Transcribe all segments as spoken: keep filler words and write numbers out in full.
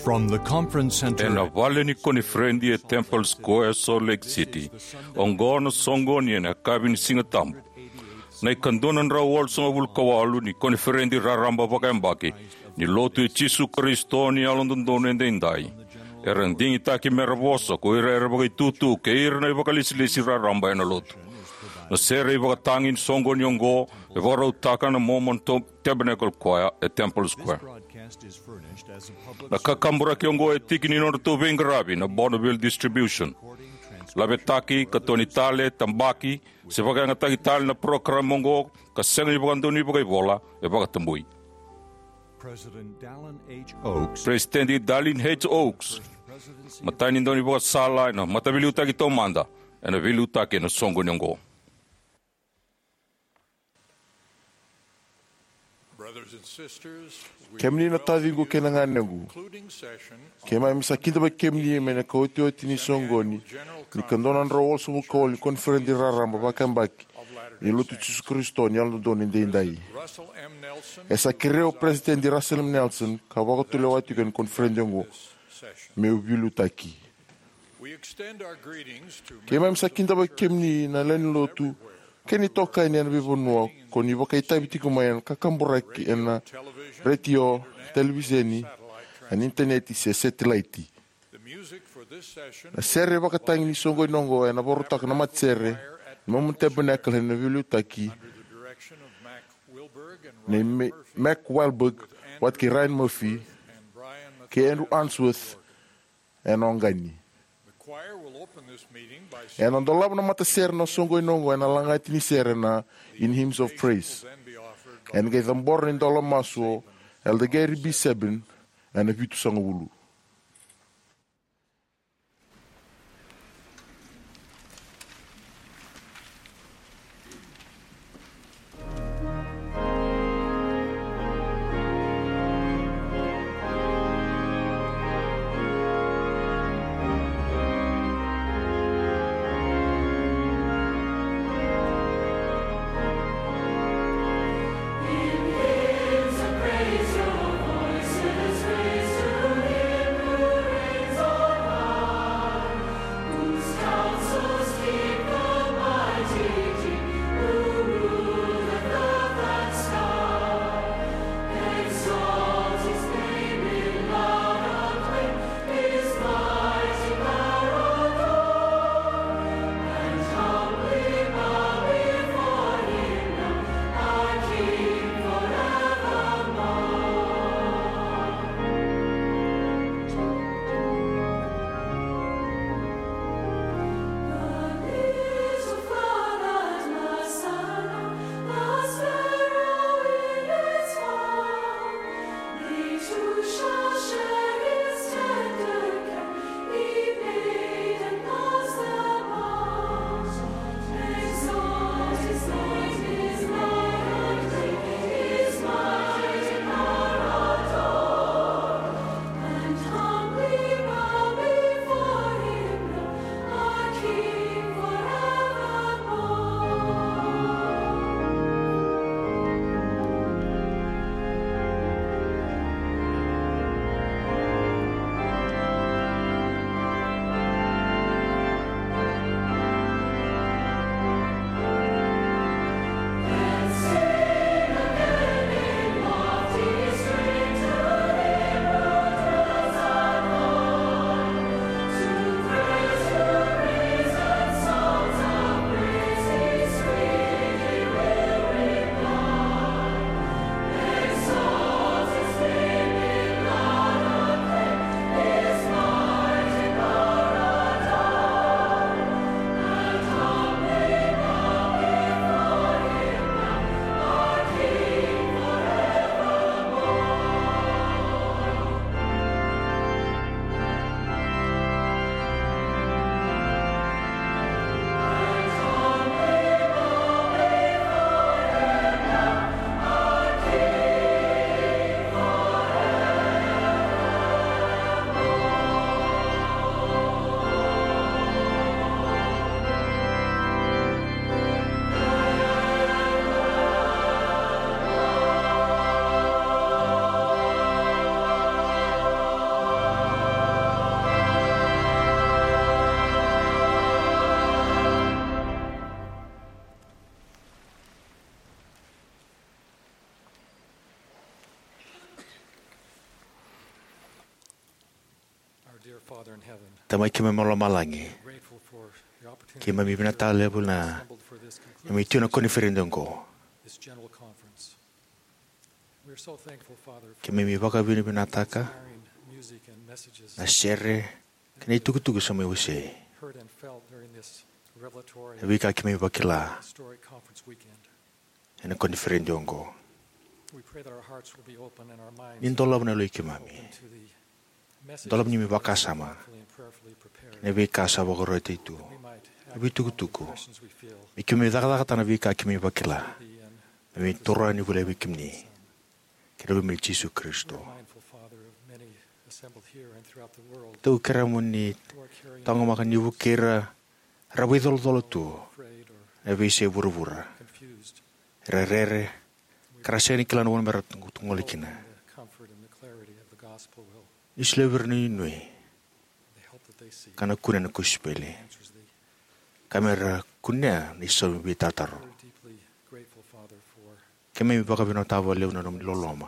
From the conference center Ena vale ni koniferedi e Temple Square, Salt Lake City, oqo na soqoni ena yakavi ni Siga Tabu, na ikadua na drau walusagavulu ka walu ni koniferedi raraba vakayabaki ni Lotu i Jisu Karisito ni Yalododonu Edaidai. Era digitaki mera vosa ko ira era vakaitutu kei ira na ivakalesilesi raraba ena Lotu. Na sere ivakatagi ni soqoni oqo e vakarautaka na Mormon To-, Tabernacle Choir e Temple Square. Na kakaburaki oqo e tiki ni nodratou veiqaravi na Bonneville Distribution. Lavetaki, katoni tale, tabaki, se vakayagataki tale na parokaramu oqo ka sega ni vakadonui vakaivola, e vakatabui. President Dallin H. Oaks, President Dallin H. Oaks, matai ni daunivakasala ena Mataveiliutaki Taumada, ena veiliutaki ena soqoni oqo. Brothers and sisters, we Kemuni na welcome taciqu you kei na to the ganequ, concluding session of keimami sa kidavaki kemuni mai na ikaotioti ni soqoni ni ikadua na drau walusagavulu ka walu ni koniferedi raraba vakayabaki ni Lotu i Jisu Karisito ni Yalododonu Edaidai. Russell M. Nelson, E sa kerei au o President Russell M. Nelson, ka vakatulewa tiko ena koniferedi oqo, meu veiliutaki. We extend our greetings to Keimami sa members of the kidavaki church kemuni na lewe ni lotu kei na itokani ena veivanua ko ni vakaitavi tiko mai ena kakaburaki ena retio, televiseni, ena initaneti se setilaiti. The music for this session Na sere vakatagi ni soqoni oqo ena vakarautaka na matasere na Mormon Tabernacle ena veiliutaki under the direction of Mac Wilberg and nei Ryan Me-, Murphy, Mac Wilberg, with Andrew vata kei Ryan Murphy, Unsworth and Brian kei Andrew Matthias Unsworth, ena oqani. The choir will open this meeting by singing Ena dolava na matasere na soqoni oqo ena lagati ni sere na In Hymns of Praise. Will then be offered by Ena qai cabora na idola masu o Elder Gary B. Sebin ena vitusagavulu. Father in heaven, Tamai keimami mai lomalagi, grateful for the opportunity keimami vinakata levu na assembled for this conclusion, neimami tu ena koniferedi oqo. This general conference. We are so thankful, Father, for Keimami vakavinavinakataka inspiring music and messages na sere kei na itukutuku sa mai wasei. Heard and felt during this revelatory Na veika keimami vakila historic conference weekend. Ena koniferedi oqo. We pray that our hearts will be open and our minds Ni dolava na yaloi keimami. Open to the message Dolava ni neimami vakasama faithfully and prayerfully prepared. Na veika sa vakaroti tu. We might Na veitukutuku. Questions we feel Me keimami cakacakataka na veika keimami vakila. Be in Me toro yani voli vei kemuni. Kei na luve i Jisu Karisito. We're mindful, Father, of many assembled here and throughout the world Tou kerea mo ni who are carrying taqomaka ni vukei ira era veicolacola tu afraid or na veiyasai vuravura. Confused. Era rere, ka ra sega ni kila na vanua me ra tu- tu gole kina. The comfort and the clarity of the gospel will Ni solia vei ira na inuinui the help that they seek. Ka na kunea na kosipeli. Answers the Ka me ra kunea na isau ni veitataro. We're deeply grateful, Father, for Keimami vakavinavinakataka vakalevu na nomuni loloma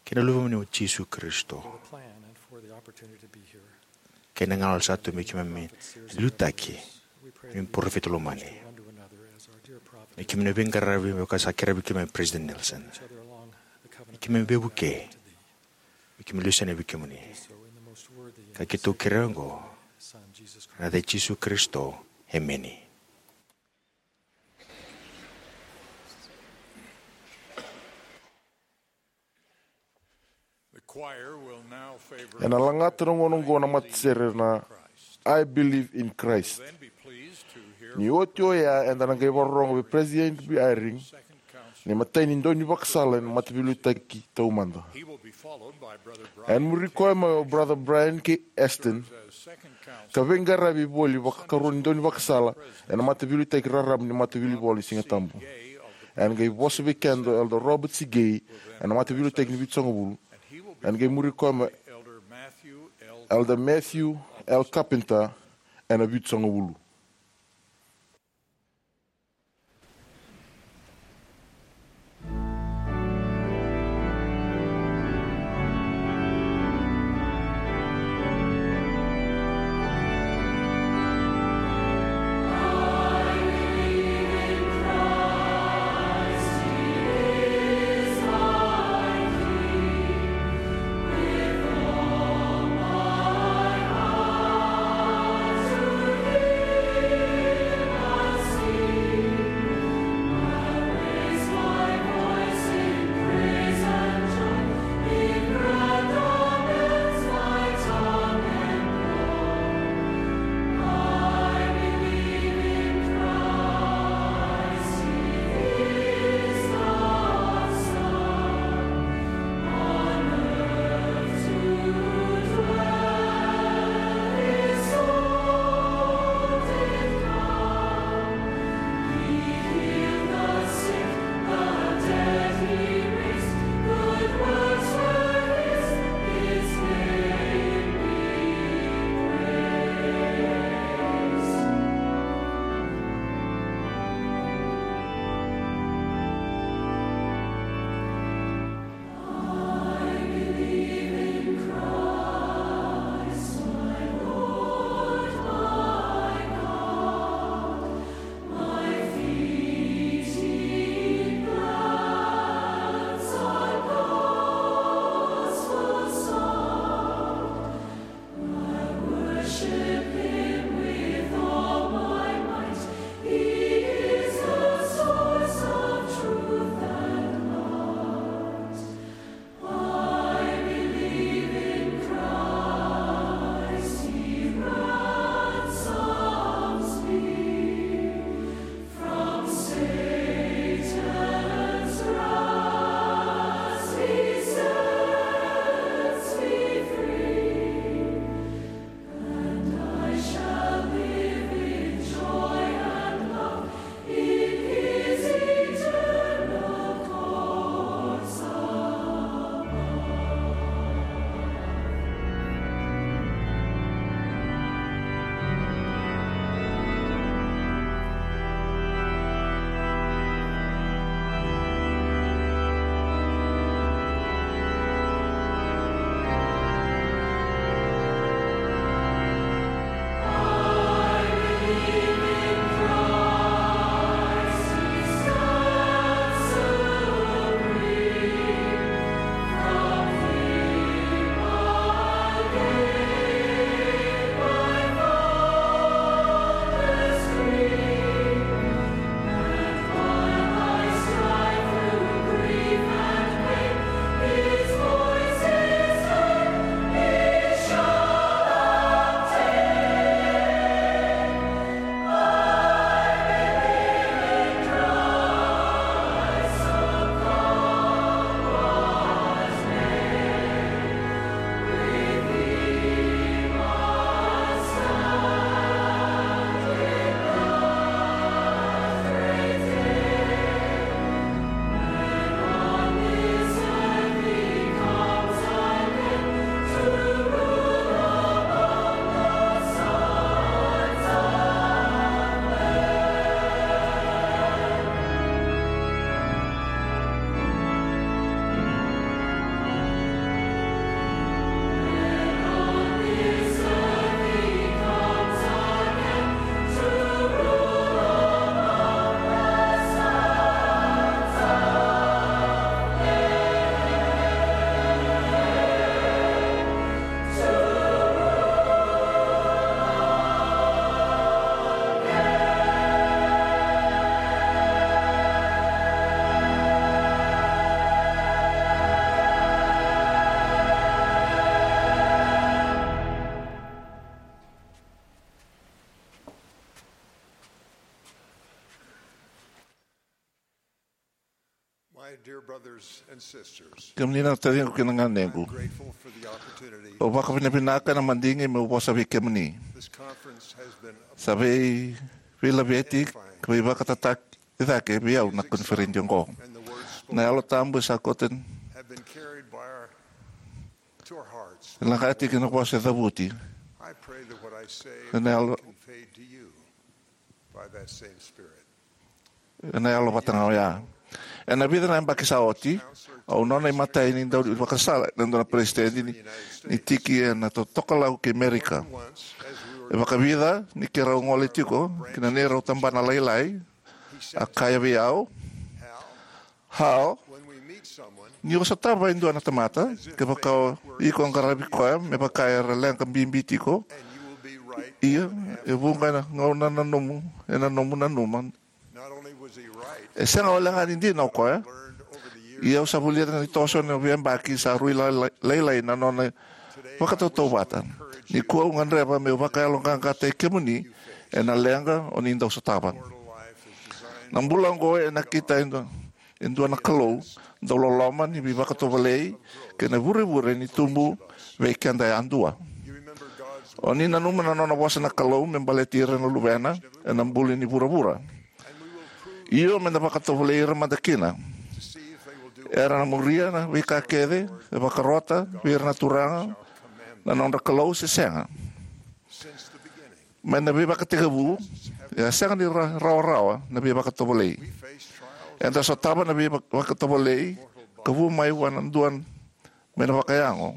kei na Luvemuni o Jisu Karisito. For the plan and for the opportunity to be here. Kei na gauna sa tu me keimami liutaki. We pray Ni that parofita lomani. One to another as our dear prophet. Me keimami na veiqaravi me vaka sa kerea vei keimami President Nelson. Each other along the covenant Me keimami veivuke. To thee. Me keimami lesu yani vei kemuni. So in the most worthy and Ka keitou kerea oqo. Son, Jesus Christ. Na yaca i Jisu Karisito. Emeni. The choir will now favor Ena lagata na gauna oqo na matasere na I Believe in Christ. Then be pleased to hear Ni oti oya eda na qai vakarorogo vei President Henry B. Eyring, second counselor. Na imatai ni daunivakasala ena Mataveiliutaki Taumada. He will be followed by Brother Ena muri koya mai o Brother Brian K. Easton, as second counselor. Ka veiqaravi voli vakakarua ni daunivakasala ena Mataveiliutaki Raraba ni Mataveilivola ni Sigatabu. Ena qai vosa vei keda o Elder Robert C. Gay ena Mataveiliutaki ni Vitusagavulu. Ena qai muri koya mai Elder Matthew L. Elder Matthew L. Carpenter ena Vitusagavulu. Kemuni na taciqu kei na ganequ, au vakavinavinaka na madigi meu vosa vei kemuni. Sa vei veilaveti ka veivakatataki cake vei au na koniferedi oqo. Na Yalo Tabu e sa koto e lagati ki na vosa e cavuti ena yalo, ena yalo vata ga oya. Ena vica na yabaki sa oti, au nona imatai ni dau vakasala ena dua na peresitedi ni, ni tiki ena totokalau kei Merika. E vakavica ni keirau gole tiko ki na neirau tabana lailai, a kaya vei au, Hal, ni o sotava e dua na tamata, kevaka o iko qaravi koya me vaka era leqa bibi tiko, ia e vuqa na gauna na nomu, ena nomu nanuma. E sega walega ni dina o koya, ia au sa vulica ni toso na veiyabaki sa rui la-, la-, lailai na nona vakatautauvata. Nikua au gadreva meu vakayaloqaqataki kemuni ena leqa o ni dau sotava. Na bula oqo e nakita e dua, e dua na Kalou dau loloma ni veivakatovolei kei na vurevure ni tubu vei keda yadua. O ni nanuma na nona vosa na Kalou me baleti ira na luvena ena buli ni vuravura. Io, meda vakatovolei ira mada kina. Era na muria na veika kece e vakarota vei ira na Turaga na nodra Kalou se sega. Mai na veivakatekivu, e a sega ni ra-, rawarawa na veivakatovolei. Eda sotava na veivakatovolei ka vu mai vua na dua mai na vakayago.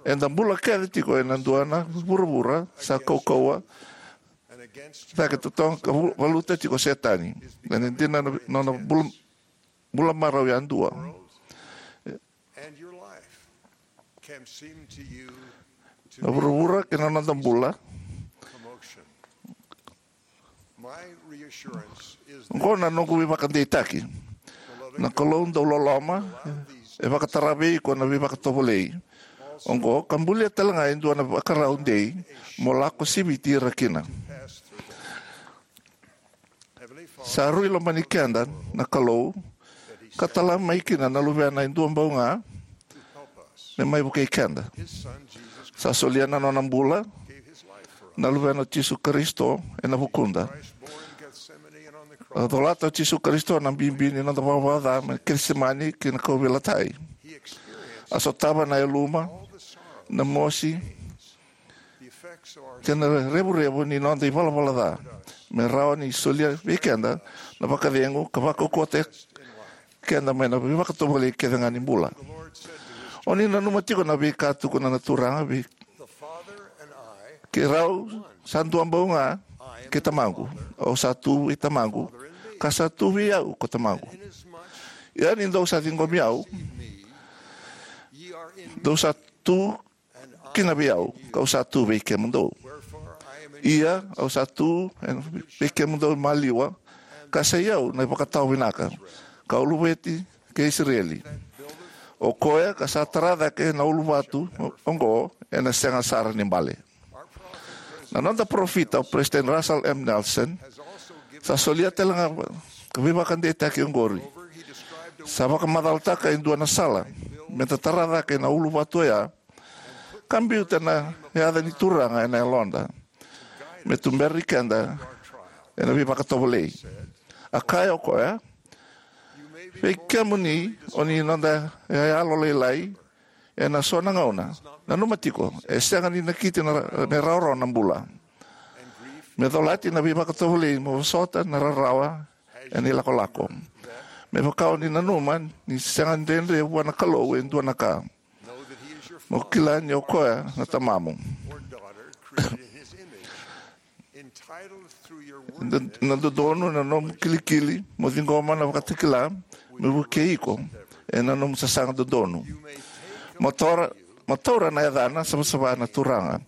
Eda bula kece tiko ena dua na vuravura sa kaukauwa cake totoka ka vu-, valuta tiko o Setani. Ena dina na nona bula, bula marau yadua. Na vuravura kei na noda bula. Oqo na noqu veivakadeitaki. Na Kalou dau loloma e vakatara vei iko na veivakatovolei oqo ka bulia tale ga e dua na vakarau dei mo lako siviti ira kina. Sa rui lomani keda na Kalou ka tala mai kina na Luvena e dua bau ga me mai vukei keda. Sa solia na nona bula na Luvena o Jisu Karisito ena vukuda. A colata o Jisu Karisito na bibi ni noda vakavakaca mai Kecisemani ki na kauveilatai. A sotava na yaluma, na mosi, kei na revurevu ni noda ivalavala ca, me rawa ni solia vei keda na vakacegu ka vakaukauwataki keda mai na veivakatovolei kece ga ni bula. O ni nanuma tiko na veika tukuna na Turaga vei keirau, sa dua bau ga kei Tamaqu. Au sa tu vei Tamaqu, ka sa tu vei au ko Tamaqu. Ia ni dou sa ciqomi au, dou sa tu kina vei au, kau sa tu vei kemudou. Ia au sa tu vei kemudou maliwa, ka sa i au na ivakatawa vinaka, ka uluveti kei Isireli. O koya ka sa tara cake na uluvatu oqo ena sega sara ni bale. Na noda parofita o President Russell M. Nelson sa solia tale ga ka veivakadeitaki oqori. Sa vakamacalataka e dua na sala meda tara cake na uluvatu oya ka biuta na yaca ni Turaga ena yaloda me tuberi keda ena veivakatovolei. A kaya o koya, vei kemuni o ni noda yayalo lailai ena so na gauna, nanuma tiko, e sega ni nakiti na ra-, me rawarawa na bula. Me colati na veivakatovolei mo vosota na rarawa ena ilakolako. Me vaka o ni nanuma ni sega ni dredre vua na Kalou e dua na ka. Mo kila ni o koya na tamamu. Na, na dodonu na nomu kilikili mo ciqoma na vakatakila me vukei iko ena nomu sasaga dodonu. Mo taura, mo taura na yacana savasava na Turaga.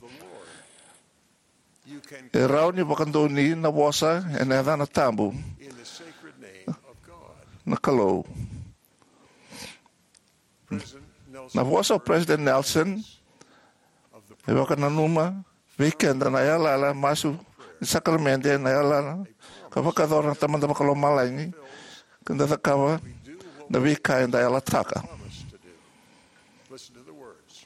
E rawa ni vakadonui na vosa ena yacana tabu na Kalou. Na vosa o President Nelson e vakananuma vei keda na yalayala masu ni sakaramede, na yalayala ka vakayacora na Tamada Vakalomalagi, ka da cakava na veika eda yalataka. Listen to the words.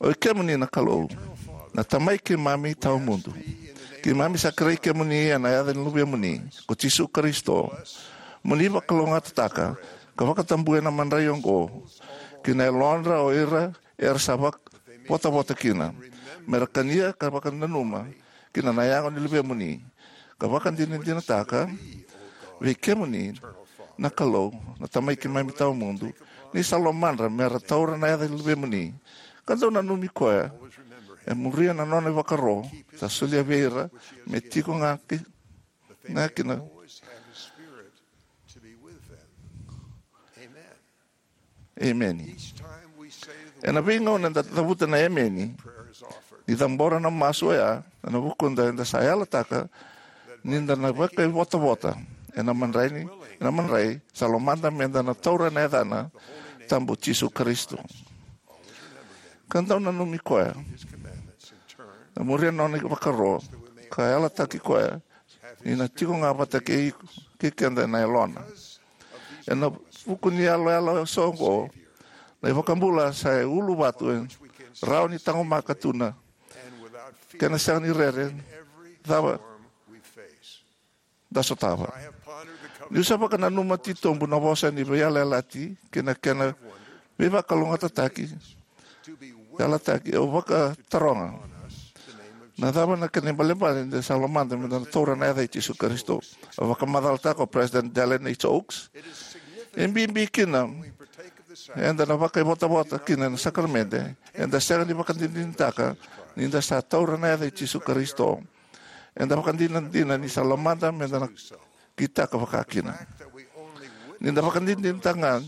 O i kemuni na Kalou, na Tamai keimami tawamudu. Keimami sa kerei kemuni ena yaca ni Luvemuni, ko Jisu Karisito. Mo ni vakalougatataka ka vakatabui na madrai oqo ki na yalodra o ira era sa vak- votavota kina, me ra kania ka vakananuma kina na yago ni Luvemuni, ka vakadinadinataka vei kemuni na Kalou, na Tamai keimami tawamudu, ni sa lomadra me ra taura na yaca ni Luvemuni, ka dau nanumi koya, e muria na nona ivakaro sa solia vei ira me tiko ga ki, ga kina. Emeni. Ena veigauna eda cavuta na emeni ni cabora na masu oya ena vukuda, eda sa yalataka ni da na vakaivotavota ena madrai ni, ena madrai sa lomada me da na taura na yacana tabu Jisu Karisito, ka dau nanumi koya, na muria na nona ivakaro, ka yalataki koya ni na tiko ga vata kei, kei keda na yalona. Ena vuku ni yaloyalo eso oqo, na iVakabula sa e uluvatu e rawa ni taqomaka tu na kena sega ni rere cava da sotava. Niu sa vakananuma titobu na vosa ni veiyalayalati kei na kena veivakalougatataki, yalataki, au vakataroga, na cava na kena ibalebale ni da sa lomada me da na taura na yaca i Jisu Karisito? A vakamacalataka o President Dallin H. Oaks, e bibi kina eda na vakaivotavota kina na sakaramede, eda sega ni vakadinadinataka ni da sa taura na yaca i Jisu Karisito. Eda vakadinadina ni sa lomada me da na kitaka vakakina. Ni da vakadinadinataka ga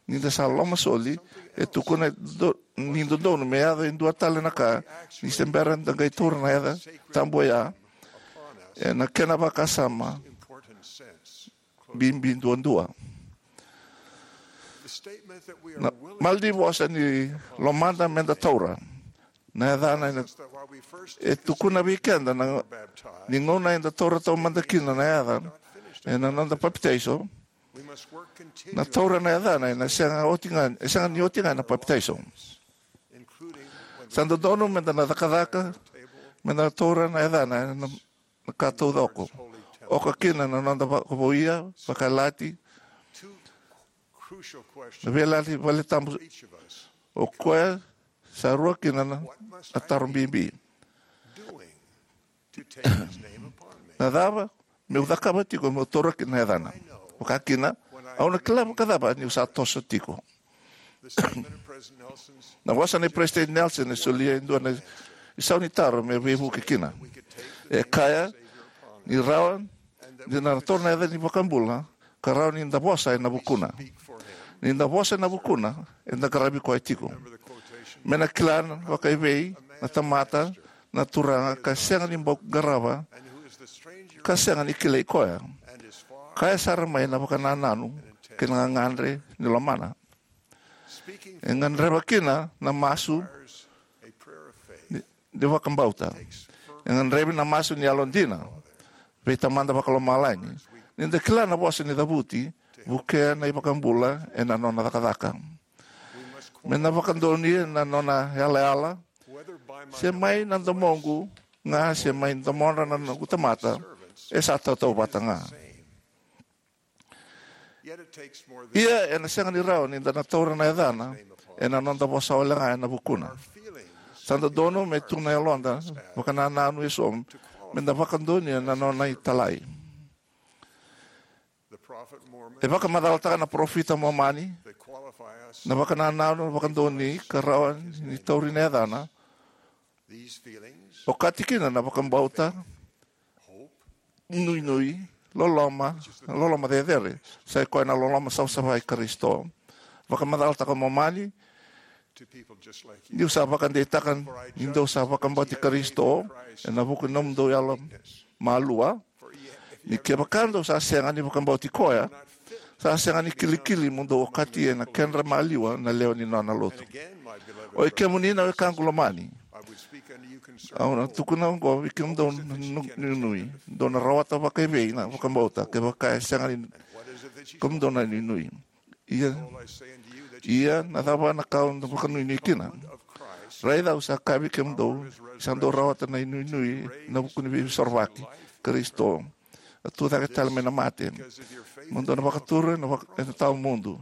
ni da sa lomasoli, e tukuna do, ni dodonu me yaco e dua tale na ka, ni se bera da qai taura na yaca tabu oya ena kena vakasama bibi duadua. Na mala ni vosa ni lomada me da taura na yacana ena, e tukuna vei keda na, ni gauna eda taura taumada kina na yaca ena noda papitaiso, na taura na yacana ena sega oti ga, e sega ni oti ga na papitaiso. Sa dodonu me da na cakacaka me da taura na yacana ena na ka taucoko, oka kina na noda vakavouya, vakayalataki, na veiyalayalati valetabu, o koya sa rua kina na, na taro bibi. Na cava meu cakava tiko meu taura kina na yacana? Vakakina, au na kila vakacava niu sa toso tiko? Na vosa nei President Nelson e solia e dua na isau ni taro me veivuke kina. E kaya ni rawa ni da na taura na yaca ni iVakabula, ka rawa ni da vosa ena vukuna. Ni da vosa ena vukuna, eda qaravi koya tiko. Me na kila vakaevei na tamata na Turaga ka sega ni bau qarava, ka sega ni kilai koya, kaya sara mai na vakanananu kei na gagadre ni lomana. E gadreva kina na masu ni, ni vakabauta. E gadrevi na masu ni yalodina vei Tamada Vakalomalagi, ni da kila na vosa ni cavuti, vukea na iVakabula ena nona cakacaka. Me na vakadonuya na nona yalayala, se mai na domoqu ga se mai domodra na noqu tamata, e sa tautauvata ga. Ia ena sega ni rawa ni da na taura na yacana ena noda vosa wale ga ena vukuna. Sa dodonu me tu na yaloda vakanananu eso me da vakadonuya na nona italai. E vakamacalataka na parofita Momani na vakanananu, vakadonui ka rawa ni tauri na yacana, okati kina na vakabauta, nuinui, loloma, loloma cecere, sa i koya na loloma savasava i Karisito. Vakamacalataka o Momani, niu sa vakadeitaka ni dou sa vakabauti Karisito ena vuku ni nomudou yalo malua, ni kevaka dou sa sega ni vakabauti koya, sa sega ni kilikili mo dou okati ena kedra maliwa na lewe ni nona lotu. Oi kemuni na wekaqu lomani, au na tukuna oqo vei kemudou na nu-, nuinui, dou na rawata vakaevei na vakabauta kevaka e sega ni kemudou na inuinui. Ia, ia na cava na ka au na vakanuinui kina? Raica, au sa kaya vei kemudou, sa dou rawata na inuinui ena vuku ni Veisorovaki, Karisito a tu cake tale mai na mate. Mo dou na vakatura ena vaka-, ena tawa mudu.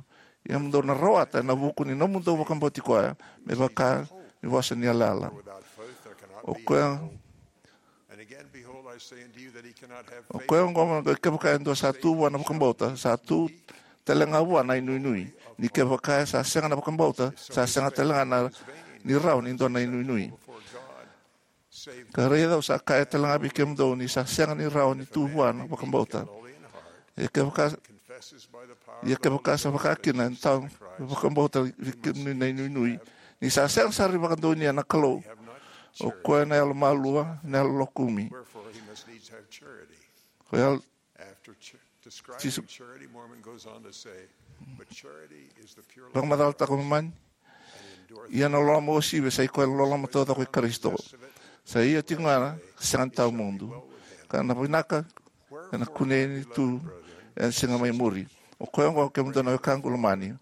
Ia mo dou na rawata ena vuku ni nomudou vakabauti koya, me vaka ni vosa ni yalayala. O koya, o koya oqo, kevaka e dua sa tu vua na vakabauta, sa tu tale ga vua na inuinui. Ni kevaka sa sega na vakabauta, sa sega tale ga na, ni rawa ni dua na inuinui. Ka raica, au sa kaya tale ga vei kemudou, ni sa sega ni rawa ni tu vua na vakabauta. Ia kevaka, ia kevaka sa vaka kina e dua na vakabauta vei kemuni na inuinui, ni sa sega sara ni vakadonuya na Kalou. O koya na yalomalua, na yalolokumi. Ko yalo, Jisu, vakamacalataka Momani. Ia na loloma uasivi sa i koya na loloma taucoko i Karisito. Sa ia tiko ga na sega ni tawa mudu. Ka na vinaka ena kunei ni tu ena siga mai muri. O koya oqo, kemudou na wekaqu lomani,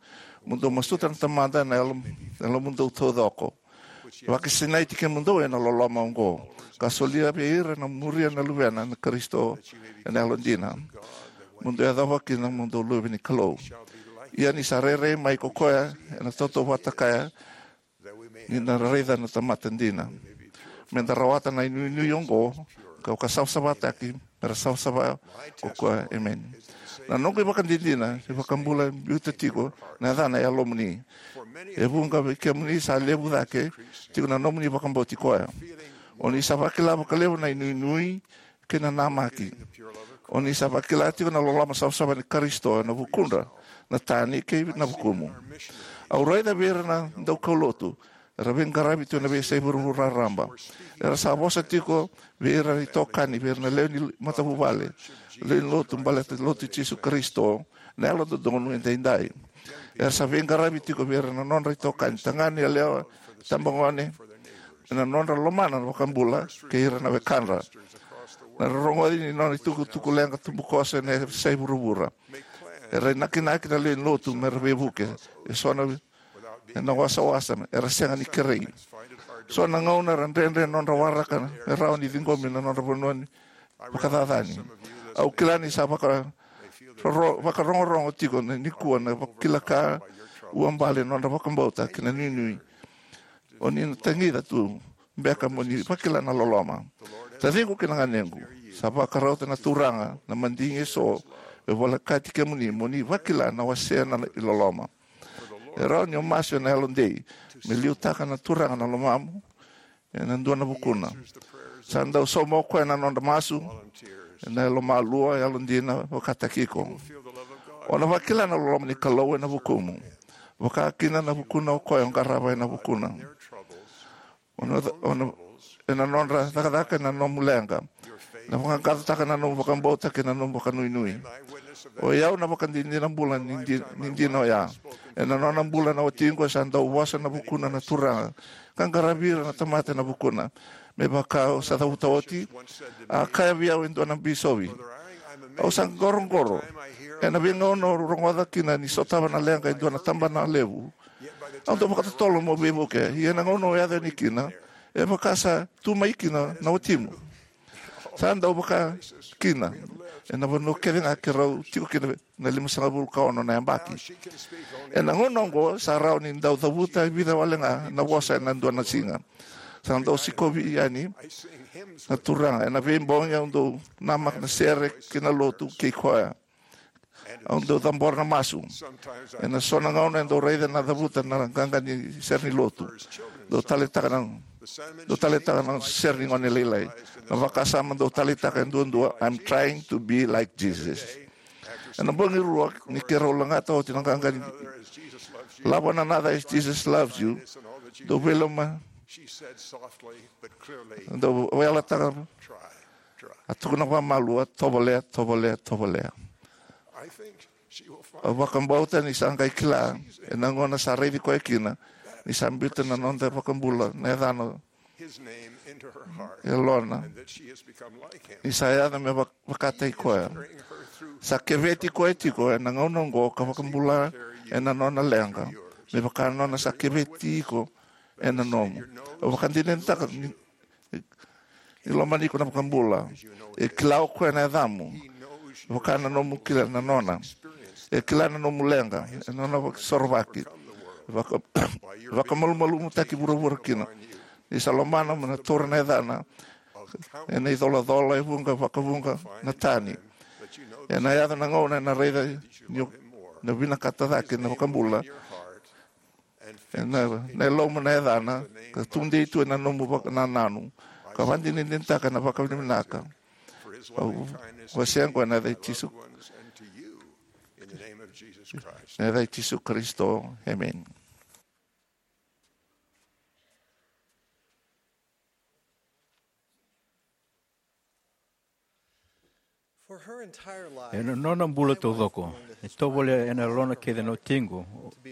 mo dou masuta na Tamada ena yalo, yalomudou taucoko. Vakasinaiti kemudou ena loloma oqo, ka solia vei ira na muria na Luvena na Karisito ena yalodina. Mo dou yacova kina mo dou luve ni Kalou. Ia ni sa rairai mai ko koya ena tautauvata kaya, ni na raica na tamata dina. Me da rawata na inuinui oqo, ka vakasavasavataki, me ra savasava ko koya. Emeni. Na noqu ivakadinadina, iVakabula e biuta tiko na yacana e yalomuni. E vuqa vei kemuni sa levu cake tiko na nomuni vakabauti koya. O ni sa vakila vakalevu na inuinui kei na namaki. O ni sa vakila tiko na loloma savasava ni Karisito ena vukudra, na tani kei na vukumu. Au raica vei ira na daukaulotu era veiqaravi tu ena veiyasai vuravura raraba. Era sa vosa tiko vei ira na itokani, vei ira na lewe ni matavuvale, lewe ni lotu, baleta ni Lotu i Jisu Karisito na Yalododonu Edaidai. Era sa veiqaravi tiko vei ira na nodra itokani, tagane, yalewa, tabagone, ena nodra lomana na iVakabula kei ira na wekadra. Na rorogoci ni nona itukutuku leqa tubukoso ena veiyasai vuravura. Era inakinaki na lewe ni lotu me ra veivuke. E so na ena wasawasa, era sega ni kerei. So na gauna era dredre na nodra waraka me rawa ni ciqomi na nodra vanua ni vakacacani. Au kila ni sa vaka, roro, vakarogorogo tiko na nikua na vakila ka uabale na nodra vakabauta kei na inuinui. O ni na tagica tu beka mo ni vakila na loloma. Taciqu kei na ganequ, sa vakarauta na Turaga na madigi eso me volekati kemuni mo ni vakila na wasea na iloloma. E rawa ni o masu ena yalodei me liutaka na Turaga na lomamu ena dua na vukuna. Sa dau sauma o koya na nodra masu ena yalomalua, yalodina, vakataki iko. O na vakila na loloma ni Kalou ena vukumu, vaka kina na vukuna o koya o qarava ena vukuna. O na, o na, ena nodra cakacaka ena nomu leqa, na vaqaqacotaka na nomu vakabauta kei na nomu vakanuinui. O i au na vakadinadina bula ni di-, ni dina oya. Ena nona bula na watiqu, sa dau vosa ena vukuna na Turaga ka qaravi ira na tamata ena vukuna. Me vaka au sa cavuta oti, a kaya vei au e dua na bisovi, au sa qoroqoro ena veigauna au rogoca kina ni sotava na leqa e dua na tabana levu. Au dau vakatotolo meu veivuke, ia na gauna au yaco yani kina, e vaka sa tu mai kina na watimu. Sa dau vaka kina ena vanua kece ga keirau tiko kina na limasagavulu ka ono na yabaki. Ena gauna oqo sa rawa ni dau cavuta e vica wale ga na vosa ena dua na siga. Sa dau sikovi yani na Turaga ena veibogi, au dau namaka na sere kei na lotu kei koya. Au dau cabora na masu. Ena so na gauna e dau raica na cavuta na qaqa ni sere ni lotu. Dau taleitaka na, dau taleitaka na sere ni gone lailai. Na vakasama dau taleitaka e duadua, "I'm trying to be like Jesus." Ena bogi rua ni keirau lagata oti na qaqa ni "Love one another as Jesus loves you," dau veiloma, dau veiyalataka, a tukuna vakamalua, "Tovolea, tovolea, tovolea." Au vakabauta ni sa qai kila ena gauna sa raici koya kina ni sa biuta na noda iVakabula na yacana e yalona, ni sa yaco me vak-, vakataki koya. Sa keveti koya tiko ena gauna oqo ka vakabula ena nona leqa, me vaka nona sa keveti iko ena nomu. Au vakadinadinataka ni, ni lomani iko na vakabula. E kila o koya na yacamu, vaka na nomu kila na nona. E kila na nomu leqa, e nona vakasorovaki. Vaka, vakamalumalumutaki vuravura kina. Ni sa lomana mo na taura na yacana, ena icolacola e vuqa vakavuqa na tani. Ena yaco na gauna ena raica ni o na vinakata cake na vakabula. Ena, na yalomu na yacana, ka tudei tu ena nomu vakanananu, ka vakadinadinataka na vakavinavinaka. Au wasea oqo ena yaca i Jisu, na yaca i Jisu Karisito. Emeni. Ena nona bula taucoko, e tovolea ena yalona kece na watiqu,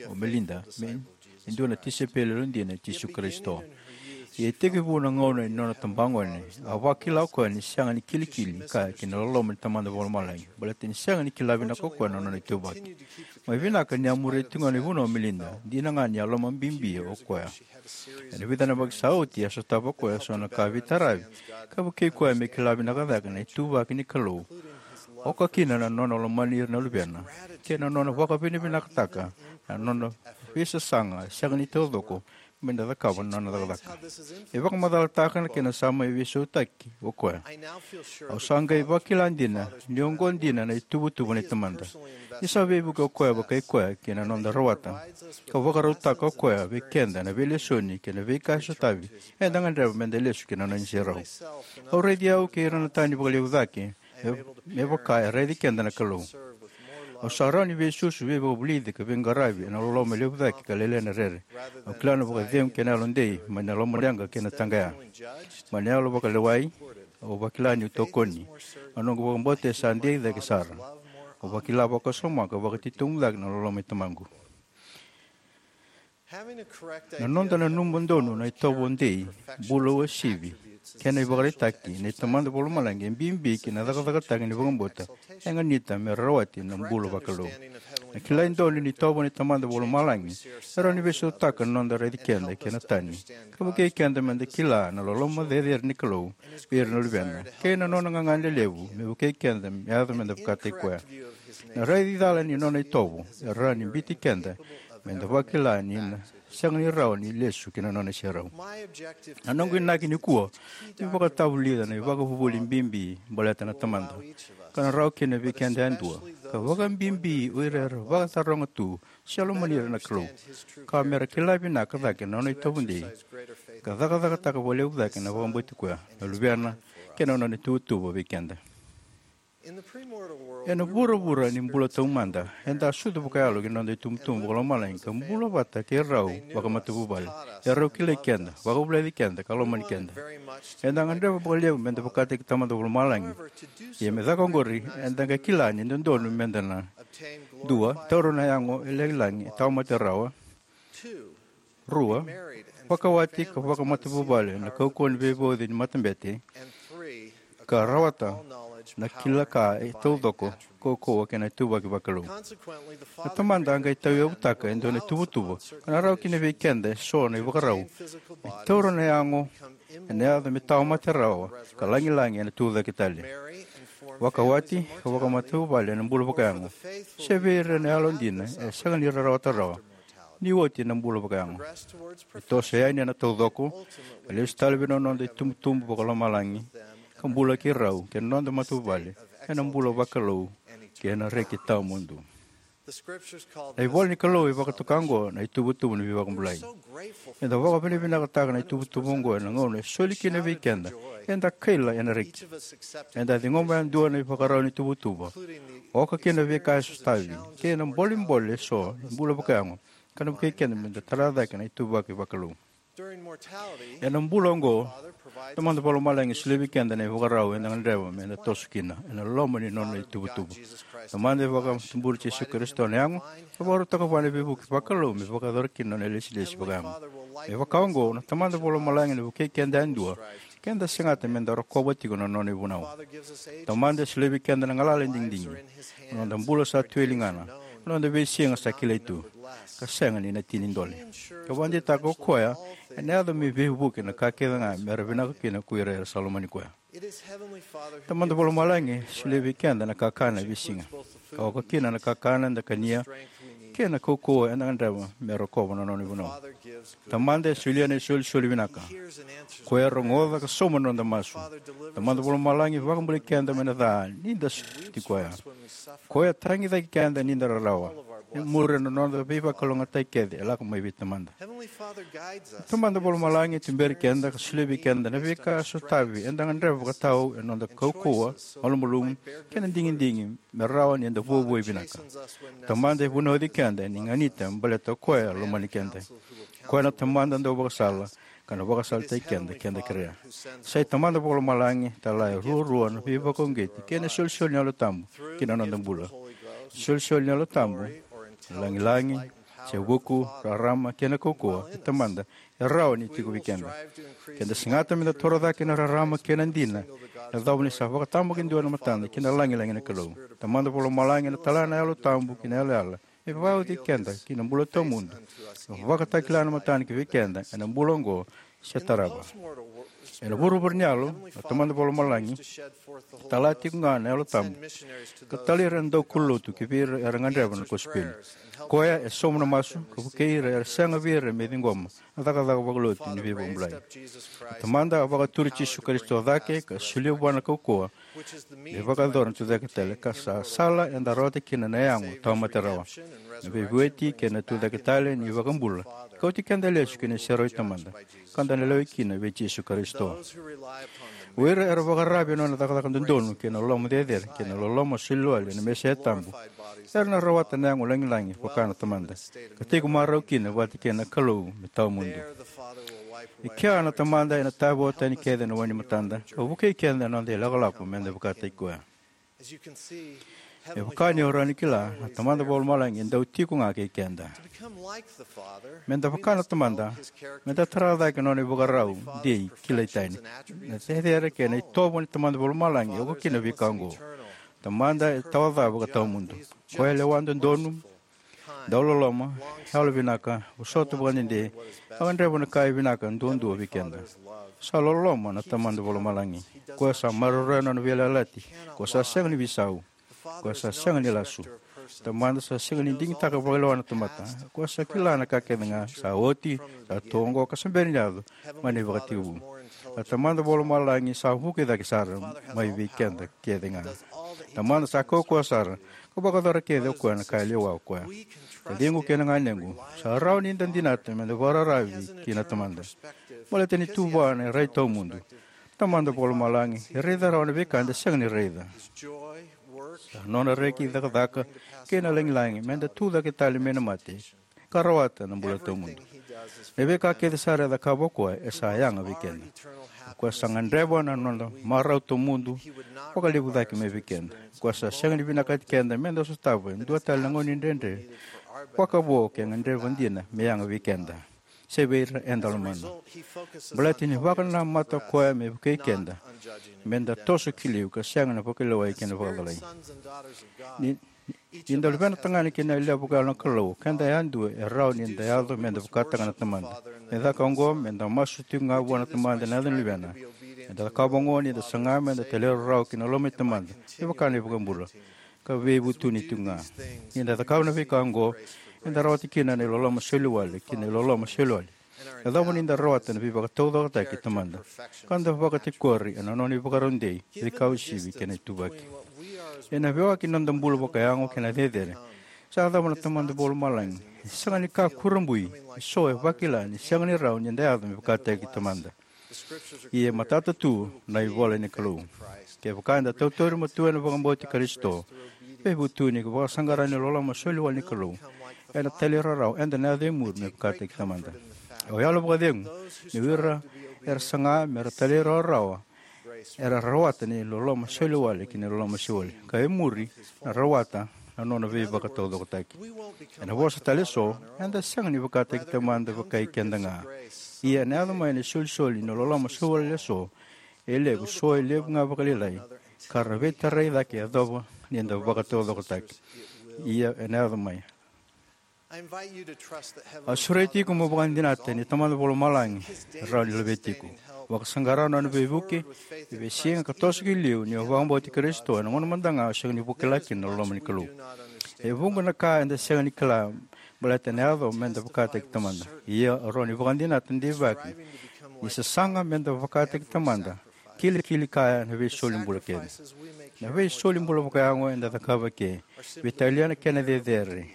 o Melinda, me e dua na tisaipeli yalodina i Jisu Karisito. Ia e tekivu na gauna ni nona tabagone, a vakila o koya ni sega ni kilikili kaya ki na loloma ni Tamada Vakalomalagi, baleta ni sega ni kila vinaka o koya na nona ituvaki. Mai vinaka ni a muria tiko ga na ivunau o Melinda, dina ga ni a lomabibi o koya. Ena vica na yabaki sa oti, a sotava o koya eso na ka veitaravi ka vukei koya me kila vinaka cake na ituvaki ni Kalou, oka kina na nona lomani ira na luvena kei na nona vakavinavinakataka na nona veisasaga sega ni taucoko me da cakava na nona cakacaka. E vakamacalataka na kena sa mai veisautaki o koya. Au sa qai vakila dina ni oqo dina na ituvatuva ni Tamada. Ni sa veivuke o koya vakai koya kei na noda rawata ka vakarautaka o koya vei keda na veilesoni kei na veika e sotavi, eda gadreva me da lesu ki na nona iserau. Au raici au kei ira na tani vakalevu cake me, me vaka e raici keda na Kalou. Au sa rawa ni veisusu, veivakavulici ka veiqaravi ena loloma levu cake ka lailai na rere. Au kila na vakacegu kei na yalodei mai na lomaleqa kei na taqaya. Mai na yalo vakalewai, au vakila niu tokoni. A noqu vakabauta e sa dei cake sara. Au vakila vakasoma ka vakatitobu cake na loloma i Tamaqu. Na noda nanuma donu na itovo dei, bula uasivi, kei na ivakaraitaki ni Tamada Vakalomalagi e bibi ki na cakacakataki ni vakabauta e ganita me rawati na bula vakalou. Na kilai donu ni itovo ni Tamada Vakalomalagi e rawa ni veisautaka na noda raici keda kei na tani, ka vukei keda me da kila na loloma cecere ni Kalou vei ira na luvena, kei na nona gagadre levu me vukei keda me yaco me da vakataki koya. Na raici cala ni nona itovo e rawa ni biuti keda me da vakila ni na sega ni rawa ni lesu ki na nona iserau. Na noqu inaki nikua me vakatavulica na ivakavuvuli bibi baleta na Tamada, ka na rawa kina vei keda yadua, ka vakabibi o ira era vakataroga tu se lomani ira na Kalou, ka me ra kila vinaka cake na nona itovo dei, ka cakacakataka vakalevu cake na vakabauti koya na luvena kei na nona ituvatuva vei keda. Ena vuravura ni bula taumada, eda a sucu vakayalo ki na noda itubutubu vakalomalagi ka bula vata kei rau vakamatavuvale. E rau kilai keda, vakavulici keda, ka lomani keda. Eda gadreva vakalevu me da vakataki Tamada Vakalomalagi. Ia me caka oqori, eda qai kila ni dodonu me da na: dua, taura na yago e lagilagi e tawamate rawa. Rua, vakawati ka vakamatavuvale ena kaukauwa ni veivauci ni matabete, ka rawata na kila ka e taucoko, kaukauwa kei na ituvaki vakalou. Na Tamada a qai tauyavutaka e dua na ituvatuva ka na rawa kina vei keda eso na ivakarau. Me taura na yago ena yaco me tawamate rawa, ka lagilagi ena tucake tale. Vakawati ka vakamatavuvale ena bula vakayago, se vei ira na yalodina e sega ni ra rawata rawa ni oti na bula vakayago. E toso yani ena taucoko, ka lesu tale vei na noda itubutubu vakalomalagi, ka bula kei rau kei na noda matavuvale ena bula vakalou kei na reki tawamudu. Na ivola ni Kalou e vakatoka oqo na ituvatuva ni veivakabulai. Eda vakavinavinakataka na ituvatuva oqo ena gauna e soli kina vei keda eda kaila ena reki. Eda ciqoma yadua na ivakarau ni tuvatuva, oka kina veika e sotavi kei na bolebole eso ni bula vakayago, ka na vukei keda me da tara cake na ituvaki vakalou. Ena bula oqo, Tamada Vakalomalagi e solia vei keda na ivakarau eda gadreva me da toso kina ena loma ni nona ituvatuva. Tamada e vakatuburi Jisu Karisito na yago, ka vakarautaka vua na veivuke vakalou me vakayacora kina na nona ilesilesi vakayago. Me vaka oqo, na Tamada Vakalomalagi ena vukei keda yadua Keda segata me da rokova tiko na nona ivunau. Tamada e solia vei keda na galala e digidigi, na noda bula sa tu e ligana, na noda veisiga sa kilai tu, ka sega ni na tini dole. Ka vakadeitaka o koya ena yaco me veivuke na ka kece ga me ra vinaka kina ko ira era sa lomani koya. Tamada Vakalomalagi e solia vei keda na kakana e veisiga, ka oka kina na kakana eda kania kei na kaukauwa eda gadreva me rokova na nona ivunau. Tamada e solia na isolisoli vinaka. Koya e rogoca ka sauma na noda masu. Tamada Vakalomalagi e vakabulai keda mai na ca ni da soti koya. Koya e tagi cake keda ni da rarawa. E muri na noda veivakalougatataki kece e lako mai vei Tamada. Tamada Vakalomalagi e tuberi keda ka solia vei keda na veika e sotavi eda gadreva vakatau ena noda kaukauwa, malumalumu, kei na digidigi me rawa ni da vuavuai vinaka. Tamada e vunauci keda ni ganita baleta o koya e lomani keda. Koya na Tamada dauvakasala, ka na vakasalataki keda ke da kerea. Sa iTamada Vakalomalagi tale e ruarua na veivakauqeti kei na isolisoli ni Yalo Tabu ki na noda bula. Isolisoli ni Yalo Tabu, lagilagi, se vuku, rarama kei na kaukauwa, e Tamada, e rawa ni tiko vei keda. Ke da segata me da toro cake na rarama kei na dina, e yacova ni sa vakatabakidua na matada ki na lagilagi na Kalou. Tamada Vakalomalagi ena tala na Yalo Tabu ki na yalayala me vakayagataki keda ki na bula tawamudu, me vakatakila na matana ki vei keda ena bula oqo se tarava. Ena vuravura ni yalo, na Tamada Vakalomalagi e tala tiko ga na Yalo Tabu ka talai ira na daukaulotu ki vei ira era gadreva na kosipeli. Koya e sauma na masu ka vukei ira era sega vei ira me ciqoma na cakacaka vakalotu ni veivakabulai. Na Tamada a vakaturi Jisu Karisito cake ka solia vua na kaukauwa me vakayacora na tucake tale, ka sa sala eda rawata kina na yago tawamate rawa, na veivueti kei na tucake tale ni iVakabula, ka oti keda lesu ki na iserau i Tamada, ka da na lewai kina vei Jisu Karisito. O ira era vakararavi ena nona cakacaka dodonu kei na loloma cecere kei na loloma soliwale na Mesaia tabu, era na rawata na yago lagilagi vaka na Tamada, ka tiko marau kina vata kei na Kalou me tawamudu. I kea na Tamada ena tavoa tani kece na wai ni matada ka vukei keda ena noda ilakolako me da vakataki koya. Me vaka ni o rawa ni kila, na Tamada Vakalomalagi e dau tiko ga kei keda. Me da vaka na Tamada, me da tara cake na nona ivakarau dei kilai tani. Na cecere kei na itovo ni Tamada Vakalomalagi e oka kina na veika oqo. Tamada e tawa ca vakatawamudu. Koya e lewa dodonu, dauloloma, yalovinaka, vosota vakadede, ka gadreva na ka e vinaka duadua vei keda. Sa loloma na Tamada Vakalomalagi. Koya sa maroroya na nona veiyalayalati. Koya sa sega ni veisau. Koya sa sega ni lasu. Tamada sa sega ni digitaka vakalewa na tamata. Koya sa kila na ka kece ga sa oti, sa tu oqo ka sa bera ni yaco, mai na ivakatekivu. Na Tamada Vakalomalagi sa vuki cake sara mai vei keda kece ga. Tamada sa kaukauwa sara, ka vakayacora kece o koya na ka e lewa o koya. Taciqu kei na ganequ, sa rawa ni da dinata me da vakararavi ki na Tamada. Baleta ni tu vua na rai tawamudu. Tamada Vakalomalagi e raica rawa na veika eda sega ni raica. Sa nona reki, cakacaka, kei na lagilagi me da tu cake tale mai na mate ka rawata na bula tawamudu. Na veika kece sara e cakava o koya e sa yaga vei keda. O koya sa gadreva na nona marau tawamudu vakalevu cake mai vei keda. O koya sa sega ni vinakati keda me da sotava e dua tale na gauna ni dredre vakavo ke gadreva dina me yaga vei keda se vei ira eda lomana. Baleta ni vakanamata o koya me vukei keda me da toso ki liu ka sega na vakalewai kei na vakacalai. Ni, ni da luvena tagane kei na yalewa vakayalo na Kalou, keda yadua e rawa ni da yaco me da vakataka na Tamada. Me caka oqo, me da masu tiko ga vua na Tamada ena yaca ni Luvena. Eda cakava oqo ni da saga me da talairawarawa ki na loma i Tamada, me vaka na iVakabula, ka veivutuni tiko ga. Ni da cakava na veika oqo, eda rawata kina na iloloma soliwale ki na iloloma soliwale. Yacova ni da rawata na veivakataucokotaki i Tamada, ka da vakatikori ena nona ivakarau dei, veika uasivi kei na ituvaki. Ena veiwaki ni noda bula vakayago kei na cecere, sa yacova na Tamada Vakalomalagi e sega ni ka kurabui. Eso e vakila ni sega ni rawa ni da yaco me vakataki Tamada. Ia e matata tu na ivola ni Kalou. Kevaka eda tautauri matua ena vakabauti Karisito, veivutuni ka vakasaqara ni loloma soliwale ni Kalou, ena talairawarawa eda na yaco e muri me vakataki Tamada. Au yalo vakacegu ni o ira era saga me ra talairawarawa era rawata ni loloma soliwale ki na loloma soliwale, ka e muri na rawata na nona veivakataucokotaki. Ena vosa tale eso, eda sega ni vakataki Tamada vakai keda ga. Ia ena yaco mai na isolisoli ni loloma soliwale eso, E levu, so e levu ga vakalailai, ka ra veitarai cake yacova ni da vakataucokotaki. Ia ena yaco mai. I invite you to trust that heaven Au sureti iko mo vakadinata ni Tamada Vakalomalagi e rawa ni laveti iko. Vakasaqara na nona veivuke e veisiga ka toso ki liu ni o vakabauti Karisito ena gauna mada ga o sega ni vakila kina na loma ni Kalou. E vuqa na ka eda sega ni kila baleta na yaco meda vakataki Tamada. Ia o rawa ni vakadinata deivaki ni sasaga meda vakataki Tamada kilikili kaya na veisoli bula kece. Na veisoli bula vakayago eda cakava ke veitalia na kena cecere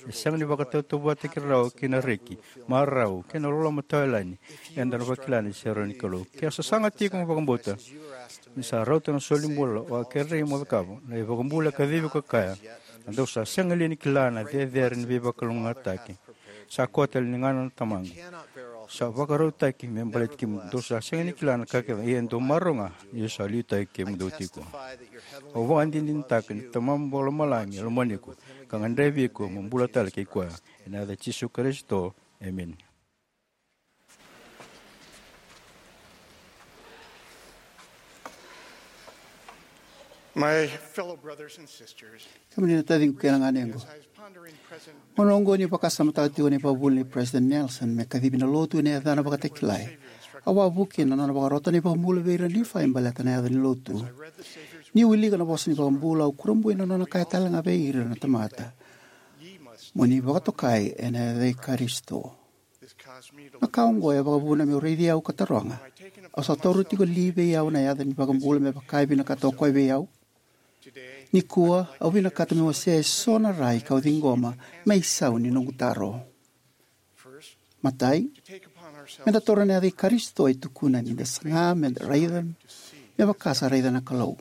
e sega ni vakatautauvatataki rawa kei na reki, marau kei na loloma tawayalani eda na vakila ni serau ni Kalou. Ke o sasaga tiko mo vakabauta ni sa rauta na soli bula o a kerei mo cakava, na iVakabula e kacivi ka kaya, a dou sa sega li ni kila na cecere ni veivakalougatataki sa koya tale ni gana na Tamaqu sa vakarautaki me baleti kemudou? Dou sa sega ni kila na ka kece, ia dou marau ga ni sa liutaki kemudou tiko. Au vakadinadinataka ni Tamamu Vakalomalagi e lomani iko ka gadrevi iko mo bula tale kei koya. Ena yaca i Jisu Karisito, emeni. My fellow brothers and sisters, kemuni na taciqu kei na ganequ, as I was pondering President gauna oqo ni vakasamataka tiko na ivakavuvuli nei President Nelson me kacivi na lotu ena yacana vakatakilai, au a vuki ena nona vakarota na iVakabula vei ira na Nifai baleta na yaca ni lotu. Ni wilika na vosa ni iVakabula, au kurabui ena nona kaya tale ga vei ira na tamata, mo ni vakatokai ena yaca i Karisito. Na ka oqo e vakavuna meu raici au ka taroga, au sa taura tiko li vei au na yaca ni iVakabula me vaka e vinakata o koya vei au? Nikua au vinakata meu wasea eso na rai kau ciqoma me isau ni noqu taro. Matai, meda taura na yaca i Karisito e tukuna ni da saga meda raica me vaka sa raica na Kalou.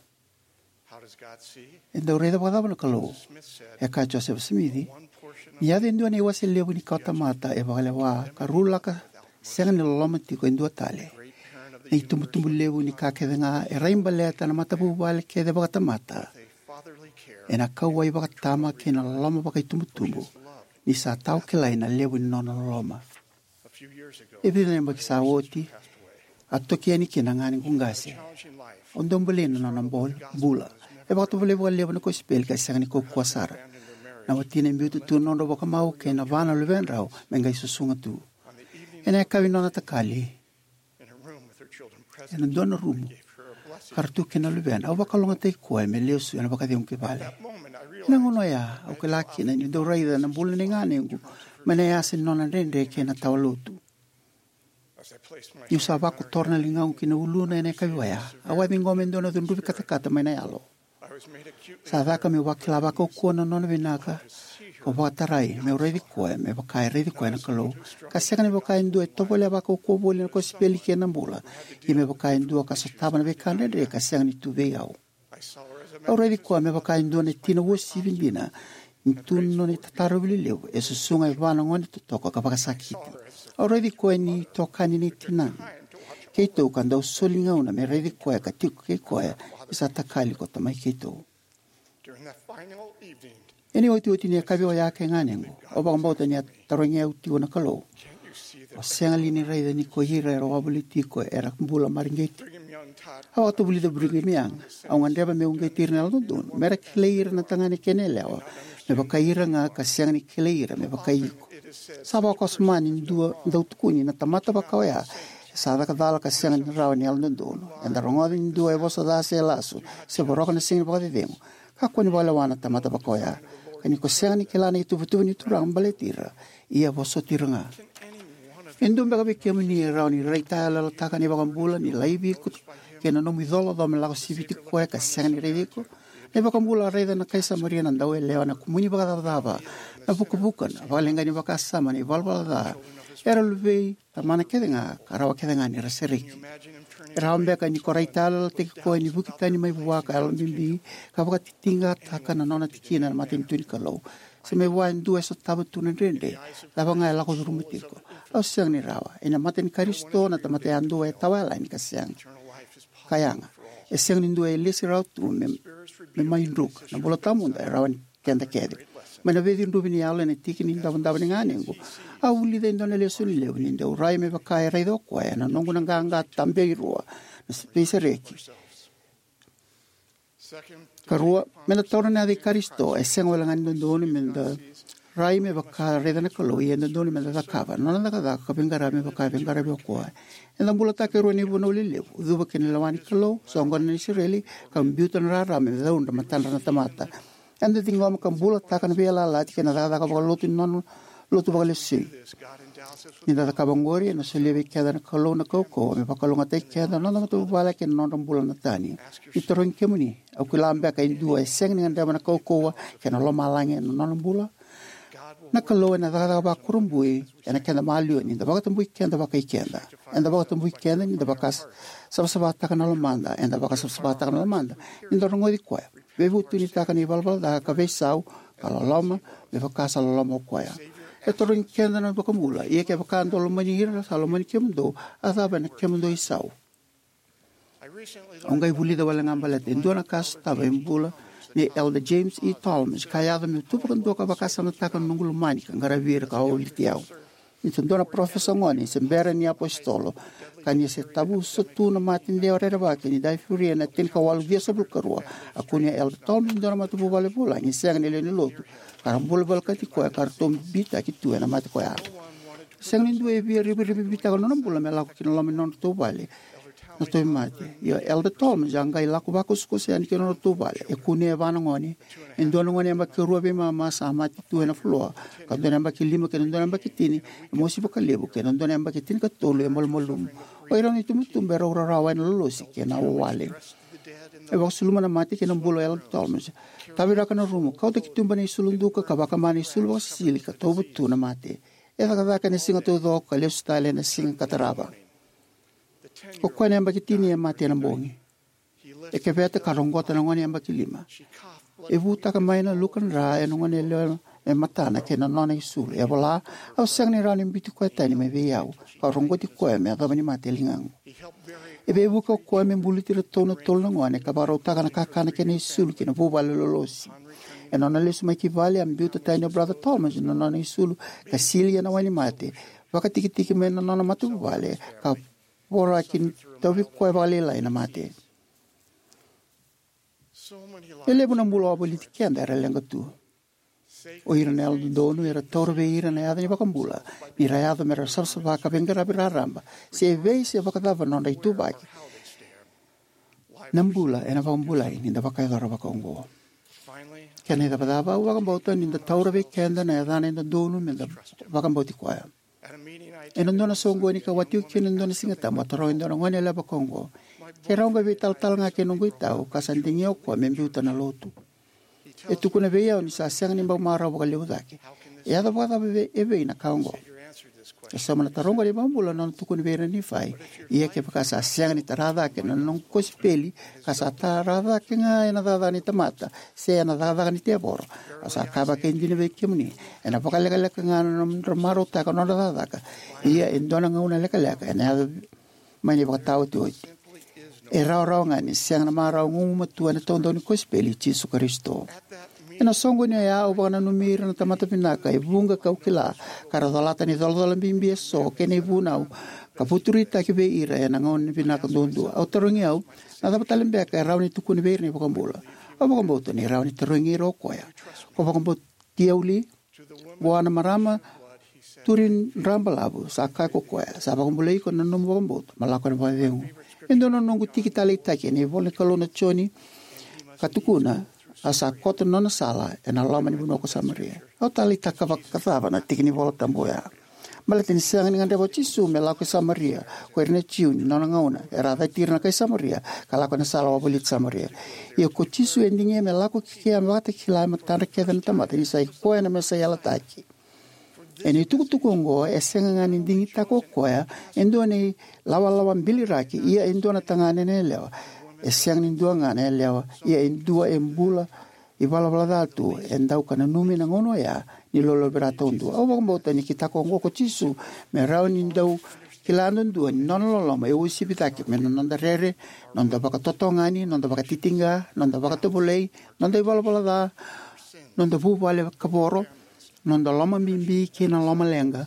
E dau raica vakacava na Kalou? E kaya o Josefa Simici, ni yaco e dua na iwase levu ni kawatamata e vakalewa ka rulaka sega ni loloma tiko e dua tale. Na itubutubu levu ni ka kece ga e rai baleta na matavuvale kece vakatamata ena kauwai vakatama kei na loloma vakaitubutubu, ni sa tawa kilai na levu ni nona loloma. E vica na yabaki sa oti, a toki yani kina na ganequ qase. Au dau bolei na nona bol-, bula. E vakatovolei vakalevu na kosipeli ka sega ni kaukauwa sara. Na watina e biuta tu na nodrau vakamau kei na va na luvedrau me qai susuga tu. Ena yakavi ni nona takali, ena dua na rumu ka ra tu kina na luvena, au vakalougatataki koya me lesu ena vakacegu ki vale. Ena gauna oya au kila kina niu dau raica na bula nei ganequ mai na yasa ni nona dredre kei na tawa lotu. Niu sa vakotora na ligaqu ki na uluna ena yakavi oya, au a ciqoma e dua na cudruvi katakata mai na yalo. Sa caka meu vakila vakaukauwa na nona vinaka, kau vakatarai meu raici koya me vaka e raici koya na Kalou, ka sega ni vaka e dua e tovolea vakaukauwa voli na kosipeli kei na bula, ia me vaka e dua ka sotava na veika dredre ka sega ni tu vei au. Au raici koya me vaka e dua na tina uasivi dina, ni tu na nona itataro lelevu, e susuga e va na gone totoka ka vakasakiti. Au raici koya ni tokani ni tinana keitou ka dau soli gauna me raici koya ka tiko kei koya ni sa takali ko tamai keitou. Ena iotioti ni yakavi oya kei ganequ, au vakabauta ni a tarogi au tiko na Kalou. O sega li ni raica ni ko ira era wavoliti iko era bula mareqeti? Au vakatavulica o Brigham Young, au gadreva meu uqeti ira na yalododonu mera kilai ira na tagane kei na yalewa me vakai ira ga ka sega ni kilai ira me vakai iko. Sa vakawasoma ni dua dau tukuni na tamata vaka oya e sa caka cala ka sega ni rawa ni yalododonu. Eda rogoca ni dua e vosa ca se lasu se voroka na siga ni vakacecegu. Kakua ni vakalewa na tamata vaka oya. Ka ni ko sega ni kila na ituvatuva ni Turaga baleti ira, ia vosoti ira ga. E dua beka vei kemuni e rawa ni raitayaloyalotaka na iVakabula ni laivi iko kei na nomu icolacola me lako siviti koya ka sega ni raici iko? Na iVakabula a raica na kai Samaria na dauyalewa na kumuni vakacavacava, na vukavuka, na vakaleqai ni vakasama, na ivalavala ca. Era luvei Tamana kece ga ka rawa kece ga ni ra sereki. E rawa beka ni ko raitayaloyalotaki koya ni vuki tani mai vua ka yalobibi ka vakatitiqataka na nona tikina na matanitu ni Kalou, se mai vua e dua e sotava tu na dredre, cava ga e lako curuma tiko. Au sega ni rawa. Ena mata ni Karisito na tamata yadua e tawayalani ka sega ka yaga. E sega ni dua e lesi rawa tu me, me mai druka. Na bula tawamudu e rawa ni keda kece. Mai na veicudruvi ni yalo ena tiki ni davodavo ni ganequ, au vulica e dua na lesoni levu ni dau rai me vaka e raica o koya ena noqu na qaqa tabeirua na veisereki. Karua, me da taura na yaca i Karisito e sega wale ga ni dodonu me da rai me vaka raica na Kalou, ia e dodonu me da cakava na nona cakacaka ka veiqaravi me vaka e veiqaravi o koya. Eda bulataka e rua na ivunau lelevu, cuva kei na lewa ni Kalou, soqona na Isireli, ka biuta na rarama me caudra matadra na tamata. Eda ciqoma ka bulataka na veiyalayalati kei na cakacaka vakalotu ni nona lotu vakalesui. Ni da cakava oqori, ena solia vei keda na Kalou na kaukauwa me vakalougatataki keda, na noda matavuvale kei na nodra bula na tani. Ni tarogi kemuni, au kila beka e dua e sega ni gadreva na kaukauwa kei na lomalagi ena nona bula? Na Kalou ena cakacaka vakurabui ena keda maliwa ni da vakatabui keda vakai keda. Eda vakatabui keda ni da vakasavasavataka na lomada. Eda vakasavasavataka na lomada ni da rogoci koya, veivutunitaka na ivalavala ca ka veisau, ka loloma me vaka sa loloma o koya. E tarogi keda na iVakabula, ia kevaka dou lomani ira sa lomani kemudou, a cava na kemudou isau? Au qai vulica wale ga baleta e dua na ka sotava e bula nei Elder James E. Tolmans, ka yaco meu tu vakadua ka vakasamataka na noqu lomani ka qaravi ira ka wavoliti au. Ni sa dua na parofesa gone se bera ni apositolo, ka ni se tavusa tu na mate dewa rerevaki ni daifuria ena tinikawalu ciwasagavulu ka rua, a kunea Elder Tolmans e dua na matavuvale vulagi sega ni lewe ni lotu, ka ra bula volekati koya ka ratou bibitaki tu ena mate koya. Sega ni dua e via rivarivabitaka na nona bula me lako ki na loma ni nodratou vale na tauvimate. Ia Elder Tolmans a qai lako vakusakusa yani ki na nodratou vale, e kunea e va na gone. E dua na gone yabaki rua veimama sa mate tu ena floor, ka dua na yabaki lima kei na dua na yabaki tini e mosi vakalevu, kei na dua na yabaki tinikatolu e malumalumu. O irau na itubutubu erau rarawa ena lolosi kei na wawale. E vakasuluma na mate kei na bula o Elder Tolmans. Taviraka na rumu, kauta ki tuba na isulu duka, ka vakama na isulu vakasisili, ka tauva tu na mate. E cakacaka ena siga taucoko ka lesu tale ena siga ka tarava. O koya na yabaki tini e mate ena bogi. E keveta ka roqota na gone yabaki lima. E vutaka mai na luka dra ena gone yalewa e matana kei na nona isulu. E vola, au sega ni rawa ni biuti koya tani mai vei au, ka roqoti koya me yacova ni mate e ligaqu. E veivuke o koya me buluti iratou na tolu na gone ka vakarautaka na kakana kei na isulu ki na vuvale lolosi. Ena nona lesu mai ki vale, a biuta tani o Brother Tolmans na nona isulu ka sili ena wai ni mate, vakatikitiki mai na nona matavuvale, ka voraki ni tauvi koya vakalailai na mate. E levu na bula wavoliti keda era leqa tu. O ira na yalododonu era taura vei ira na yaca ni iVakabula ni ra yaco me ra savasava ka veiqaravi raraba, se evei se vakacava na nodra ituvaki. Na bula ena vakabulai ni da vakayacora vakaoqo. Kena icavacava, au vakabauta ni da taura vei keda na yacana e dodonu me da vakabauti koya. Ena dua na soqoni ka watiqu kina ena dua na Sigatabu, a taroga e dua na gone yalewa vakaoqo, keirau qai veitalatala ga kei noqu itau, ka sa digia o koya me biuta na lotu. E tukuna vei au ni sa sega ni bau marau vakalevu cake. E yaco vakacava vei, e vei na ka oqo? E sauma na taro oqo na iVakabula na nona tukuna vei ira na Nifai, ia kevaka sa sega ni tara cake na noqu kosipeli, ka sa tara cake ga ena cakacaka ni tamata, se ena cakacaka ni tevoro, au sa kaya vakaidina vei kemuni, ena vakalekaleka ga na nodra marautaka na nodra cakacaka. Ia e dua na gauna lekaleka ena yaco mai na ivakataotioti. E rawarawa ga ni sega na marau gugumatua ena taudaku ni kosipeli i Jisu Karisito. Ena soqoni oya au vakananumi ira na tamata vinaka e vuqa kau kila, ka ra colata na icolacola bibi eso kei na ivunau ka vuturitaki vei ira ena gauna vinaka duadua. Au tarogi au, na cava tale beka e rawa ni tukuna vei ira na iVakabula? Au vakabauta ni rawa ni tarogi ira o koya, ko vakabauti au li? Vua na marama turi drabalavu sa kaya ko koya, sa vakabulai iko na nomu vakabauta, mo lako ena vakacegu. E dua na noqu tiki taleitaki ena ivola ni Kalou na Joni, ka tukuna, a sa koto na nona sala ena loma ni vanua ko Samaria. Au taleitaka vakacava na tiki ni iVola Tabu oya? Baleta ni sega ni gadreva o Jisu me lako i Samaria, ko ira na Jiu ni nona gauna era a cati ira na kai Samaria ka lako ena sala wavoliti Samaria. Ia ko Jisu e digia me lako ki kea me vakatakila e matadra kece na tamata ni sa i koya na Mesaia yalataki. Ena itukutuku oqo, e sega ga ni digitaka o koya e dua na ilawalawa biliraki, ia e dua na tagane na yalewa. E sega ni dua ga na yalewa, ia e dua e bula ivalavala ca tu, e dau ka nanumi na gauna oya ni lolovira taudua. Au vakabauta ni kitaka oqo ko Jisu me rawa ni dau kila duadua ni nona loloma e uasivi cake mai na noda rere, noda vakatotogani, noda vakatitiqa, noda vakatovolei, noda ivalavala ca, Noda vuvale kavoro, noda loma bibi kei na loma leqa,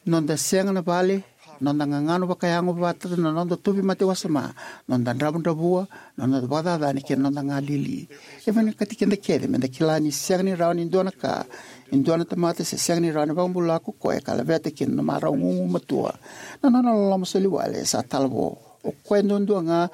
noda sega na vale, noda gagano vakayago vata na noda tauvimate wasoma, noda dravudravua, noda vakacacani kei na noda galili. E vinakati keda kece meda kila ni sega ni rawa ni dua na ka, ni dua na tamata se sega ni rawa ni vakabula ko koya ka laveta kina na marau gugumatua. Na nona loloma soliwale sa talavo. O koya duadua ga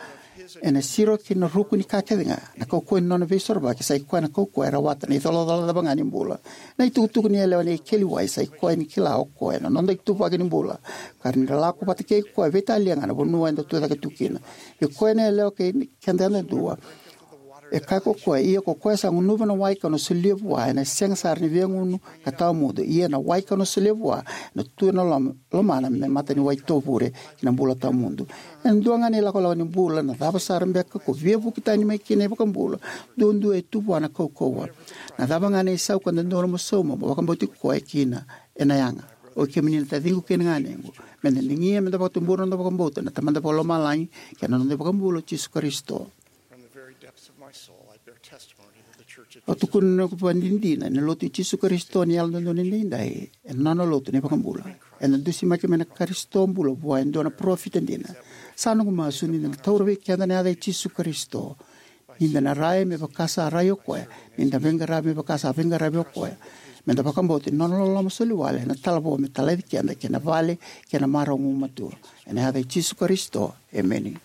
ena siro ki na ruku ni ka kece ga. Na kaukauwa ni nona veisorovaki sa i koya na kaukauwa e rawata na icolacola cava ga ni bula. Na itukutuku ni yalewa ni keli wai sa i koya ni kila o koya na noda ituvaki ni bula. Ka ni da lako vata kei koya veitalia ga na vanua eda tu cake tu kina. I koya na yalewa kei keda yadua. E kaya ko koya, ia ko koya sa gunuva na wai kau na solia vua, ena sega sara ni via gunu ka tawa mudu, ia na wai kau na solia vua, na tu ena lom-, lomana me mata ni wai tovure ki na bula tawa mudu. Ena dua ga na ilakolako ni bula, na cava sara beka ko via vuki tani mai kina iVakabula, duadua e tu vua na kaukauwa. Na cava ga na isau ka dodonu mo sauma, mo vakabauti koya kina, ena yaga. O kemuni na taciqu kei na ganequ, meda digia, meda vakatubura na noda vakabauta, na Tamada Vakalomalagi, kei na noda iVakabula o Jisu Karisito. From the very depths of my soul, I bear testimony that the Church of Au tukuna na noqu vakadinadina ni Lotu i Jisu Karisito ni Yalododonu Edaidai e nona lotu na iVakabula. Ena dusimaki mai na Karisito bula vua e dua na parofita dina. Sa noqu masu ni da na taura vei keda na yaca i Jisu Karisito. Ni da na rai me vaka sa rai o koya, ni da veiqaravi me vaka sa veiqaravi o koya. Meda vakabauta ni nona loloma soliwale na talavo me talaci keda kei na vale kei na marau gugumatua. Ena yaca i Jisu Karisito. Emeni.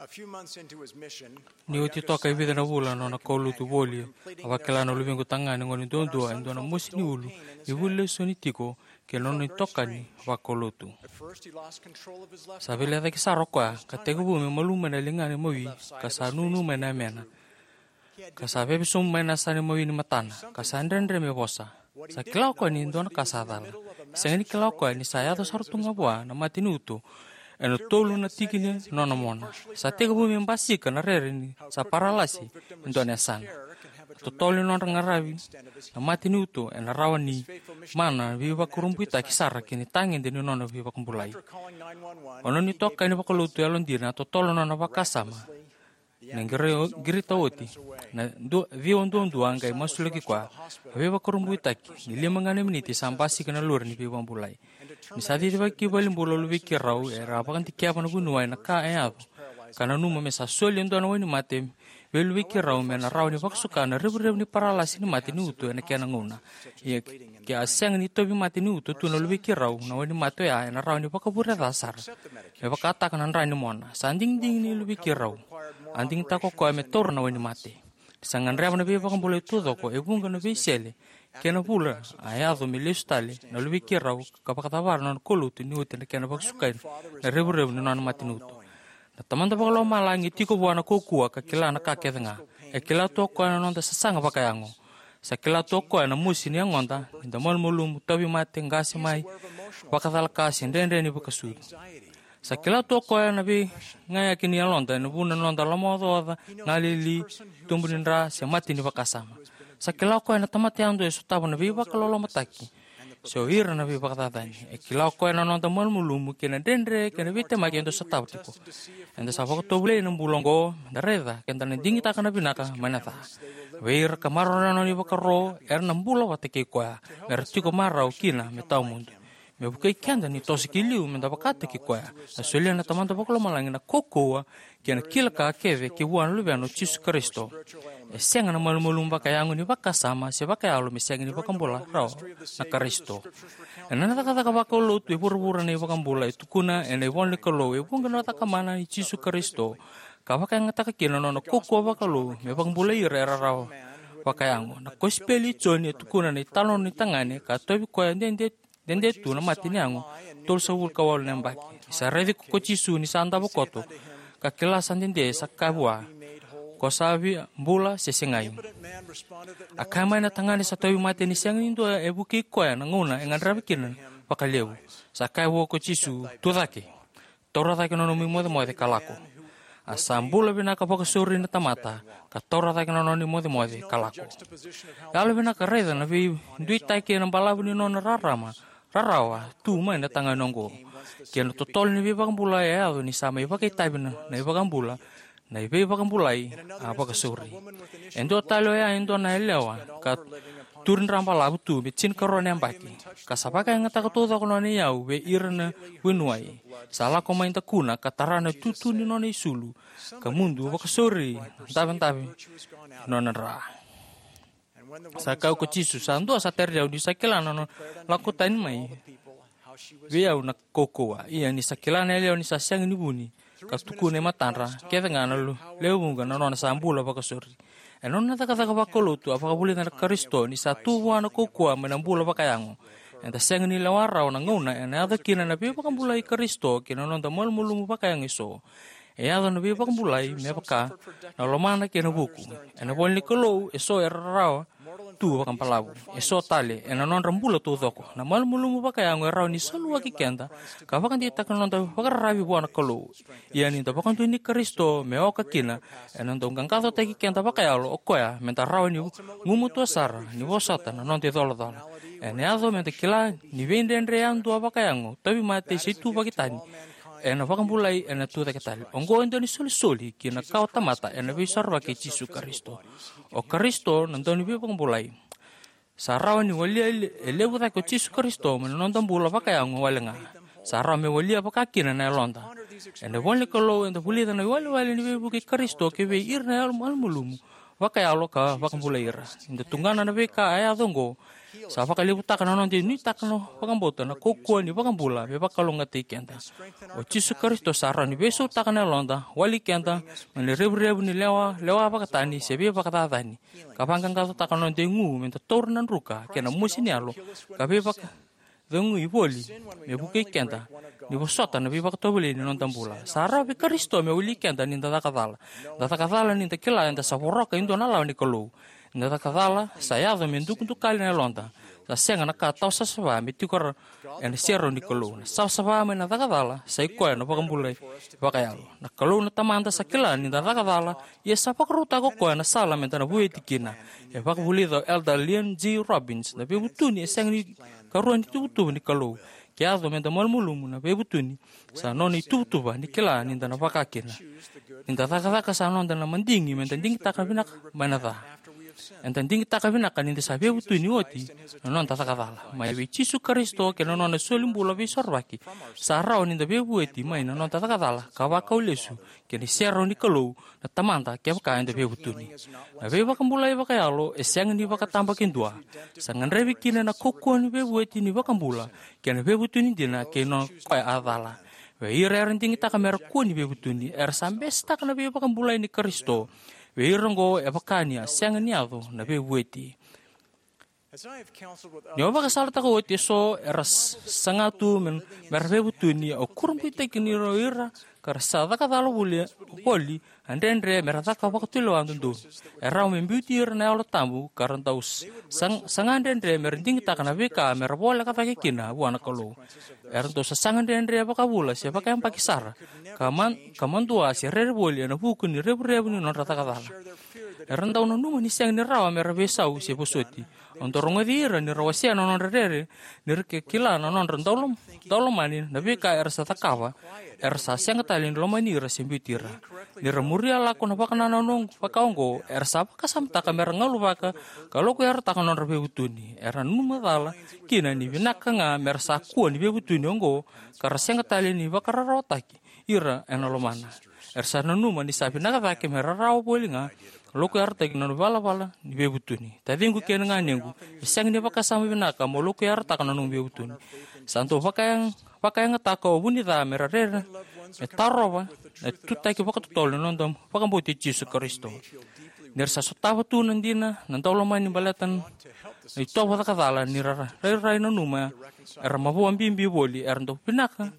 A few months into his mission, Ni oti toka e vica na vula na nona kaulotu voli, a vakila na luvequ tagane gone duadua e dua na mosi ni ulu e vuli lesoni tiko kei na nona itokani vakaulotu. At first, he lost control of his left Sa eye. Veilecayaki sara o koya, ka tekivu me malumu mai na ligana imawi, ka sa nunu mai na yamena. Ka sa veve sobu mai na yasana imawi ni matana, ka sa dredre me vosa. Sa kila o koya ni dua na ka sa cala. Sega ni kila o koya ni sa yaco sara tu ga vua na mate ni uto ena tolu na tiki ni nona mona. Sa tekivu me basika na rere ni sa paralasi e dua na yasana. Na totolo ni nodra qaravi na mate ni uto ena rawa ni mana veivakurabuitaki sara ki na itagede ni nona veivakabulai. O nona itokani vakalotu yalodina a totolo nona vakasama. Na qiri-, qirita oti na du-, ciwa duadua a qai masulaki koya. A veivakurabuitaki ni lima ga na miniti sa basika na lori ni veivakabulai. Ni sa cicivaki ki valenibula o luvei keirau, era a vakadikeva na vuniwai na ka e yaco, ka nanuma me sa soli e dua na wainimate vei luvei keirau me na rawa ni vakasuka na revurevu ni paralasi ni mate ni uto ena kena gauna. Ia ke a sega ni tauvimate ni uto tu na luvei keirau, na wainimate oya ena rawa ni vakavureca sara me vakataka na dra ni mona. Sa digidigi ni luvei keirau. A digitaka o koya me taura na wainimate. Sa gadreva na veivakabulai taucoko e vuqa na veisele kei na vula a yaco me lesu tale na luvei keirau ka vakacavara na nona kaulotu ni oti na kena vakasukai na revurevu ni nona mate ni uto. Na Tamada Vakalomalagi e tiko vua na kaukauwa ka kila na ka kece ga. E kila tu o koya na noda sasaga vakayago. Sa kila tu o koya na mosi ni yagoda, ni da malumalumu, tauvimate, qase mai, vakacalaka se dredre ni vakasucu. Sa kila tu o koya na veigayaki ni yaloda ena vuna na noda lomaocaoca, galili, tubu ni dra se mate ni vakasama. Sa kila o koya na tamata yadua e sotava na veivakalolomataki se o ira na veivakacacani. E kila o koya na noda malumalumu kei na dredre kei na veitemaki eda sotava tiko. Eda sa vakatovolei ena bula oqo meda raica keda na digitaka na vinaka mai na ca. Vei ira ka maroroya na nona ivakaro, era na bula vata kei koya, mera tiko marau kina me tawamudu. Me vukei keda ni toso ki liu meda vakataki koya, na solia na Tamada Vakalomalagi na kaukauwa kei na kila ka kece ki vua na Luvena o Jisu Karisito. E sega na malumalumu vakayago ni vakasama se vakayalo me sega ni vakabula rawa na Karisito. Ena cakacaka vakaulotu e vuravura na iVakabula e tukuna ena ivola ni Kalou e vuqa na cakamana i Jisu Karisito, ka vakayagataka kina na nona kaukauwa vakalou me vakabulai ira era rawa vakayago. Na kosipeli i Joni e tukuna na italanoa ni tagane ka tauvi koya dede dede tu na mate ni yago, tolusagavulu ka walu na yabaki. Ni sa raici ko Jisu ni sa davo koto, ka kila sa dede, sa kaya vua, ko sa via bula se segai. A kaya mai na tagane sa tauvimate ni sega ni dua e vukei koya na gauna e gadreva kina vakalevu. Sa kaya vua ko Jisu, tu cake. Taura cake na nomu imocemoce ka lako. A sa bula vinaka vakasauri na tamata, ka taura cake na nona imocemoce ka lako. Yalo vinaka raica na veiduitaki ena balavu ni nona rarama, rarawa tu mai na tagane oqo. Kei na totolo ni veivakabulai e yaco ni sa mai vakaitavi na, na iVakabula, na veivakabulai a vakasauri. E dua tale oya e dua na yalewa ka turi dra balavu tu me tinikarua na yabaki, ka sa vakayagataka taucoko na nona iyau vei ira na vuniwai. Sa lako mai dakuna ka tara na itutu ni nona isulu, ka mudu vakasauri, davedave nona dra. Sa kaya ko Jisu, sa dua sa tari au ni sa kila na nona lako tani mai vei au na kaukauwa. Ia ni sa kila na yalewa ni sa sega ni vuni, ka tukuna e matadra kece ga na lewe vuqa na nona sa bula vakasauri. Ena nona cakacaka vakalotu a vakavulica na Karisito ni sa tu vua na kaukauwa mai na bula vakayago. Eda sega ni lewa rawa na gauna ena yaco kina na veivakabulai i Karisito kei na noda malumalumu vakayago eso. E yaco na veivakabulai me vaka na lomana kei na vuku. Ena ivola ni Kalou eso era rarawa tu vakabalavu. Eso tale, ena nodra bula taucoko, na malumalumu vakayago e rawa ni saluaki keda ka vakadeitaka na noda vakararavi vua na Kalou. Ia ni da vakadonui Karisito me oka kina, ena dau qaqacotaki keda vakayalo o koya me da rawa ni gumatua sara ni vosota na noda icolacola. Ena yaco me da kila ni veidredre yadua vakayago, tauvimate se ituvaki tani, ena vakabulai ena tucake tale. Oqo e dua ni solisoli ki na kawatamata ena veisorovaki i Jisu Karisito. O Karisito na dau ni veivakabulai. Sa rawa ni walia e le-, e levu cake o Jisu Karisito mai na noda bula vakayago wale ga. Sa rawa me walia vaka kina na yaloda. Ena ivola ni Kalou eda vulica na iwalewale ni veivuke i Karisito ki vei ira na yalo malumalumu vakayalo ka vakabulai ira. Ni da tugana na veika a yaco oqo, sa vakalevutaka na noda nuitaka na vakabauta na kaukauwa ni vakabula me vakalougatataki keda. O Jisu Karisito sa rawa ni veisautaka na yaloda, wali keda mai na revurevu ni lewa, lewa vakatani se veivakacacani, ka vaqaqacotaka na noda igu me da taura na druka kei na mosi ni yalo, ka veivakacegui voli me vukei keda ni vosota na veivakatovolei ni noda bula. Sa rawa vei Karisito me wali keda ni da caka cala. Da caka cala ni da kila eda sa voroka e dua na lawa ni Kalou. Ni da caka cala sa yaco me dukadukali na yaloda. Sa sega na ka tawa savasava me tiko ra-, ena serau ni Kalou. Na savasava mai na caka cala sa i koya na vakabulai vakayalo. Na Kalou na Tamada sa kila ni da caka cala, ia sa vakarautaka o koya na sala me da na vueti kina. E vakavulica o Elder Leon G. Robbins, na veivutuni e sega ni karua ni tuvatuva ni Kalou. Ke yaco me da malumalumu na veivutuni, sa nona ituvatuva ni kila ni da na vaka kina. Ni da cakacaka sa noda na madigi me da digitaka vinaka mai na ca. Eda digitaka vinaka ni da sa veivutuni oti na noda caka cala. Mai vei Jisu Karisito kei na nona soli bula veisorovaki, sa rawa ni da veivueti mai na noda caka cala ka vakau lesu kei na serau ni Kalou na Tamada kevaka eda veivutuni. Na veivakabulai vakayalo e sega ni vakatabakidua. Sa gadrevi kina na kaukauwa ni veivueti ni vakabula kei na veivutuni dina kei na koya a cala. Vei ira era digitaka me ra kua ni veivutuni, era sa besetaka na veivakabulai ni Karisito. Vei ira oqo e vaka ni a sega ni yaco na veivueti. Ni au vakasalataka oti eso era s-, saga tu me, me ra veivutuni, au kurabuitaki ni o ira ka ra sa caka cala voli, voli a dredre me ra caka vakatulewa dodonu. E rawa me biuti ira na Yalo Tabu ka ra dau s-, sag-, saga dredre me ra digitaka na veika me ra voleka cake kina vua na Kalou. Era dau sasaga dredre vakavula se vakayabaki sara, ka man-, ka madua se rere voli ena vuku ni revurevu ni nodra caka cala. Era dau nanuma ni sega ni rawa me ra veisau se vosoti. Au dau rogoci ira ni ra wasea na nodra rere, ni ra ke kila na nodra daulom-, daulomani na veika era sa cakava, era sa sega tale ni lomani ira se biuti ira. Ni ra muria lako na vakanananu vaka oqo, era sa vakasamataka me ra galuvaka ka lokuyarataka na nodra veivutuni. Era nanuma cala kina ni vinaka ga me ra sa kua ni veivutuni oqo, ka ra sega tale ni vakararawataki ira ena lomana. Era sa nanuma ni sa vinaka cake me ra rawa voli ga ka lokuyarataki na nona valavala ni veivutuni. Taciqu kei na ganequ, e sega ni vakasama vinaka mo lokuyarataka na nomu veivutuni. Sa dau vakayag-, vakayagataka o vuni ca me ra rere, me tarova na tutaki vakatotolo ni noda vakabauti Jisu Karisito. Ni ra sa sotava tu na dina, na daulomani baleta na itovo caka cala, ni ra ra-, rairai nanuma era mavoa bibi voli, era dau vinaka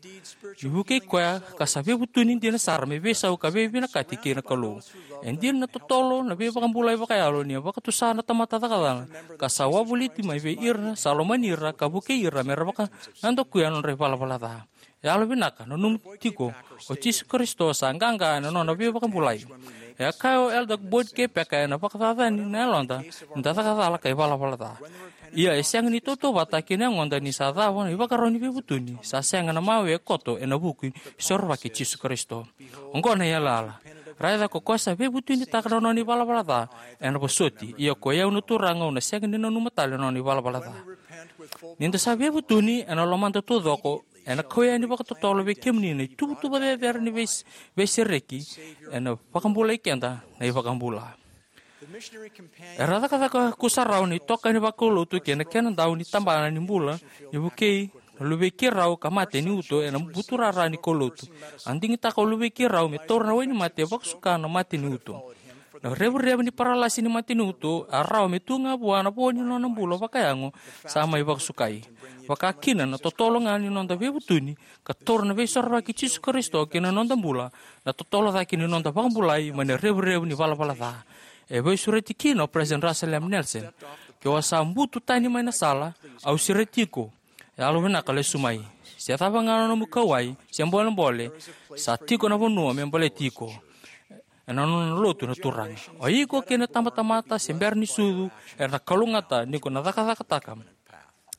ni vukei koya ka sa veivutuni dina sara me veisau ka veivinakati kei na Kalou. E dina na totolo na veivakabulai vakayalo ni a vakatusa na tamata caka cala, ka sa wavoliti mai vei ira sa lomani ira ka vukei ira me ra vakanadakuya na nodra ivalavala ca. Yalovinaka, nanuma tiko, o Jisu Karisito sa qaqa ena nona veivakabulai. E a kaya o Elder Boyd K. Packer, ena vakacacani na yaloda ni da caka cala ka ivalavala ca. Ia e sega ni tautauvata kei na yagoda ni sa cava na ivakarau ni veivutuni, sa sega na mawe e koto ena vuku ni sorovaki i Jisu Karisito. Oqo na yalayala. Raica, ko koya sa veivutunitaka na nona ivalavala ca, ena vosoti. Ia koi au na Turaga, au na sega ni nanuma tale na nona ivalavala ca. Ni da sa veivutuni ena lomada taucoko, ena kau yani vakatotolo vei kemuni na ituvatuva cecere ni veis-, veisereki, ena vakabulai keda na iVakabula. Era cakacaka kusarawa na itokani vakaulotu kei na kena dau ni tabana ni bula ni vukei na luvei keirau ka mate ni uto ena buturara ni kaulotu. A digitaka o luvei keirau me taura na wainimate vakasuka na mate ni uto. Na revurevu ni paralasi ni mate ni uto a rawa me tu ga vua na vo ni nona bula vakayago sa mai vakasukai. Vaka kina na totolo ga ni noda veivutuni ka taura na veisorovaki i Jisu Karisito ki na noda bula, na totolo cake ni noda vakabulai mai na revurevu ni valavala ca. E veisureti kina o President Russell M. Nelson: Ke o sa butu tani mai na sala, au sureti iko, yalovinaka lesu mai. Se cava ga na nomu kauwai se bolebole, sa tiko na vanua me baleti iko ena nona lotu na Turaga. O iko kei na tabatamata se bera ni sucu era na kalougata ni ko na cakacakataka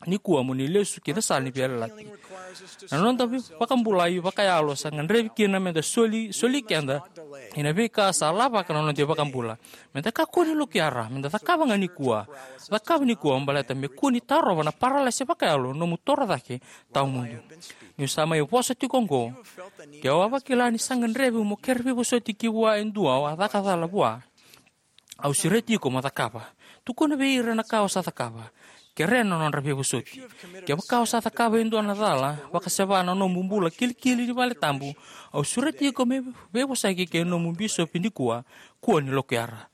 nikua mo ni lesu ki na sala ni veiyalayalati. Na noda vakabulai vakayalo sa gadrevi kina meda soli, soli keda ina veika sa lavaka na noda iVakabula. Meda kakua ni lokuyara, meda cakava ga nikua. Cakava nikua baleta me kua ni tarova na paralasi vakayalo nomu toro cake tawamudu. Niu sa mai vosa tiko oqo, ke o a vakila ni sa gadrevi mo kere veivosoti ki vua e dua o a caka cala vua, au sureti iko mo cakava. Tukuna vei ira na ka o sa cakava. Kerea na nodra veivosoti. Kevaka o sa cakava e dua na cala, vakaseva na nomu bula kilikili ni vale tabu, au sureti iko me veivosaki kei nomu bisopi nikua, kua ni lokuyara.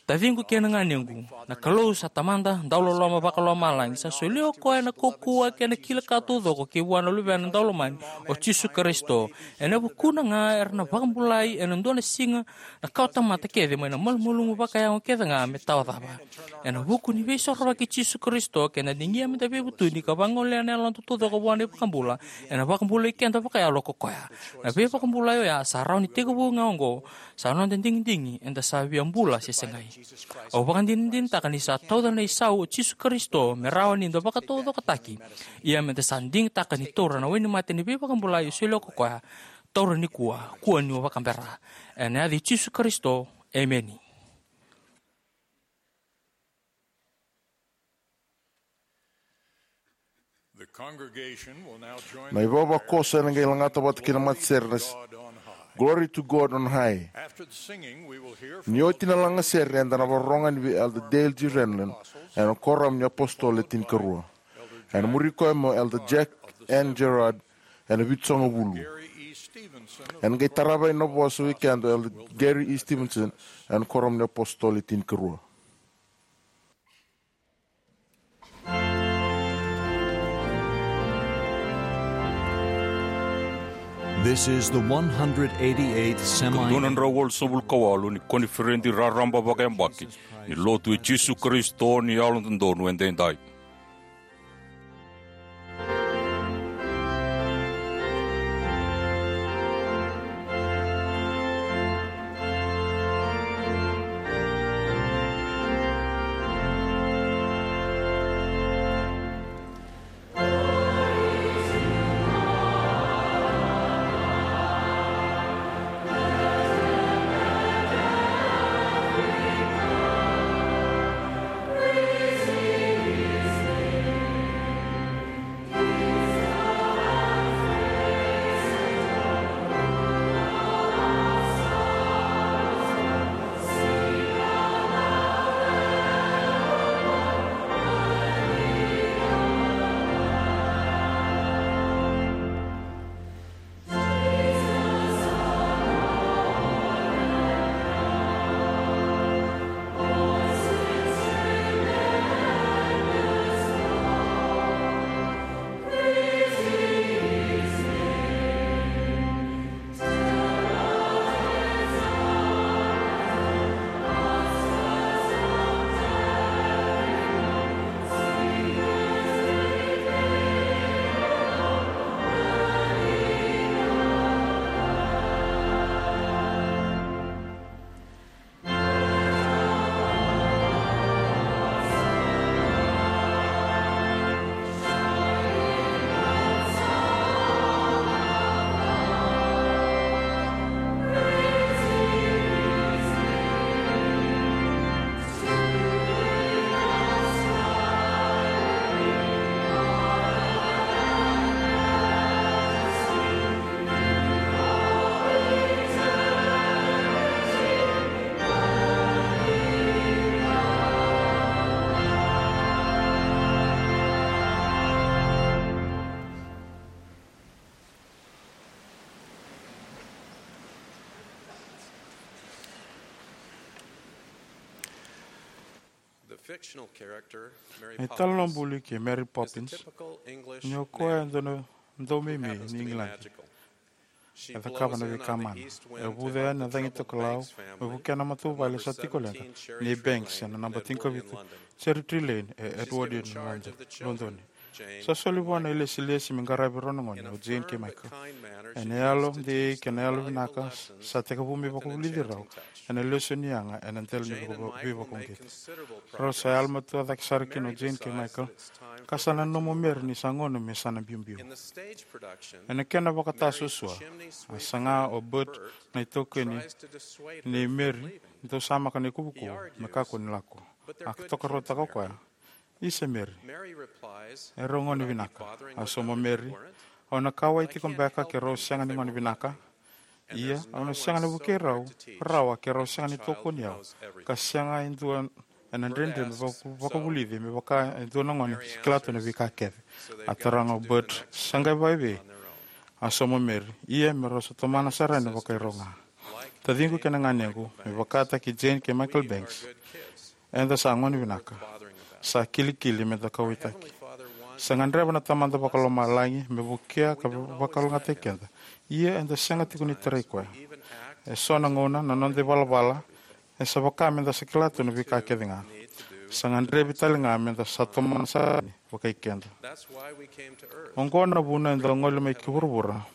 Taciqu kei na ganequ, na Kalou sa Tamada dauloloma vakalomalagi, sa solia o koya na kaukauwa kei na kila ka taucoko ki vua na Luvena daulomani o Jisu Karisito. Ena vukuna ga era na vakabulai ena dua na siga na kawatamata kece mai na malumalumu vakayago kece ga me tawacava. Ena vuku ni veisorovaki i Jisu Karisito, keda digia meda veivutuni ka vagolea na yaloda taucoko vua na iVakabula, ena vakabulai keda vakayalo ko koya. Na veivakabulai oya sa rawa ni tekivu ga oqo, sa noda digidigi eda sa via bula se segai. Au vakadinadinataka ni sa tauca na isau o Jisu Karisito me rawa ni da vakataucokotaki. Ia meda sa digitaka ni taura na wainimate ni veivakabulai e solia ko koya. Taura nikua, kua ni o vakabera. Ena yaca i Jisu Karisito, emeni. The congregation will now join Na ivavakoso ena qai lagata vata kei na matasere na s-, Glory to God on High. After the singing, we will hear from Ni oti na lagasere, eda na vakarorogo yani vei Elder Dale G. Renlund ena Koramu ni Apositolo e Tinikarua. Ena muri koya mai o Elder Jack N. Gerard ena Vitusagavulu. Ena qai tarava na vosa vei keda o Elder Gary E. Stevenson ena Koramu ni Apositolo e Tinikarua. This is the one hundred eighty-eighth semi- Dua na drau walusagavulu ka walu ni koniferedi raraba vakayabaki ni Lotu i Jisu Karisito ni Yalododonu Edaidai. Fictional character Mary Na italanoa Poppins buli kei Mary is a Poppins typical English ni o koya e dua na daumeimei ni Igiladi. E cakava na veika mana. E vuca yani na cagi tokalau me vukea na matavuvale sa tiko leqa nei Banks ena naba tinikavitu Cherry Tree Lane e Edwardian, London. Sa soli vua na ilesilesi me qaravi rau na gone o Jane kei Michael. Ena yalo dei kei na yalo vinaka, sa tekivu me vakavulici rau ena lesoni yaga ena dela ni veivakauqeti. Rau sa yalomatua cake sara kina o Jane kei Michael, ka sa nanuma o Mary ni sa gauna me sa na biubiu. Ena kena vakatasuasua, a saga o Bert, na itaukei nei Mary, dau samaka na ikuvukuvu me kakua ni lako. A tokaruataka o koya, "Isa, Mary, e rau gauna vinaka." A sauma o Mary, "Au na kauwai tiko beka ke rau sega ni gauna vinaka? Ia, au na sega ni vukei rau rawa ke rau sega ni tokoni au, ka sega e dua ena dredre me vaka- vakavulici me vaka e dua na gone sa kila tu na veika kece." A taroga o Bert, "Sa qai vakaevei?" A sauma o Mary, "Ia, me rau sa tomana sara yani vakairau ga." Taciqu kei na ganequ, me vakataki Jane kei Michael Banks, eda sa gauna vinaka. Sa kilikili meda kauwaitaki. Sa gadreva na Tamada Vakalomalagi me vukea ka vakalougatataki keda. Ia eda sega tiko ni tarai koya. E so na gauna na noda ivalavala e sa vaka meda sa kila tu na veika kece ga. Sa gadrevi tale ga meda sa tomana sara yani vakai keda. Oqo na vuna eda gole mai ki vuravura,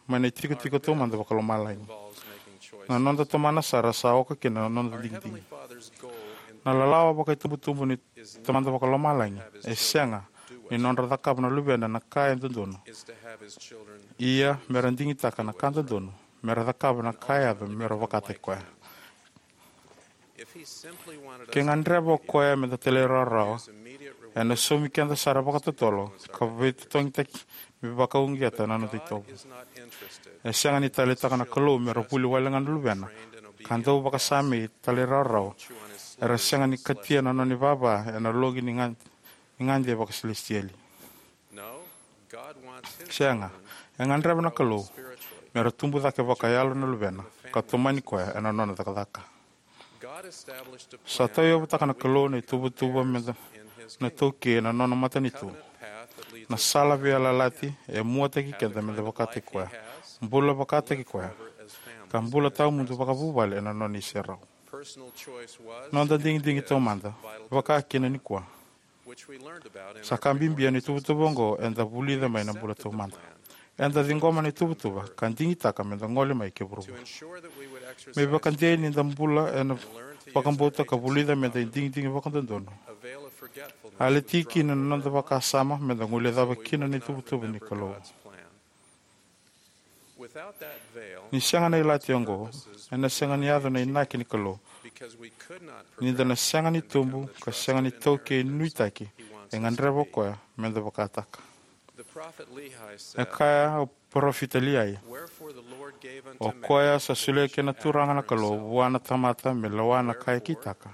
mai na itikotiko taumada vakalomalagi. Na noda tomana sara sa oka kina na noda digidigi. Na lalawa vakaitubutubu ni Tamada Vakalomalagi e sega ni nodra cakava na luvena na ka e dodonu. Ia, mera digitaka na ka dodonu, mera cakava na ka e yaco, mera vakataki koya. Ke gadreva o koya meda talairawarawa, ena saumi keda sara vakatotolo ka veitotogitaki me vakauqeta na noda itovo. E sega ni taleitaka na Kalou mera vuli wale ga na luvena ka dau vakasamei, talairawarawa, era sega ni katia na nona ivava ena loqi ni gade, ni gade vakasilesitieli. Sega, e gadreva na Kalou mera tubu cake vakayalo na luvena ka tomani koya ena nona cakacaka. Sa tauyavutaka na Kalou na ituvatuva meda na taukei ena nona matanitu. Na sala veiyalayalati e muataki keda meda vakataki koya, bula vakataki koya, ka bula tawamudu vakavuvale ena nona iserau. Noda digidigi taumada, vaka kina nikua, sa ka bibi ena ituvatuva oqo eda vulica mai na bula taumada. Eda ciqoma na ituvatuva ka digitaka meda gole mai ki vuravura. Me vakadei ni da bula ena vakabauta ka vulica meda digidigi vakadodonu, a leti kina na noda vakasama meda guilecava kina na ituvatuva ni Kalou. Ni sega na ilati oqo, ena sega ni yaco na inaki ni Kalou. Ni da na sega ni tubu ka sega ni taukei nuitaki e gadreva o koya meda vakataka. E kaya o parofita Liai, "O koya sa solia kina na Turaga na Kalou vua na tamata me lewa na ka e kitaka.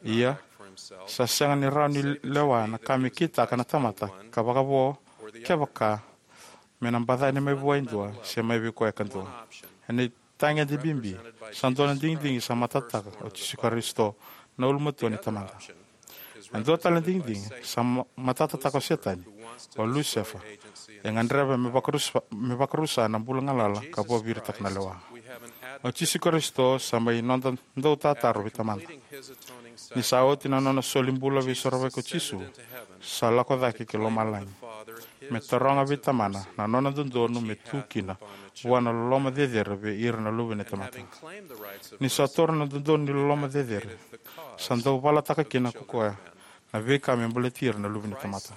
Ia, sa sega ni rawa ni lewa na ka me kitaka na tamata ka vakavo, kevaka me na bacani mai vua e dua se mai vei koya kadua." Ena itagede bibi, sa dua na digidigi sa matatataka o Jisu Karisito, na ulumatua ni Tamada. E dua tale na digidigi sa ma- matatataka o Setani, o Lusefa. E gadreva me vakarusa, me vakarusa na bula galala ka vakaviritaka na lewa. O Jisu Karisito sa mai noda dautataro vei Tamada. Ni sa oti na nona soli bula veisorovaki o Jisu, sa lako cake ki lomalagi me taroga vei Tamana na nona dodonu me tu kina vua na loloma cecere vei ira na luve ni tamata. Ni sa taura na dodonu ni loloma cecere, sa dau valataka kina ko koya na veika me baleti ira na luve ni tamata.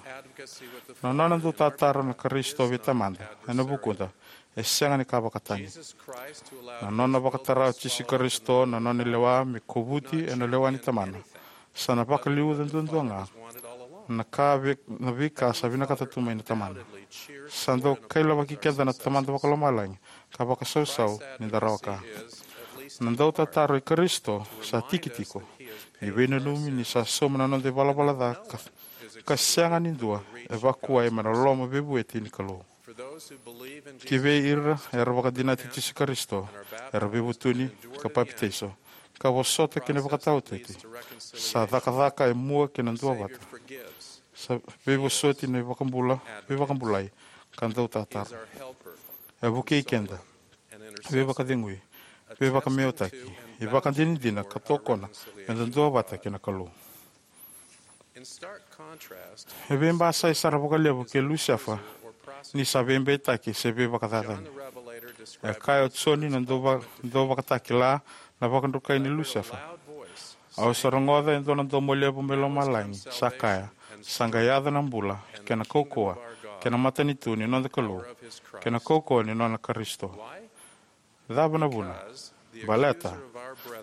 Na nona dautataro na Karisito vei Tamada ena vukuda e sega ni ka vakatani. Na nona vakatara o Jisu Karisito na nona lewa me kovuti ena lewa ni Tamana, sa na vakaliuca duadua ga na ka vei, na veika sa vinakata tu mai na Tamana. Sa dau kailavaki keda na Tamada Vakalomalagi ka vakasausau ni da rawa ka. Na dautataro i Karisito sa tiki tiko ni veinanumi ni sa sauma na noda ivalavala ca ka, ka sega ni dua e vakuwai mai na loloma veivueti ni Kalou. Ki vei ira era vakadinati Jisu Karisito, era veivutuni ka papitaiso, ka vosota ki na ivakataotioti. Sa cakacaka e mua ki na duavata. Sa veivosoti na ivakabula, veivakabulai, ka dau tataro. E vukei keda, veivakacegui, veivakameautaki, ivakadinadina ka tokona me da duavata kei na Kalou. E veibasai sara vakalevu kei Lusefa ni sa veibeitaki se veivakacacani. E kaya o Joni na dau va-, dau vakatakila na vakadrukai ni Lusefa. Au sa rogoca e dua na domo levu mai lomalagi sa kaya, sa qai yaco na bula, kei na kaukauwa, kei na matanitu ni noda Kalou, kei na kaukauwa ni nona Karisito. Cava na vuna? Baleta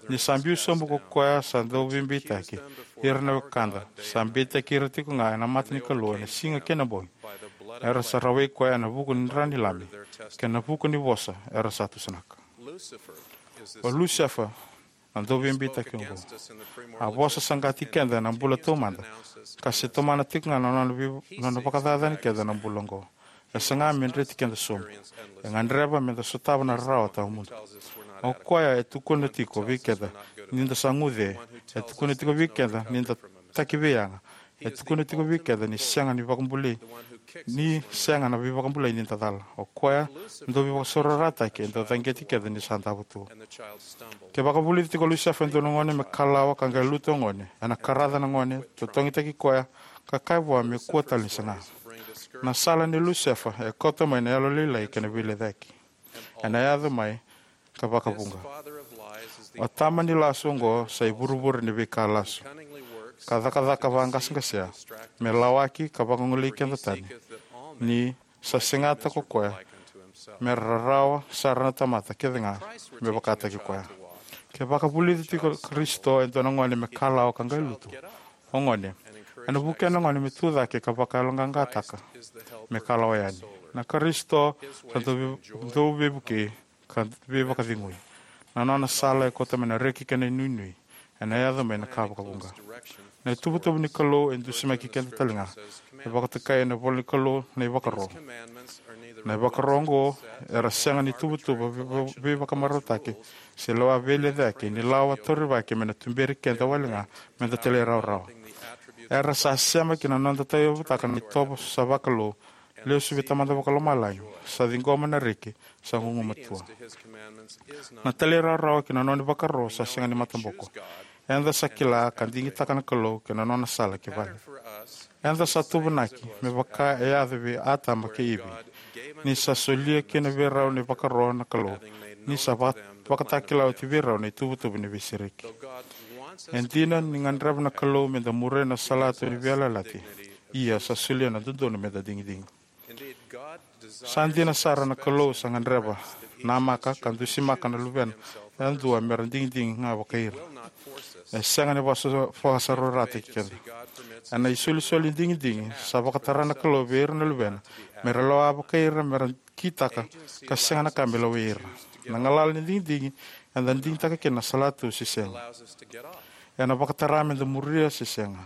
ni sa biu sobu ko koya sa dau veibeitaki ira na wekada, sa beitaki ira tiko ga ena mata ni Kalou ena siga kei na bogi. Era sa rawai koya ena vuku ni dra ni Lami, kei na vuku ni vosa era sa tusanaka. O Lusefa na dau veibeitaki oqo. A vosa saqati keda ena bula taumada, ka se tomana tiko ga na nona vei-, nona vakacacani keda na bula oqo. E saga me dreti keda sobu. E gadreva me da sotava na rarawa tawamudu. O koya e tukuna tiko vei keda ni da sa guce. E tukuna tiko vei keda ni da taki veiyaga. E tukuna tiko vei keda ni sega ni vakabulai, ni sega na veivakabulai ni da cala. O koya dau veivakasaurarataki e dau caqeti keda ni sa davo tu. Ke vakavulici tiko o Lusefa e dua na gone me kalawa ka qai lutu o gone, ena karaca na gone, totogitaki koya, ka kaya vua me kua tale ni saga. Na sala nei Lusefa e kauta mai na yalolailai kei na veilecayaki. Ena yaco mai ka vakavuqa. O tama ni lasu oqo sa ivurevure ni veika lasu, ka cakacaka vaqaseqasea me lawaki ka vagolei keda tani, ni sa segata ko koya me rarawa sara na tamata kece ga me vakataki koya. Ke vakavulici tiko o Karisito e dua na gone me kalawa ka qai lutu, o gone, ena vukea na gone me tu cake ka vakayaloqaqataka me kalawa yani. Na Karisito sa dau vei-, dau veivukei ka veivakacegui. Na nona sala e kauta mai na reki kei na inuinui. Ena yaco mai na ka vakavuqa. Na ituvatuva ni Kalou e dusimaki keda tale ga. E vakatokai ena ivola ni Kalou na ivakaro. Na ivakaro oqo era sega ni tuvatuva vei-, vei-, veivakamarautaki se lewa veilecayaki, ni lawa taurivaki me na tuberi keda wale ga me da talairawarawa. Era sa sema ki na noda tauyavutaka na itovo sa vakalou, lesu vei Tamada Vakalomalagi, sa ciqoma na reki, sa gugumatua. Na talairawarawa ki na nona ivakaro sa sega ni mataboko. Eda sa kila ka digitaka na Kalou kei na nona sala ki vale. Eda sa tuvanaki me vaka e yaco vei Atama kei Ivi, ni sa solia kina vei rau na ivakaro na Kalou, ni sa va-, vakatakila oti vei rau na ituvatuva ni veisereki. E dina ni gadreva na Kalou me da muria na salatu ni veiyalayalati, ia sa solia na dodonu me da digidigi. Sa dina sara, na Kalou sa gadreva, namaka ka dusimaka na luvena yadua me ra digidigi ga vakai ira. E sega ni vasa-, vakasaurarataki keda. Ena isolisoli ni digidigi sa vakatara na Kalou vei ira na luvena me ra lewa vakai ira me ra kitaka, ka sega na ka me lewai ira. Na galala ni digidigi, eda digitaka kina na salatu se sega. Ena vakatara me da muria se sega.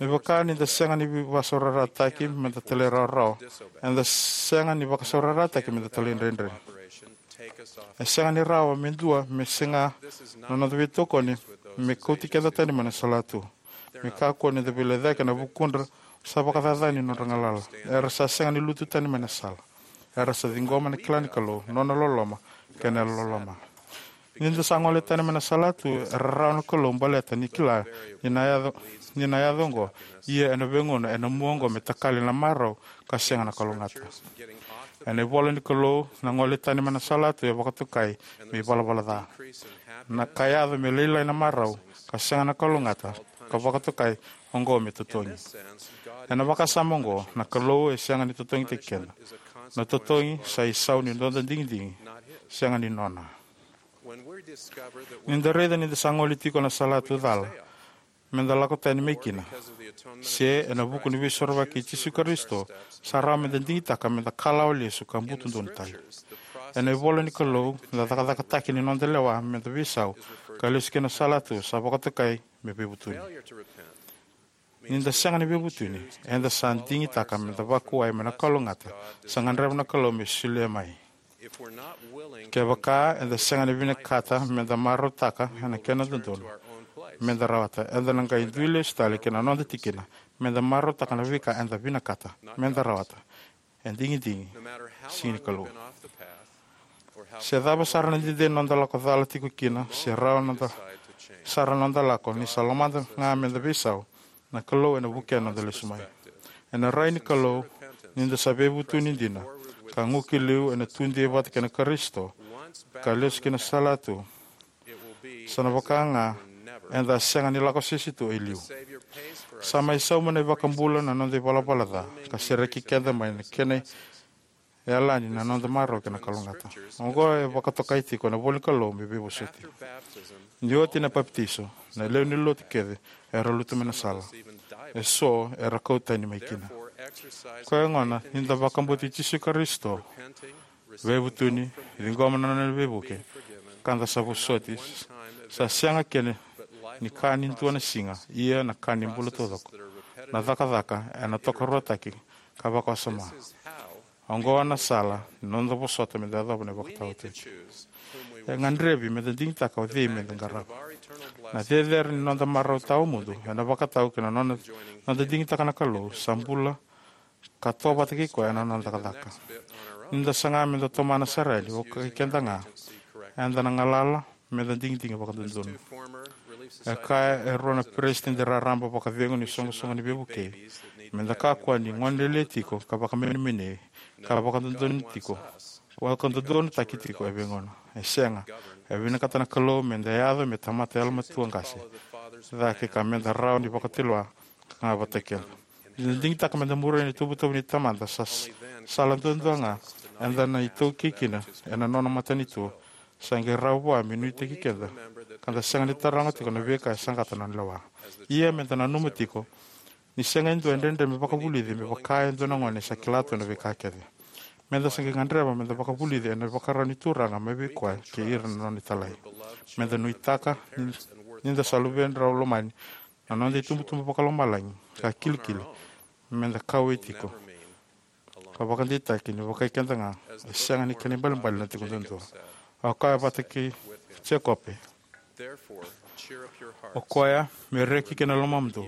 Me vaka ni da sega ni vakasaurarataki me da talairawarawa, eda sega ni vakasaurarataki me da talaidredre. E sega ni rawa me dua me sega na noda veitokoni me kauti keda tani mai na salatu. Me kakua ni da veilecayaki ena vukudra sa vakacacani nodra galala. Era sa sega ni lutu tani mai na sala. Era sa ciqoma na kila ni Kalou, nona loloma, kei na yalololoma. Ni da sa gole tani mai na salatu, e rarawa na Kalou baleta ni kila ni na yaco, ni na yaco oqo, ia ena veigauna ena mua oqo me takali na marau ka sega na kalougata. Ena ivola ni Kalou, na gole tani mai na salatu e vakatokai me ivalavala ca. Na ka yaco me lailai na marau ka sega na kalougata, ka vakatokai oqo me totogi. Ena vakasama oqo, na Kalou e sega ni totogitaki keda. Na totogi sa isau ni noda digidigi, sega ni nona. Ni da raica ni da sa gole tiko na salatu cala me da lako tani mai kina, se ena vuku ni veisorovaki i Jisu Karisito, sa rawa me da digitaka me da kalawa lesu ka butu donu tale. Ena ivola ni Kalou, na cakacakataki ni noda lewa me da veisau ka lesu ki na salatu sa vakatokai me veivutuni. Ni da sega ni veivutuni, eda sa digitaka me da vakuwai mai na kalougata sa gadreva na Kalou me solia mai. Kevaka eda sega ni vinakata meda marautaka ena kena dodonu meda rawata, eda na qai dui lesu tale ki na noda tikina meda marautaka na veika eda vinakata meda rawata. E digidigi, sega ni Kalou. Se cava sara na dede ni noda lako cala tiko kina, se rawa noda, sara noda lako, ni sa lomada ga meda veisau, na Kalou ena vukea noda lesu mai. Ena rai ni Kalou, ni da sa veivutuni dina ka guki liu, ena tudei vata kei na Karisito ka lesu ki na salatu, sa na vaka ga eda sega ni lako sese tu e liu. Sa mai sauma na iVakabula na noda ivalavala ca ka sereki keda mai na kena yalani na noda marau kei na kalougata. Oqo e vakatokai tiko ena ivola ni Kalou me veivosoti. Ni oti na papitaiso, na lewe ni lotu kece era lutu mai na sala. Eso era kau tani mai kina. Koya gona ni da vakabauti Jisu Karisito, veivutuni, ciqoma na nona veivuke, ka da sa vosoti, sa sega kina ni ka ni dua na siga, ia na ka ni bula taucoko. Na cakacaka ena tokaruataki ka vakawasoma. Oqo na sala ni noda vosota meda yacova na ivakataotioti. E gadrevi meda digitaka o cei meda qarava. Na cecere ni noda marau tawamudu ena vakatau ki na nona, noda digitaka na Kalou sa bula ka tovata kei koya ena noda cakacaka. Ni da saga meda tomana sara yani, vakaikeda ga, eda na galala meda digidigi vakadodonu. E kaya e rua na peresitedi raraba vakacegu ni soqosoqo ni veivukei, meda kakua ni gonelele tiko ka vakamenemenei ka vakadodonu tiko, vakadodonutaki tiko e veigauna. E sega, e vinakata na Kalou meda yaco me tamata yalomatua qase cake ka meda rawa ni vakatulewa ka ga vata kei keda. Ni da digitaka meda muria na ituvatuva ni Tamada, sa, sala duadua ga eda na itaukei kina ena nona matanitu, sa qai rawa vua me nuitaki keda ka da sega ni taroga tiko na veika e saqata na nona lewa. Ia meda nanuma tiko ni sega e dua e dredre me vakavulici me vaka e dua na gone sa kila tu na veika kece. Meda sa qai gadreva meda vakavulici ena ivakarau ni Turaga mai vei koya kei ira na nona italai. Meda nuitaka ni, ni da sa luvedrau lomani na noda itubutubu vakalomalagi ka kilikili meda kauwai tiko ka vakadeitaki ni vakaikeda ga e sega ni kena ibalebale na tiko duadua. O koya vata kei Jekope, o koya me reki kina lomamudou,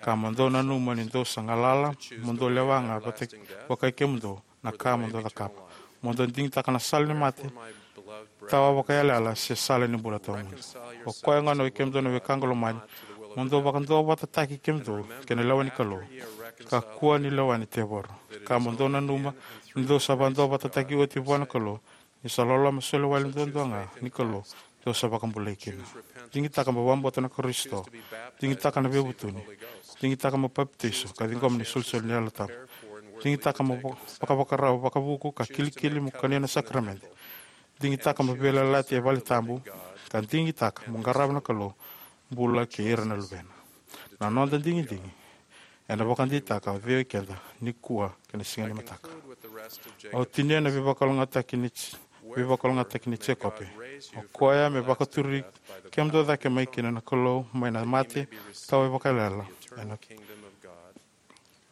ka mo dou nanuma ni dou sa galala, mo dou lewa ga vata, vakai kemudou na ka mo dou cakava. Mo dou digitaka na sala ni mate tawa vakaiyalayala se sala ni bula tawamudu. O koya gona, oi kemudou na wekaqu lomani, mo dou vakaduavatataki kemudou kei na lewa ni Kalou, kakua ni lewa ni tevoro. Ka mo dou nanuma ni dou sa vakaduavatataki oti vua na Kalou, ni sa loloma soli wale duadua ga ni Kalou dou sa vakabulai kina. Digitaka mo vakabauta na Karisito. Digitaka na veivutuni. Digitaka mo papitaiso ka ciqoma na isolisoli ni Yalo Tabu. Digitaka mo va-, vakavakarau vakavuku ka kilikili mo kania na sakaramede. Digitaka mo veiyalayalati e vale tabu, ka digitaka mo qarava na Kalou bula kei ira na luvena. Na noda digidigi ena vakadeitaka o cei o keda nikua kei na siga ni mataka. Au tinia na veivakalougatataki ni, veivakalougatataki ni Jekope. O koya me vakaturi kemudou cake mai kina na Kalou mai na mate tawa vakaiyalayala. Ena,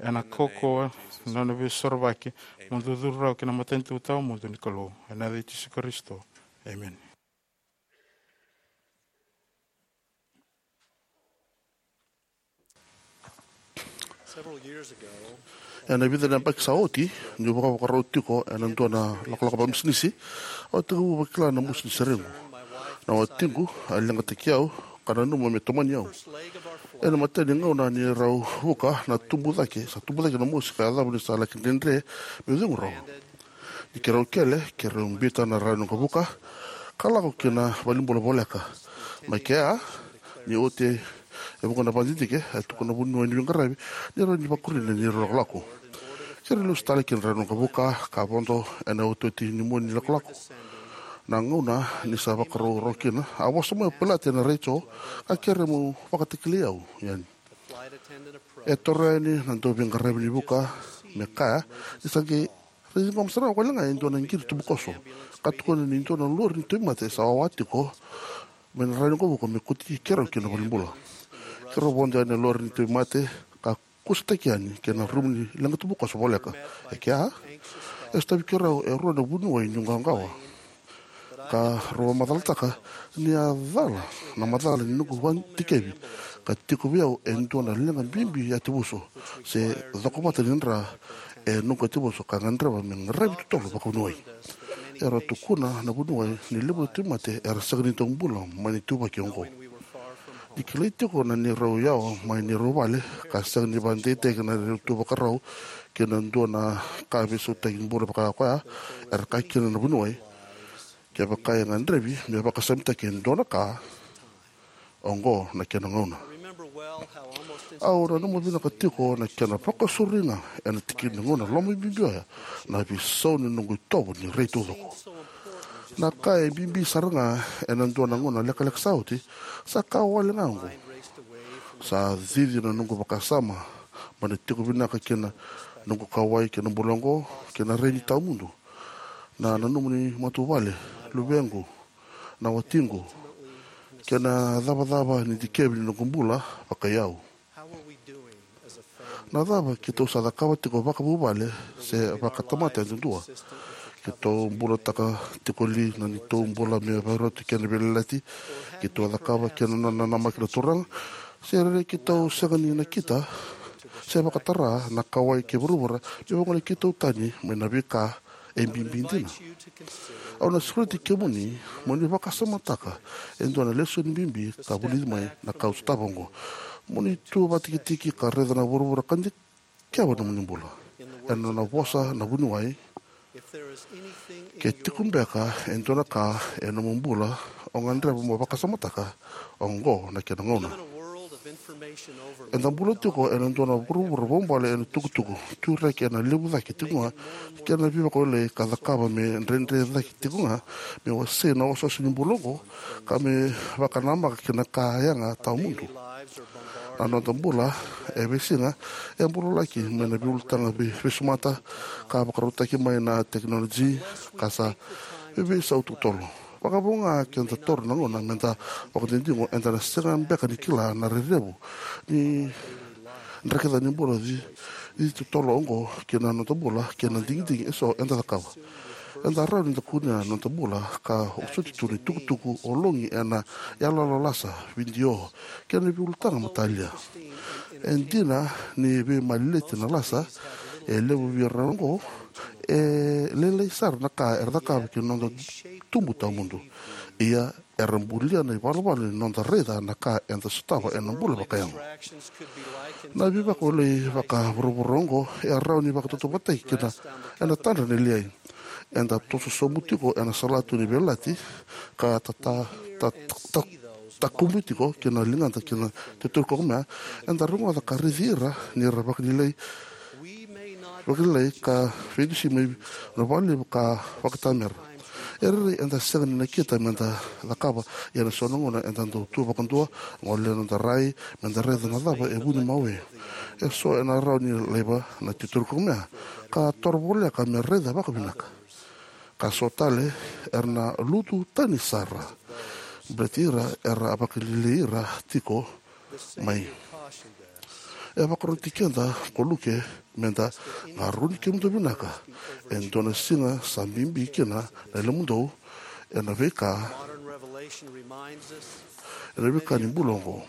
ena kaukauwa na nona veisorovaki, mo dou curu rawa ki na matanitu tawamudu ni Kalou. Ena yaca i Jisu Karisito. Emeni. Ena vica na yabaki sa oti, niu vakavakarau tiko ena dua na lakolako vakabisinisi, au tekivu vakila na mosi ni seregu. Na watiqu a leqataki au ka nanuma me tomani au. Ena imatai ni gauna ni rau vuka na tubu cake, sa tubu cake na mosi ka yacova ni sa laki dredre meu cegu rawa. Ni keirau kele, keirau biuta na rara ni waqavuka ka lako ki na valenibula voleka. Mai kea, ni oti e vuqa na vakadidike, e tukuna na vuniwai ni veiqaravi ni rawa ni vakuri na neirau lakolako. Keirau lesu tale ki na rara ni waqavuka ka vodo ena iotioti ni mua ni lakolako. Na gauna ni sa vakarau rawa kina, a vosa mai o pilati ena retio ka kerea meu vakatakilai au yani. E toro yani na dauveiqaravi ni vuka me kaya ni sa qai raici goma sara wale ga e dua na qiri tubukoso, ka tukuna ni dua na lori ni tauvimate sa wawa tiko mai na rara ni waqavuka me kauti keirau ki na valenibula. Keirau vodo yani na lori ni tauvimate ka kusataki yani ki na rumu ni leqa tubukoso voleka. E kea, E sotavi keirau e rua na vuniwai niu qawaqawa, ka rau vakamacalataka ni a cala na macala ni noqu vakadikevi ka tiko vei au e dua na leqa bibi yatuvuso se cokovata ni dra e noqu yatuvuso ka gadreva me qaravi totolo vakavuniwai. Era tukuna na vuniwai ni levu na tauvimate era sega ni dau bula mai na ituvaki oqo. Ni kilai tiko na neirau yawa mai neirau vale ka sega ni vakadeitaki na neirau tuvakarau kei na dua na ka veisautaki bula vaka koya, era kaya kina na vuniwai, kevaka e gadrevi me vakasamitaki e dua na ka, oqo na kena gauna. Au nanuma vinaka tiko na kena vakasauri ga ena tikina ni gauna lomabibi oya na veisau ni noqu itovo ni rai taucoko. Na ka e bibi sara ga ena dua na gauna lekaleka sa oti, sa ka wale ga oqo. Sa cici na noqu vakasama mai na tiko vinaka kei na noqu kauwai kei na bula oqo kei na rai ni tawamudu, na nanuma ni matavuvale, luvequ, na watiqu, kei na cavacava ni dikevi ni noqu bula vakaiyau. Na cava keitou sa cakava tiko vakavuvale se vakatamata yadudua? Keitou bulataka tiko li na neitou bula me vakaroti kei na veiyalayalati keitou a cakava kei na nona namaki na Turaga? Se rairai keitou sega ni nakita se vakatara na kauwai kei vuravura me vagolei keitou tani mai na veika e bibi dina? Au na sureti kemuni mo ni vakasamataka e dua na lesoni bibi ka vulici mai na ka au sotava oqo. Mo ni tu vakatikitiki ka raica na vuravura ka dikeva nomuni bula. Ena nona vosa na vuniwai, ke tiko beka e dua na ka e nomu bula o gadreva mo vakasamataka, oqo na kena gauna. Eda bula tiko ena dua na vuravura vakaubale ena tukutuku, tu reki ena levu cake tiko ga kei na veivakawalei ka cakava me dredre cake tiko ga me wasei na osooso ni bula oqo ka me vakanamaka ki na ka yaga tawamudu. Na noda bula e veisiga e bulalaki mai na veiulutaga vei- veisumata ka vakarautaki mai na tekinoloji ka sa veiveisau totolo. Vakavo ga ke da taura na gauna me da vakadinadigo, eda na sega beka ni kila na rairai levu ni draki ca ni bula ci- cici totolo oqo ki na noda bula kei na digidigi eso eda cakava. Eda rawa ni da kunea na noda bula ka vosoti tu na itukutuku ologi ena iyaloyalo lasa, vidio, kei na veiulutaga matalia. E dina ni veimaleleti na lasa, e levu vei ira oqo e lailai sara na ka era cakava ki na noda tubu tawamudu. Ia, era bulia na ivalavala ni noda raica na ka eda sotava ena bula vakayago. Na veivakawalei vakavuravura oqo e rawa ni vakatautauvatataki kina ena tadra na liai. Eda toso sobu tiko ena salatu ni veiyalayalati ka ta- ta- ta- ta- takubi tiko ki na ligada ki na tetoru ka komea, eda rogoca ka raici ira ni ra vakalialiai, vakalialiai ka veidusi mai na vakalevu ka vakatamera. E rairai eda sega ni nakita me da cakava, ia ena so na gauna eda dau tu vakadua, gole na noda rai me da raica na cava e vuni mawe. Eso ena rawa ni laiva na titoru ka komea ka toro voleka me raica vakavinaka. Ka so tale era na lutu tani sara baleti ira era a vakalialiai ira tiko mai. E vakaroti keda ko Luke me da qarauni kemudou vinaka e dua na siga sa bibi kina na yalomudou ena veika, ena veika ni bula oqo.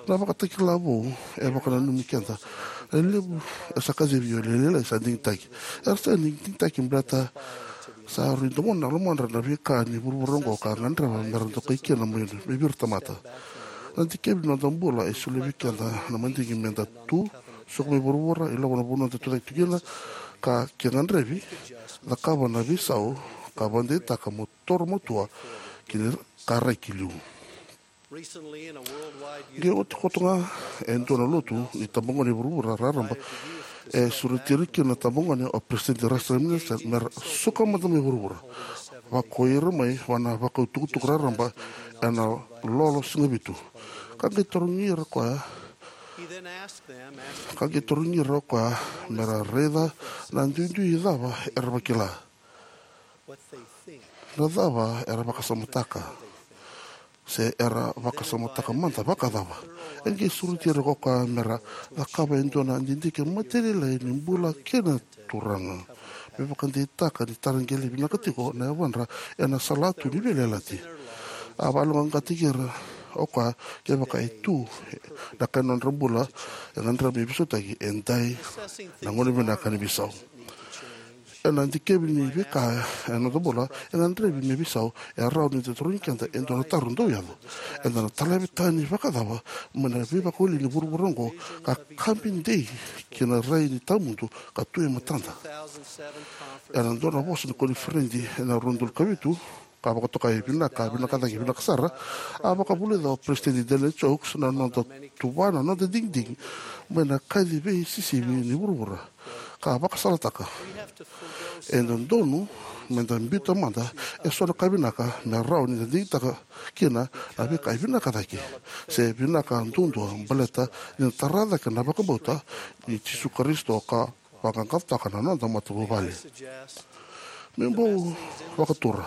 Na Vakatakila Vou e vakananumi keda na levu e sa kacivi io lailai sa digitaki. Era sa digitaki baleta sa rui domona na lomadra na veika ni vuravura oqo ka gadreva me ra dokai kina mai vei ira na tamata. Na dikevi ni noda bula e solia vei keda na madigi me da tu, suka mai vuravura, ilavo na vanua eda tucake tu kina, ka ke gadrevi, cakava na veisau ka vakadeitaka mo toro matua ki na ka rai ki liu. Qai oti koto ga e dua na lotu ni tabagone e vuravura raraba e sureti ira kina na tabagone o Peresitedi Russell M. Nelson me ra suka mada mai vuravura. Vakoi ira mai vua na vakau tukutuku raraba ena lolo siga vitu. Ka qai tarogi ira o koya, ka qai tarogi ira o koya me ra raica na duidui cava era vakila. Na cava era vakasamataka, se era vakasamataka mada vakacava. E qai sureti ira o koya me ra cakava e dua na didike matailalai ni bula kei na Turaga. me vakadeitaka ni tara qele vinaka tiko na yavadra ena salatu ni veiyalayalati. A vakayaloqaqataki ira o koya kevaka e tu na ka ni nodra bula e gadrevi me veisautaki. E dua na gauna vinaka ni veisau. Ena dikevi ni veika ena noda bula e gadrevi me veisau, e rawa ni da tarogi keda e dua na taro dau yaco. Eda na talavi tani vakacava mai na veivakawaleni ni vuravura oqo ka kabi dei ki na rai ni tawamudu ka tu e matada? Ena dua na vosa ni koniferedi ena rua na udolu ka vitu, ka vakatokai vinaka, vinaka cake, vinaka sara, a vakavulica o Peresitedi Dallin H. Oaks na noda tuva, na noda digidigi mai na kaci veisisivi ni vuravura, ka vakasalataka: E dodonu meda biuta mada eso na ka vinaka me rawa ni da digitaka kina na veika e vinaka cake, se vinaka duadua, baleta ni da tara cake na vakabauta ni Jisu Karisito ka vaqaqacotaka na noda matavuvale. Meu bau vakatura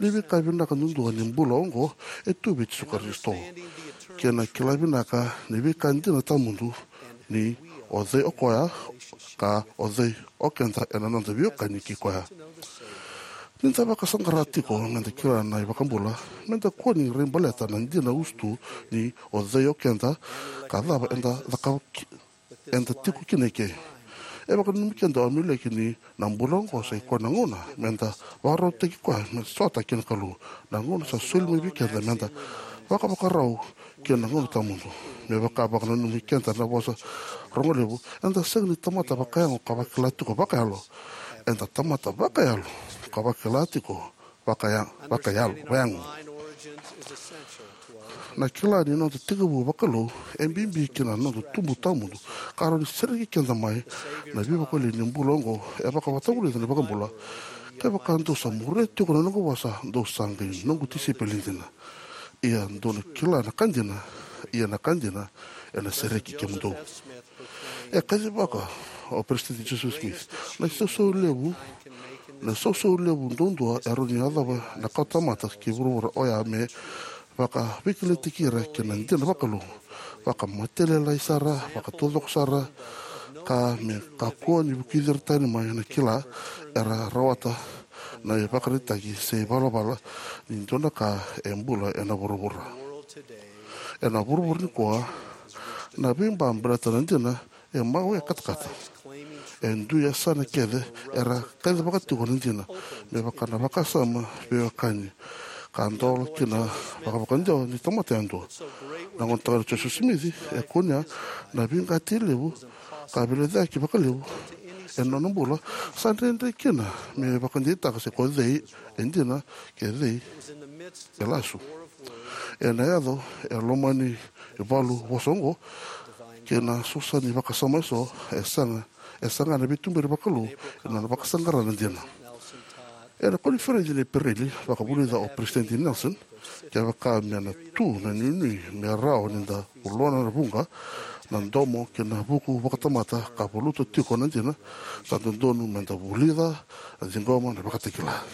ni veika vinaka duadua ni bula oqo e tu vei Jisu Karisito, kei na kila vinaka ni veika dina tawamudu ni o cei o koya ka o cei o keda ena noda veiwekani kei koya. Ni da vakasaqara tiko meda kila na iVakabula, meda kua ni rai baleta na dina usutu ni o cei o keda ka cava eda cakava ki-, eda tiko kina eke. E vakananumi keda o Amuleki ni na bula oqo sa i koya na gauna meda vakarautaki koya me sota kei na Kalou. Na gauna sa soli mai vei keda meda vakavakarau kei na gauna tawamudu. Me vaka vakananumi keda na vosa rogo levu, eda sega ni tamata vakayago ka vakila tiko vakayalo. Eda tamata vakayalo ka vakila tiko vakaya-, vakayalo, vayago. Na kila ni noda tekivu vakalou e bibi ki na noda tubu tawamudu ka rawa ni sereki keda mai na veivakawaleni ni bula oqo. E vakavakavulica na iVakabula: Kevaka dou sa muria tiko na noqu vosa, dou sa qai noqu tisaipeli dina. Ia dou na kila na ka dina, ia na ka dina ena sereki kemudou. E kacivaka o Peresitedi Joseph Smith: Na isausau levu, na isausau levu duadua e rawa ni yacova na kawatamata kei vuravura oya me vakaveikilaitaki ira ki na dina vakalou, vakamatailalai sara, vakataucoko sara, ka me kakua ni vukici ira tani mai na kila era rawata na ivakaraitaki se ivalavala ni dua na ka e bula ena vuravura. Ena vuravura nikua, na veiba baleta na dina e mawe katakata. E dua na yasana kece era kacivaka tiko na dina, me vaka na vakasama veiwekani, ka dola kina vakavakadewa ni tamata yadua. Na gonetagane Joseph Smith e kunea na veiqati levu ka veilecayaki vakalevu ena nona bula, sa dredre kina me vakadeitaka se ko cei e dina kei cei e lasu. Ena yaco e loma ni valu vosa oqo kei na sosa ni vakasama eso, e saga, e saga na veituberi vakalou ena nona vakasaqara na dina. Ena koniferedi ni Epereli, vakavulica o Peresitedi Nelson: Kevaka me na tu na inuinui me rawa ni da vuloa na vuqa, na domo kei na vuku vakatamata ka valuta tiko na dina, sa dodonu meda vulica, na ciqoma, na vakatakila.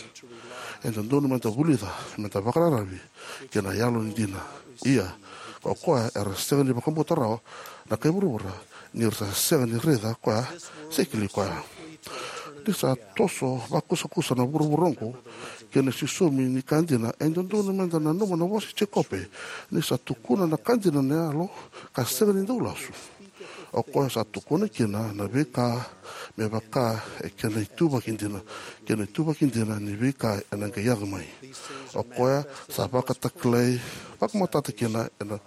E dodonu meda vulica, meda vakararavi ki na yalo ni dina. Ia, ko koya era sega ni vakabauta rawa na kai vuravura, ni ra sa sega ni raica koya se kilai koya. Ni sa toso vakusakusa na vuravura oqo kei na sisomi ni ka dina, e dodonu meda nanuma na vosa i Jekope: Ni sa tukuna na ka dina na Yalo ka sega ni dau lasu, o koya sa tukuna kina na veika me vaka e kena ituvaki dina, kei na ituvaki dina ni veika ena qai yaco mai. O koya sa vakatakilai vakamatata kina ena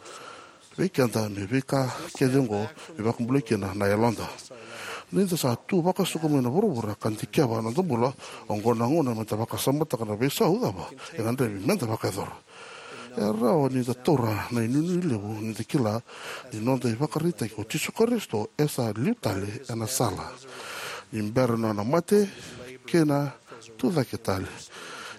vei keda me veika kece oqo me vakabulai kina na yaloda. Ni da sa tu vakasokumuni ena vuravura ka dikeva na noda bula, oqo na gauna meda vakasamataka na veisau cava e gadrevi meda vakayacora. E rawa ni da taura na inuinui levu ni da kila ni noda ivakaraitaki ko Jisu Karisito e sa liu tale ena sala ni bera na nona mate kei na tucake tale,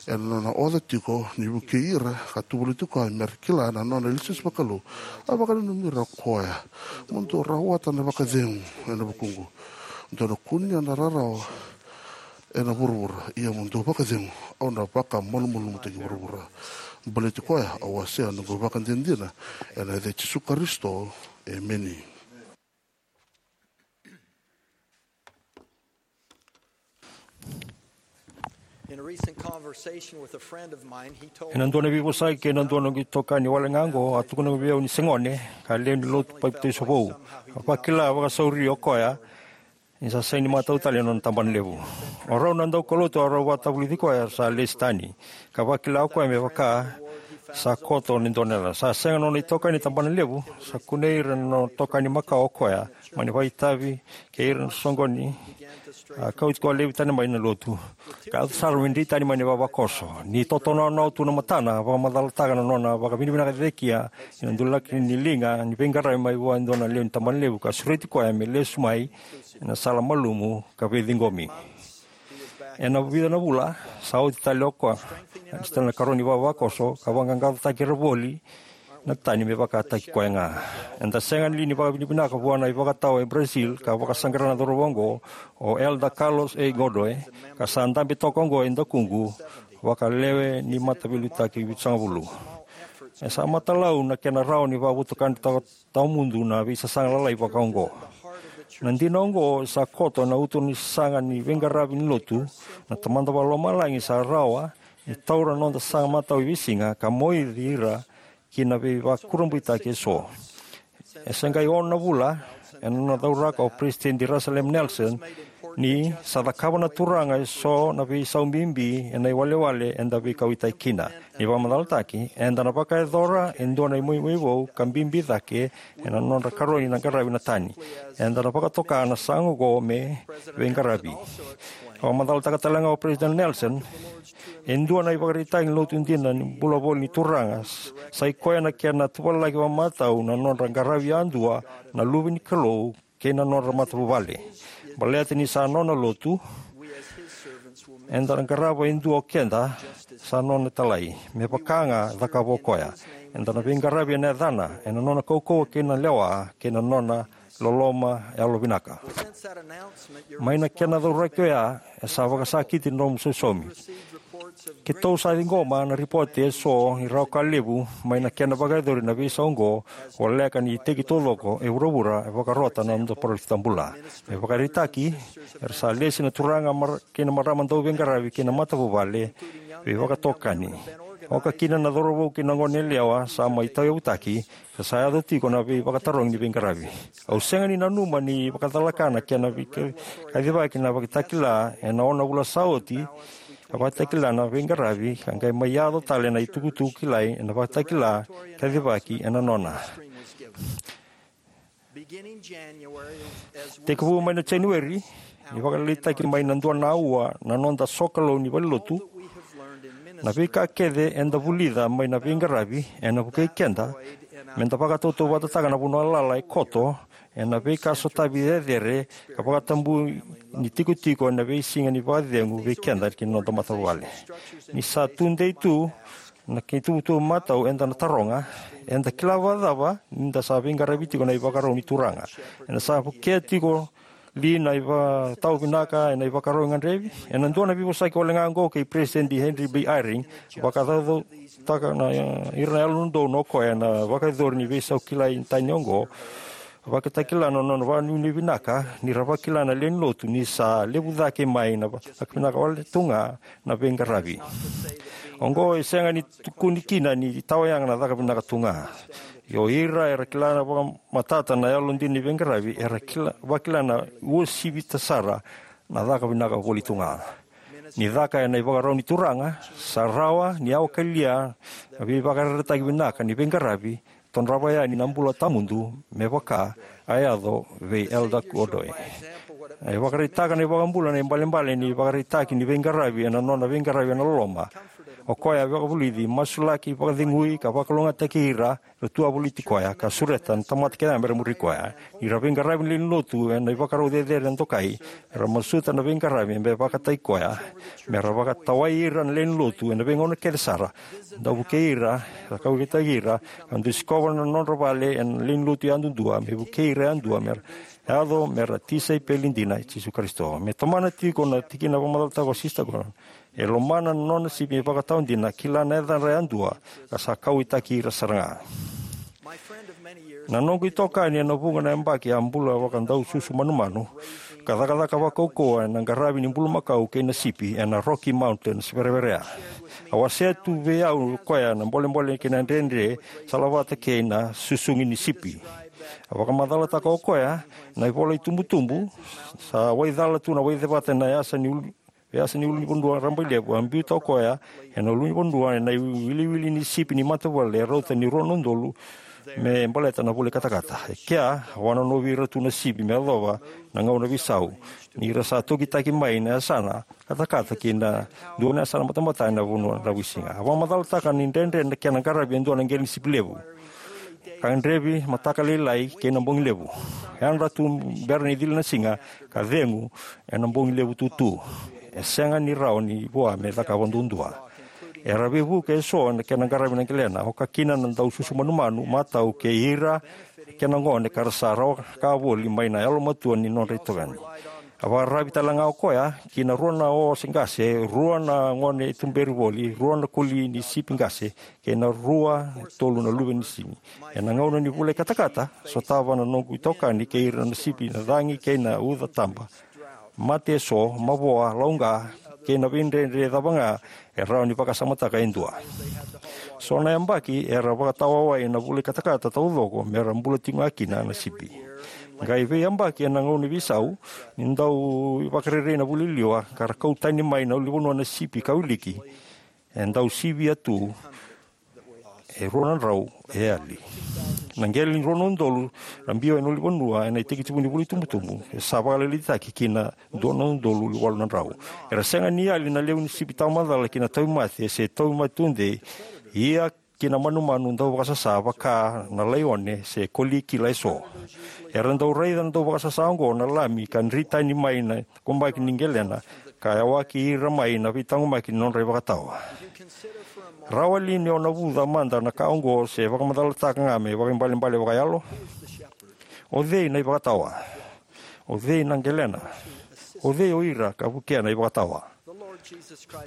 ena nona oca tiko ni vukei ira ka tovoliti koya me ra kila na nona ilesilesi vakalou. A vakananumi ira o koya: Mo dou rawata na vakacegu ena vukuqu. Dou na kunea na rarawa ena vuravura, ia mo dou vakacegu, au na vakamalumalumutaki vuravura. Baleti koya au wasea na noqu ivakadinadina ena yaca i Jisu Karisito, emeni. In a recent conversation with a friend of mine, he told Ena dua na veivosaki kei na dua na noqu itokani wale ga oqo, a tukuna vei au ni se gone ka lewe ni lotu papitaiso vou. A vakila vakasauri o koya ni sa sega ni matau tale na nona tabana levu. O rau na daukaulotu a rau vakatavulici koya sa lesi tani, ka vakila o koya me vaka sa koto ni dua na yala. Sa sega na nona itokani tabana levu, sa kunei ira na nona itokani makawa o koya, mani vakaitavi kei ira na soqoni, a kauti koya laivi tani mai na lotu. Ka yaco sara me drei tani mai na ivavakoso. Ni totonoanoa tu na matana, vakamacalataka na nona vakavinavinaka cake kina ena dulaki ni liga ni veiqaravi mai vua e dua na lewe ni tabana levu, ka sureti koya me lesu mai ena sala malumu ka veiciqomi. Ena vica na vula sa oti tale o koya, sa tale na karua ni vavakoso, ka vaqaqacotaki ira voli na tani me vakataki koya ga. Eda sega li ni vakavinavinaka vua na ivakatawa e Brazil ka vakasaqara na cauravou oqo, o Elder Carlos A. Godoy, ka sa dabe toka oqo e dakuqu vakalewe ni mataveiliutaki vitusagavulu. E sa matalau na kena rawa ni vakavotukana tawamudu na veisasaga lalai vakaoqo. Na dina oqo sa koto ena uto ni sasaga ni veiqaravi ni lotu. Na Tamada Vakalomalagi sa rawa ni taura na noda sasaga matau e veisiga ka moici ira ki na veivakurabuitaki eso. E se qai ono na vula ena nona cauraka o Peresitedi Russell M. Nelson ni sa cakava na Turaga eso na veisau bibi ena iwalewale eda veikauwaitaki kina. Ni vakamacalataki, eda na vakayacora e dua na imoimoi vou ka bibi cake ena nodra karoni na qaravi na tani. Eda na vakatoka na sasaga oqo me veiqaravi. Vakamacalataka tale ga o Peresitedi Nelson, e dua na ivakaraitaki ni lotu dina ni bula voli ni Turaga, sa i koya na kena tuvalaki vakamatau na nodra qaravi yadua na luve ni Kalou kei na nodra matavuvale. Baleta ni sa nona lotu, eda na qarava e dua o keda sa nona italai, me vaka ga cakava o koya. Eda na veiqaravi ena yacana, ena nona kaukauwa kei na lewa, kei na nona loloma yalovinaka. Mai na kena cauraki oya, e sa vakasakiti na nomu sausaumi. Keitou sa ciqoma na ripote eso ni rawa ka levu mai na kena vakayacori na veisau oqo, voleka ni iteki taucoko e vuravura e vakarota na noda parofita bula. Me vakaraitaki, era sa lesi na turaga mar-, kei na marama dauveiqaravi kei na matavuvale veivakatokani, oka kina na cauravou kei na goneyalewa sa mai tauyavutaki, ka sa yaco tiko na veivakatarogi ni veiqaravi. Au sega ni nanuma ni vakacalaka na kena veika-, kacivaki na Vakatakila ena ono na vula sa oti, ka Vakatakila na veiqaravi, ka qai mai yaco tale na itukutuku kilai ena Vakatakila, kacivaki ena nona. Tekivu mai na January, ni vakalailaitaki mai na dua na aua na noda sokalou ni valenilotu, na veika kece eda vulica mai na veiqaravi ena vukei keda meda vakatautauvatataka na vanua lala e koto ena veika sotavi cecere ka vakatabui ni tikotiko ena veisiga ni vakacegu vei keda kei na noda matavuvale. Ni sa tudei tu na kena ituvatuva matau eda na taroga, eda kila vakacava ni da sa veiqaravi tiko na ivakarau ni Turaga? Eda sa vukea tiko li na ivakatawa vinaka ena ivakarau e gadrevi? Ena dua na veivosaki wale ga oqo kei Peresitedi Henry B. Eyring, vakacaucautaka na, ira na Yalododonu o koya ena vakayacori ni veisau kilai ni tani oqo, Vakatakila na nona vakanuinui vinaka ni ra vakila na lewe ni lotu ni sa levu cake mai na caka vinaka wale tu ga na veiqaravi. Oqo e sega ni tukuni kina ni tawayaga na caka vinaka tu ga. Ia o ira era kila na vakamatata na yalodina ni veiqaravi, era kila, vakila na uasivita sara na caka vinaka voli tu ga. Ni caka ena ivakarau ni Turaga, sa rawa ni yawa kalia na veivakayarayarataki vinaka ni veiqaravi, todrava yani na bula tawamudu me vaka a yaco vei Elder Godoy. E vakaraitaka na iVakabula na ibalebale ni vakaraitaki ni veiqaravi ena nona veiqaravi ena loloma. O koya a vakavulici, masulaki, vakacegui, ka vakalougatataki ira era tu a voliti koya, ka sureta na tamata kece ga mera muri koya. Ni ra veiqaravi na lewe ni lotu ena ivakarau cecere ena dokai, era masuta na veiqaravi me vakataki koya, mera vakatawai ira na lewe ni lotu ena veigauna kece sara, dau vukei ira, ra kauwaitaki ira, ka dau sikova na nodra vale ena lewe ni lotu yadudua, me vukei ira yadua mera yaco mera tisaipeli dina i Jisu Karisito. Me tomana tiko na tikina vakamacalataka o Sisita Gordon, e lomana na nona sipi me vakatawa dina, kila na yacadra yadua, ka sa kauwaitaki ira sara ga. Na noqu itokani ena vuqa na yabaki a bula vakadaususu manumanu, ka cakacaka vakaukauwa ena qaravi ni bulumakau kei na sipi ena Rocky Mountains vereverea. A wasea tu vei au o koya na bolebole kei na dredre, salavata kei na susugi ni sipi. A vakamacalataka o koya, na ivola itubutubu sa waicala tu na waicevata ena yasa ni ulu, yasa ni ulunivanua rabailevu. A biuta o koya ena ulunivanua ena iwiliwili ni sipi ni matavuvale e rauta ni rua na udolu me baleta na vula i katakata. E kea, a vakanonovi ira tu na sipi me yacova na gauna veisau, ni ra sa tokitaki mai na yasana katakata ki na dua na yasana batabata ena vanua dravuisiga. A vakamacalataka ni dredre na kena qaravi e dua na qele ni sipi levu, ka gadrevi mataka lailai kei na bogi levu. Yadra tu bera ni cila na siga, ka cegu ena bogi levu tutu. E sega ni rawa ni vua me cakava duadua. Era veivuke eso na kena qaravi na qelena, oka kina na daususu manumanu, matau, kei ira kei na gone ka ra sa rawa ka voli mai na yalomatua ni nodra itokani. A vakararavi tale ga o koya ki na rua na ose qase, rua na gone tuberi voli, rua na koli ni sipi qase, kei na rua e tolu na luve ni sini. Ena gauna ni vula i katakata, sotava na noqu itokani kei ira na sipi na cagi kei na uca taba, mate eso, mavoa, lauqa, kei na veidredre cava ga e rawa ni vakasamataka e dua. So na yabaki era vakatawawai ena vula i katakata taucoko me ra bula tiko ga kina na sipi. Qai veiyabaki ena gauna veisau, ni dau vakarerei na vula i liwa ka ra kau tani mai na ulunivanua na sipi ka wiliki, e dau sivia tu e rua na drau e yali. Na qele ni rua na udolu ra biu ena ulunivanua ena itekitekivu ni vula itubutubu e sa vakalailaitaki ki na dua na udolu walu na drau. Era sega ni yali na levu ni sipi tawamacala ki na tauvimate se tauvimate tudei, ia ki na manumanu dauvakasasa vaka na laione se koli kila eso. Era dau raica na dauvakasasa oqo na lami ka dri tani mai na taqomaki ni qelena, ka yawaki ira mai na veitaqomaki ni nodra ivakatawa. Rawa li ni o navuca mada na ka oqo se vakamacalataka ga me vakaibalebale vakayalo? O cei na ivakatawa? O cei na qelena? O cei o ira ka vukea na ivakatawa?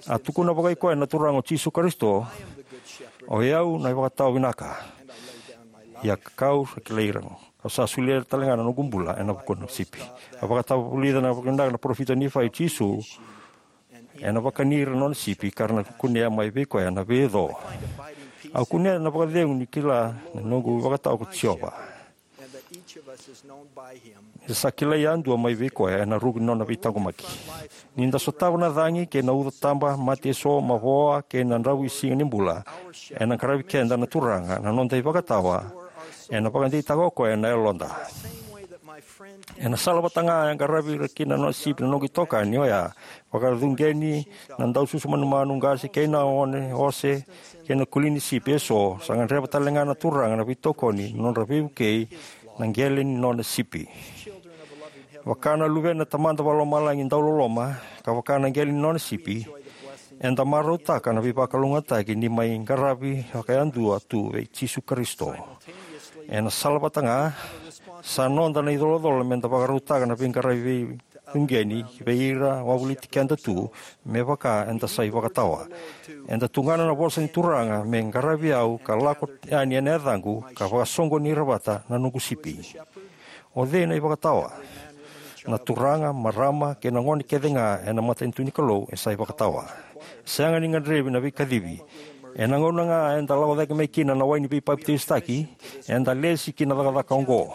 A tukuna vakaikoya na Turaga o Jisu Karisito, "O i au na ivakatawa vinaka, ia kau sa kilai ira, kau sa solia tale ga na noqu bula ena vuku ni sipi." A vakatavulica na vakavinaka na parofita o Nifai o Jisu, ena vakani ira na nona sipi ka ra na kunea mai vei koya na veico. Au kunea na vakacegu ni kila na noqu ivakatawa ko Jiova. Ni sa kilai yadua mai vei koya ena ruku ni nona veitaqomaki. Ni da sotava na cagi kei na uca taba, mate eso, mavoa, kei na dravuisiga ni bula, ena qaravi keda na Turaga na noda ivakatawa, ena vakadeitaka o koya na yaloda. Ena sala vata ga e qaravi ira kina na nona sipi na noqu itokani oya, vakacuqeni na daususu manumanu qase kei na one ose kei na koli ni sipi eso, sa gadreva tale ga na Turaga na veitokoni na nodra veivukei na qele ni nona sipi. Vaka na luvena na Tamada Vakalomalagi dauloloma, ka vaka na qele ni nona sipi, eda marautaka na veivakalougatataki ni mai qaravi vakayadua tu vei Jisu Karisito. Ena sala vata ga, sa noda na icolacola meda vakarautaka na veiqaravi vei uqeni vei ira wavoliti keda tu, me vaka eda sa ivakatawa. Eda tugana na vosa ni Turaga, "Me qaravi au ka lako yani ena yacaqu, ka vakasoqoni ira vata na noqu sipi." O cei na ivakatawa? Na turaga, marama, kei na gone kece ga ena matanitu ni Kalou e sa ivakatawa. Sega ni gadrevi na veikacivi. Ena gauna ga eda lako cake mai kina na wai ni veipapitaisotaki, eda lesi ki na cakacaka oqo.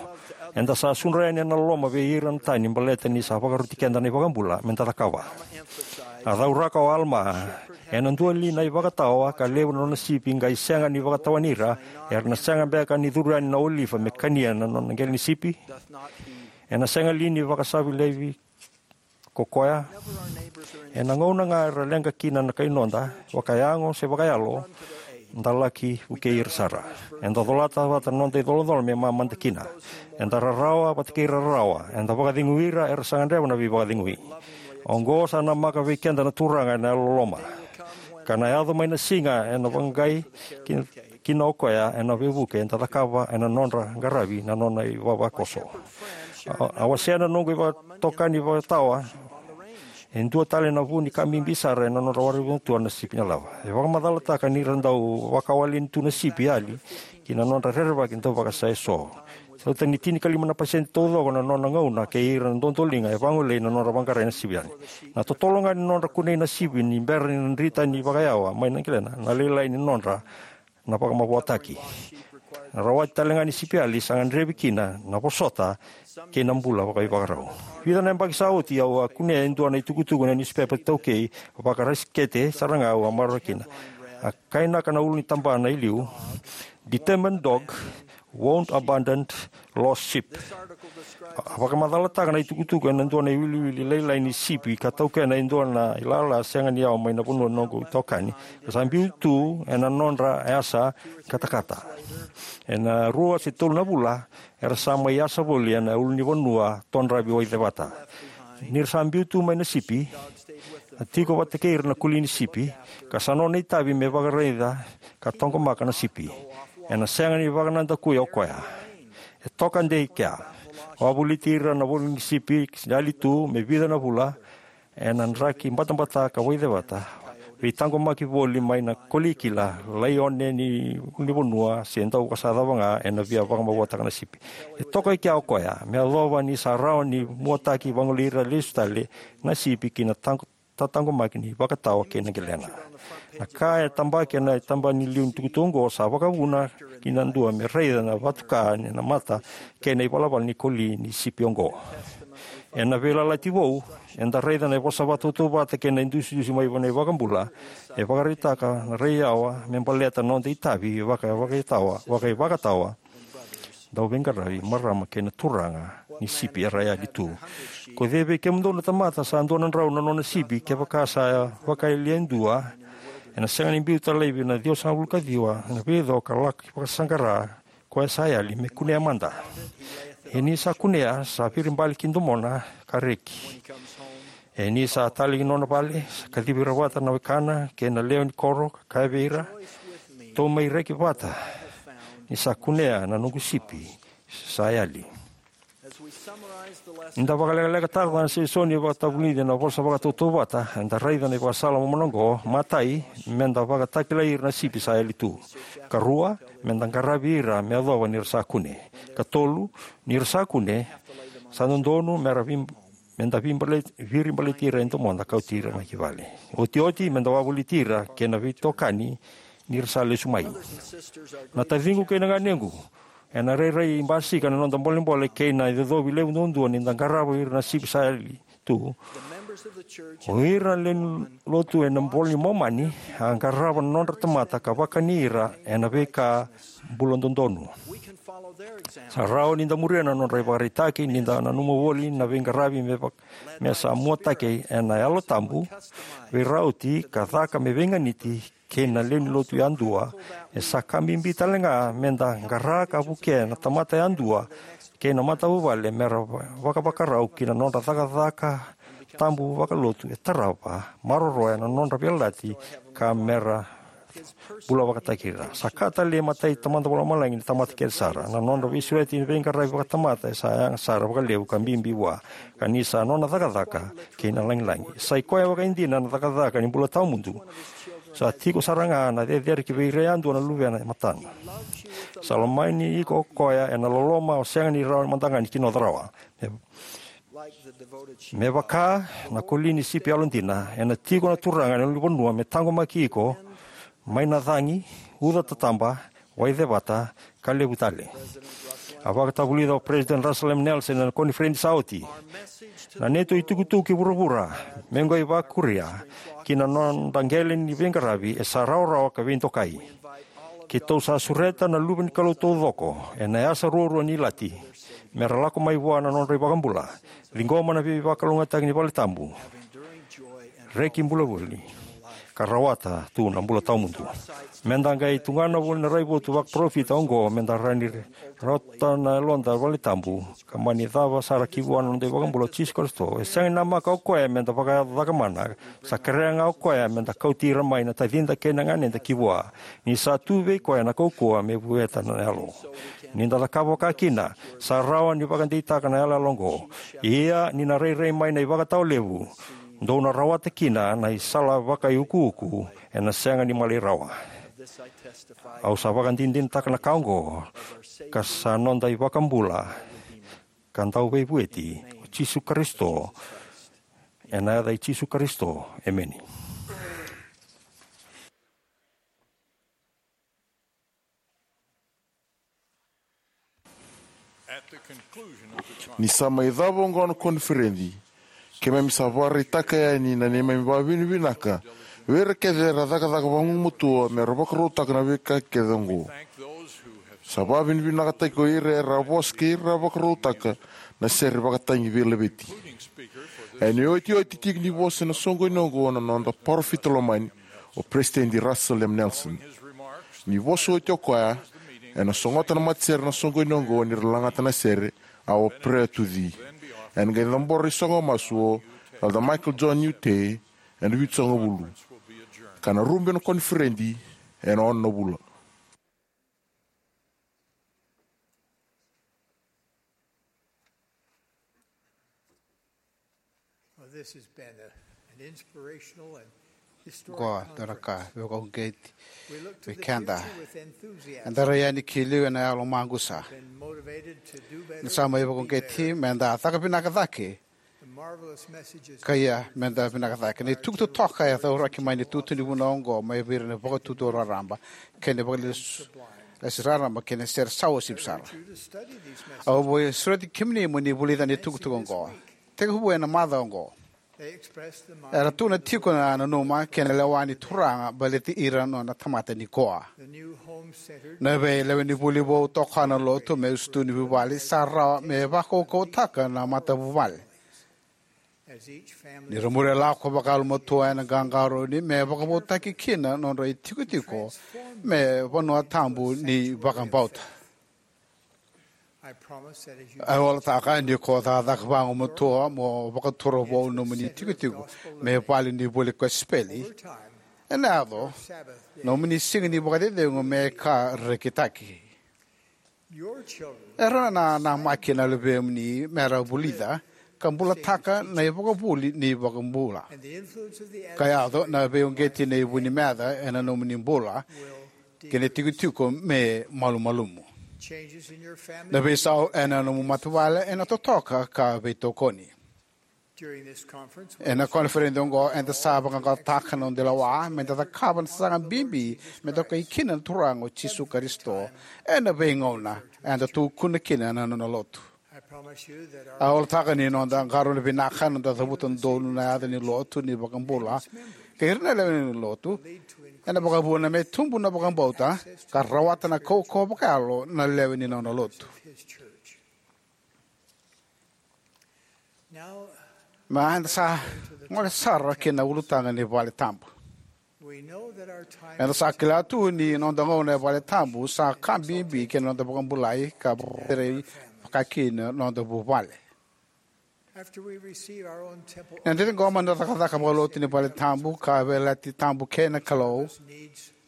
Eda sa sudra yani ena loloma vei ira na tani baleta ni sa vakaroti keda na iVakabula meda cakava. A cauraka o Alama, "Ena dua li na ivakatawa ka levu na nona sipi qai sega ni vakatawani ira, era na sega beka ni curu yani na olifa me kania na nona qele ni sipi? Ena sega li ni vakasavi laivi ko koya?" Ena gauna ga era leqa kina na kai noda, vakayago se vakayalo, da laki vukei ira sara. Eda colata vata na noda icolacola me mamada kina. Eda rarawa vata kei ira rarawa. Eda vakacegui ira era sa gadreva na veivakacegui. Oqo sa namaka vei keda na Turaga ena yalololoma. Ka na yaco mai na siga ena vaqai ki kina o koya ena veivuke eda cakava ena nodra qaravi na nona ivavakoso. A, a wasea na noqu ivatokani ivakatawa e dua tale na vu ni ka bibi sara ena nodra waravi matua na sipi na lava. E vakamacalataka ni ra dau vakawaleni tu na sipi yali ki na nodra rerevaki dauvakasasa eso. Sauta ni tinikalima na pasede taucoko na nona gauna kei ira na dodoliga e vagolei na nodra vaqarai na sipi yani. Na totolo ga ni nodra kunei na sipi ni bera ni na drita ni vakayawa mai na qilena, na lailai ni nodra na vakamavoataki. Na rawati tale ga ni sipi yali sa gadrevi kina na vosota kei na bula vakaivakarau. Vica na yabaki sa oti au a kunea e dua na itukutuku na niusipepa taukei, vakarasikete sara ga au a maroroya kina. A kainaka na ulu ni tabana i liu, "Determined dog won't abandon lost sheep." A vakamacalataka na itukutuku ena dua na iwiliwili lailai ni sipi ka taukena e dua na ilala sega ni yawa mai na vanua noqu itokani. Sa biu tu ena nodra yasa katakata. Ena rua se tolu na vula, era sa mai yasa voli ena ulunivanua todravi Waicevata. Ni ra sa biu tu mai na sipi, a tiko vata kei ira na koli ni sipi, ka sa nona itavi me vakaraica ka taqomaka na sipi. Ena sega ni vakanadakuya o koya. E toka dei kea. Wavoliti ira na voli ni sipi yali tu me vica na vula, ena draki batabata ka Waicevata, veitaqomaki voli mai na koli kila, laione ni ulunivanua se dau ka sa cava ga, ena via vakamavoataka na sipi. E toka i kea o koya, me yacova ni sa rawa ni muataki vagolei ira lesu tale na sipi ki na taqo-, tataqomaki ni vakatawa kei na qilena. Na ka e tabaki ena itaba ni liu ni tukutuku oqo sa vakavuna ki na dua me raica na vatuka ni na mata kei na ivalavala ni koli ni sipi oqo. Ena Veiyalayalati Vou, eda raica na vosa vakatautauvata kei na idusidusi mai vua na iVakabula, e vakaraitaka na rai yawa me baleta na noda itavi vaka, vakaitawa, vakaivakatawa. Dauveiqaravi, marama kei na turaga ni sipi era yali tu. Ko cei vei kemudou na tamata sa dua na drau na nona sipi, kevaka sa vakayalia e dua, ena sega ni biuta laivi na ciwasagavulu ka ciwa na veico ka laki vakasaqara koya sa yali me kunea mada. E ni sa kunea, sa viribali ki domona ka reki. E ni sa tale ki nona vale, sa kacivi ira vata na wekana kei na lewe ni koro, ka kaya vei ira, "Tou mai reki vata, ni sa kunea na noqu sipi sa yali." Ni da vakalekalekataka na sesoni vakatavulici ena vosa vakatautauvata, eda raica na ivakasala momona oqo. Matai, meda vakatakilai ira na sipi sa yali tu. Karua, meda qaravi ira me yacova ni ra sa kune. Katolu, ni ra sa kune, sa dodonu mera vi-, meda vibale-, viribaleti ira e domoda, kauti ira mai ki vale. Otioti, meda wavoliti ira kei na veitokani ni ra sa lesu mai. Na taciqu kei na ganequ, ena rairai basika na noda bolebole kei na icocovi levu duadua ni da qarava ira na sipi sa yali tu. O ira na lewe ni lotu ena iVola i Momani a qarava na nodra tamata ka vakani ira ena veika bula dodonu. Sa rawa ni da muria na nodra ivakaraitaki ni da nanuma voli na veiqaravi me vak-, me sa muataki ena Yalo Tabu, veirauti ka caka me veiganiti kei na lewe ni lotu yadua. E sa ka bibi tale ga meda qara ka vukea na tamata yadua kei na matavuvale mera va-, vakavakarau ki na nodra cakacaka tabu vakalotu e tarava, maroroya na nodra veiyalayalati ka mera bula vakataki ira. Sa ka talei matai Tamada Vakalomalagi ni tamata kece sara. Na nodra veisureti ni veiqaravi vakatamata e sa yaga sara vakalevu ka bibi vua, ka ni sa nona cakacaka kei na lagilagi. Sa i koya vakaidina na cakacaka ni bula tawamudu. Sa tiko sara ga na cecere ki vei ira yadua na luvena e matana. Sa lomani iko o koya ena loloma o sega ni rawa mada ga ni kinoca rawa. Me, me vaka na koli ni sipi yalodina, ena tiko na Turaga ena ulunivanua me taqomaki iko mai na cagi, uca tataba, waicevata, ka levu tale. A vakatavulica o President Russell M. Nelson ena koniferedi sa oti: Na neitou itukutuku ki vuravura, me qai vakuria ki na noda qele ni veiqaravi, e sa rawarawa ka veidokai. Keitou sa sureta na luve ni Kalou taucoko ena yasa ruarua ni ilati mera lako mai vua na nodra iVakabula, ciqoma na veivakalougatataki ni valetabu, reki bula voli, ka rawata tu na bula tawamudu. Meda qai tugana voli na raivotu vakaparofita oqo, meda rawa ni rawata na yaloda valetabu, ka mani cava sara ki vua na noda iVakabula o Jisu Karisito. E sega ni namaka o koya meda vakayaco cakamana, sa kerea ga o koya meda kauti ira mai na tacida kei na ganeda ki vua, ni sa tu vei koya na kaukauwa me vueta na yalo. Ni da cakava vaka kina, sa rawa ni vakadeitaka na yaloyalo oqo. Ia ni na rairai mai na ivakatawa levu, dou na rawata kina na isala vakaiukuuku, ena sega ni malai rawa. Au sa vakadinadinataka na ka oqo, ka sa noda iVakabula ka Dauveivueti o Jisu Karisito, ena yaca i Jisu Karisito, emeni. Ni sa mai cava oqo na koniferedi, keimami sa vakaraitaka yani na neimami vakavinavinaka vei ira kece era cakacaka vagumatua me ra vakarautaka na veika kece oqo. Sa vakavinavinakataki ko ira era vosa kei ira vakarautaka na sere vakatagi veilaveti. Ena iotioti tiko ni vosa ena soqoni oqo na noda parofita lomani, o Peresitedi Russell M. Nelson. Ni vosa oti o koya, ena sogota na matasere na soqoni oqo ni ra lagata na sere, a o Perea Tuci. Ena qai cabora ni soqo masu o Elder Michael John Youte ena vitusagavulu. Ka na rube na koniferedi ena ono na vula. Qo dua na ka veivakauqeti vei keda. Eda rai yani ki liu ena yalo maqusa. Ni sa mai vakauqeti meda caka vinaka cake, ka ia meda vinaka cake. Na itukutuku totoka e cauraki mai na itutu ni vunau oqo mai vei ira na vakatutu raraba kei na vakalesu lesi raraba kei na sere sa uasivi sara. Au via sureti kemuni mo ni vulica na itukutuku oqo tekivu ena macawa oqo. Era tukuna tiko na nanuma kei na lewa ni Turaga baleti ira na nona tamata nikua. Na veilewenivuli vou toka na lotu me usutu ni vuvale sa rawa me vakaukauwataka na matavuvale. Ni ra muria lako vakayalomatua ena qaqarauni me vakavoutaki kina na nodra itikotiko me vanua tabu ni vakabauta. Au yalataka ni ko cakacaka vagumatua mo vakatura vou nomuni tikotiko me vale ni vuli kosipeli, ena yaco nomuni siga ni vakacecegu me ka rekitaki. Era na namaki na luvemuni mera vulica ka bulataka na ivakavuvuli ni iVakabula. Ka yaco na veiuqeti nei vu ni meca ena nomuni bula kei na tikotiko me malumalumu. Na veisau ena nomu matavuvale ena totoka ka veitokoni. Ena koniferedi oqo eda sa vaqaqacotaka na noda lewa meda cakava na sasaga bibi me dokai kina na Turaga o Jisu Karisito ena veigauna eda tukuna kina na nona lotu. Au yalataka ni noda qarauna vinaka, noda cavuta donu na yaca ni lotu ni iVakabula kei ira na lewe ni lotu ena vakavuna me tubu na vakabauta ka rawata na kaukauwa vakayalo na lewe ni nona lotu. Ma eda sa gole sara ki na ulutaga ni vale tabu. Eda sa kila tu ni noda gauna e vale tabu sa ka bibi ki na noda vakabulai ka vakarerei vakakina noda vuvale. Eda ciqoma na cakacaka vakalotu ni vale tabu ka veiyalayalati tabu kei na Kalou.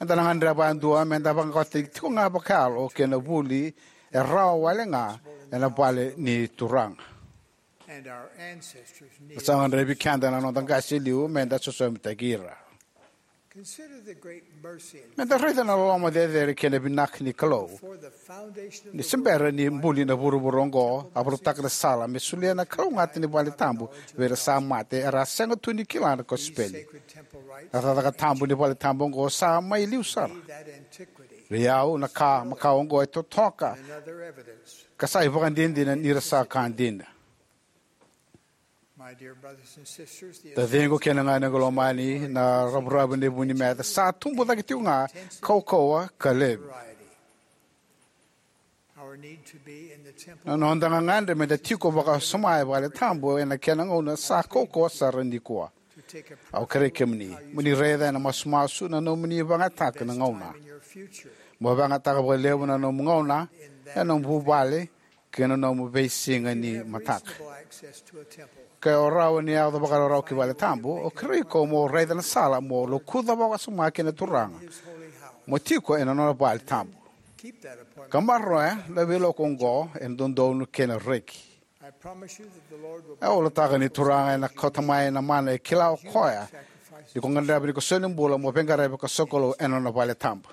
Eda na gadreva e dua meda vaqaqacotaki tiko ga vakayalo kei na vuli e rawa wale ga ena vale ni Turaga. Na sa gadrevi keda na noda qase e liu meda sosomitaki ira. Meda raica na loloma cecere kei na vinaka ni Kalou. Ni se bera ni buli na vuravura oqo, a vakarautaka na sala me solia na kalougata ni vale tabu vei ira sa mate era a sega tu ni kila na kosipeli. Na cakacaka tabu ni vale tabu oqo sa mai liu sara. Vei au na ka makawa oqo e totoka ka sa ivakadinadina ni ra sa ka dina. Taciqu kei na ganequ lomani, na ravuravu ni vu ni meca sa tubu cake tiko ga, kaukauwa ka levu. Na noda gagadre meda tiko vakawasoma e vale tabu ena kena gauna sa kaukauwa sara nikua. Au kerei kemuni mo ni raica ena masumasu na nomuni vakayagataka na gauna. Mo vakayagataka vakalevu na nomu gauna ena nomu vuvale kei na nomu veisiga ni mataka. Ke o rawa ni yaco vakararaba ki vale tabu, au kerei iko mo raica na sala mo lokuca vakawasoma kei na Turaga, mo tiko ena nona vale tabu. Ka maroroya na veiloku oqo ena dodonu kei na reki. Au yalataka ni Turaga ena kauta mai na mana e kila o koya ni ko gadreva ni ko soli bula mo veiqaravi ka sokalou ena nona vale tabu.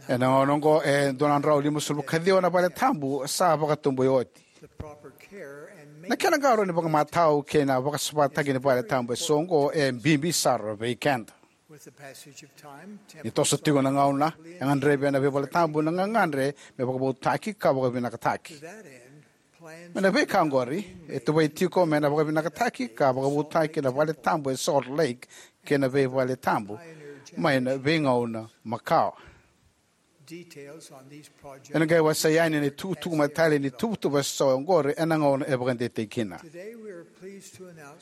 Ena gauna oqo e dua na drau limasagavulu ka ciwa na vale tabu sa vakatoboioti. Na kena qarauni vakamatau kei na vakasavataki ni vale tabu eso oqo e bibi sara vei keda. Ni toso tiko na gauna, e gadrevi ena veivale tabu na gagadre me vakavoutaki ka vakavinakataki. Me na veika oqori, e tuvai tiko me na vakavinakataki ka vakavoutaki na vale tabu e Salt Lake kei na veivale tabu mai na veigauna makawa. Ena qai wasea yani na itukutuku matale ni tuvatuva eso oqori ena gauna e vakadeitaki kina.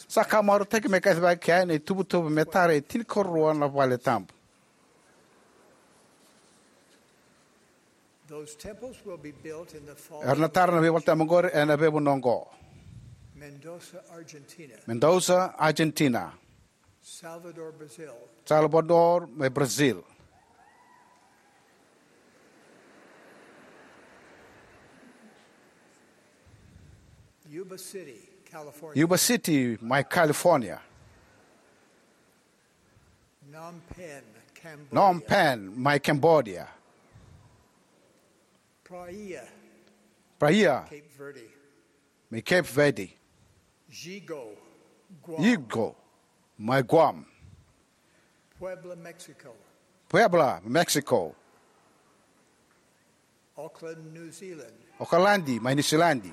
Sa ka marautaki me kacivaki yani na ituvatuva me tara e tinikarua na vale tabu. Era na tara na veivale tabu oqori ena veivanua oqo: Mendoza, Argentina. Salvador, mai Brazil. Yuba City, mai California. Phnom Penh, mai Cambodia. Praia, mai Cape Verde. Yigo, mai Guam. Puebla, Mexico. Okaladi, mai Niu Siladi.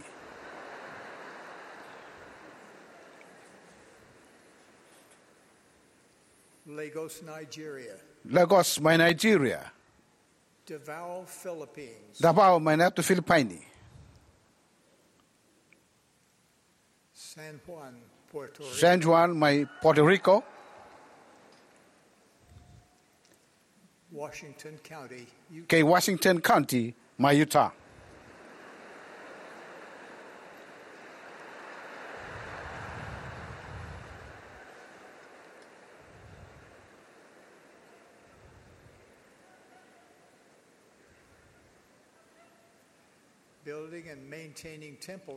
Lagos, mai Nigeria. Davao, mai na yatu Filipaini. San Juan, mai Puerto Rico. Kei Washington County, mai Utah.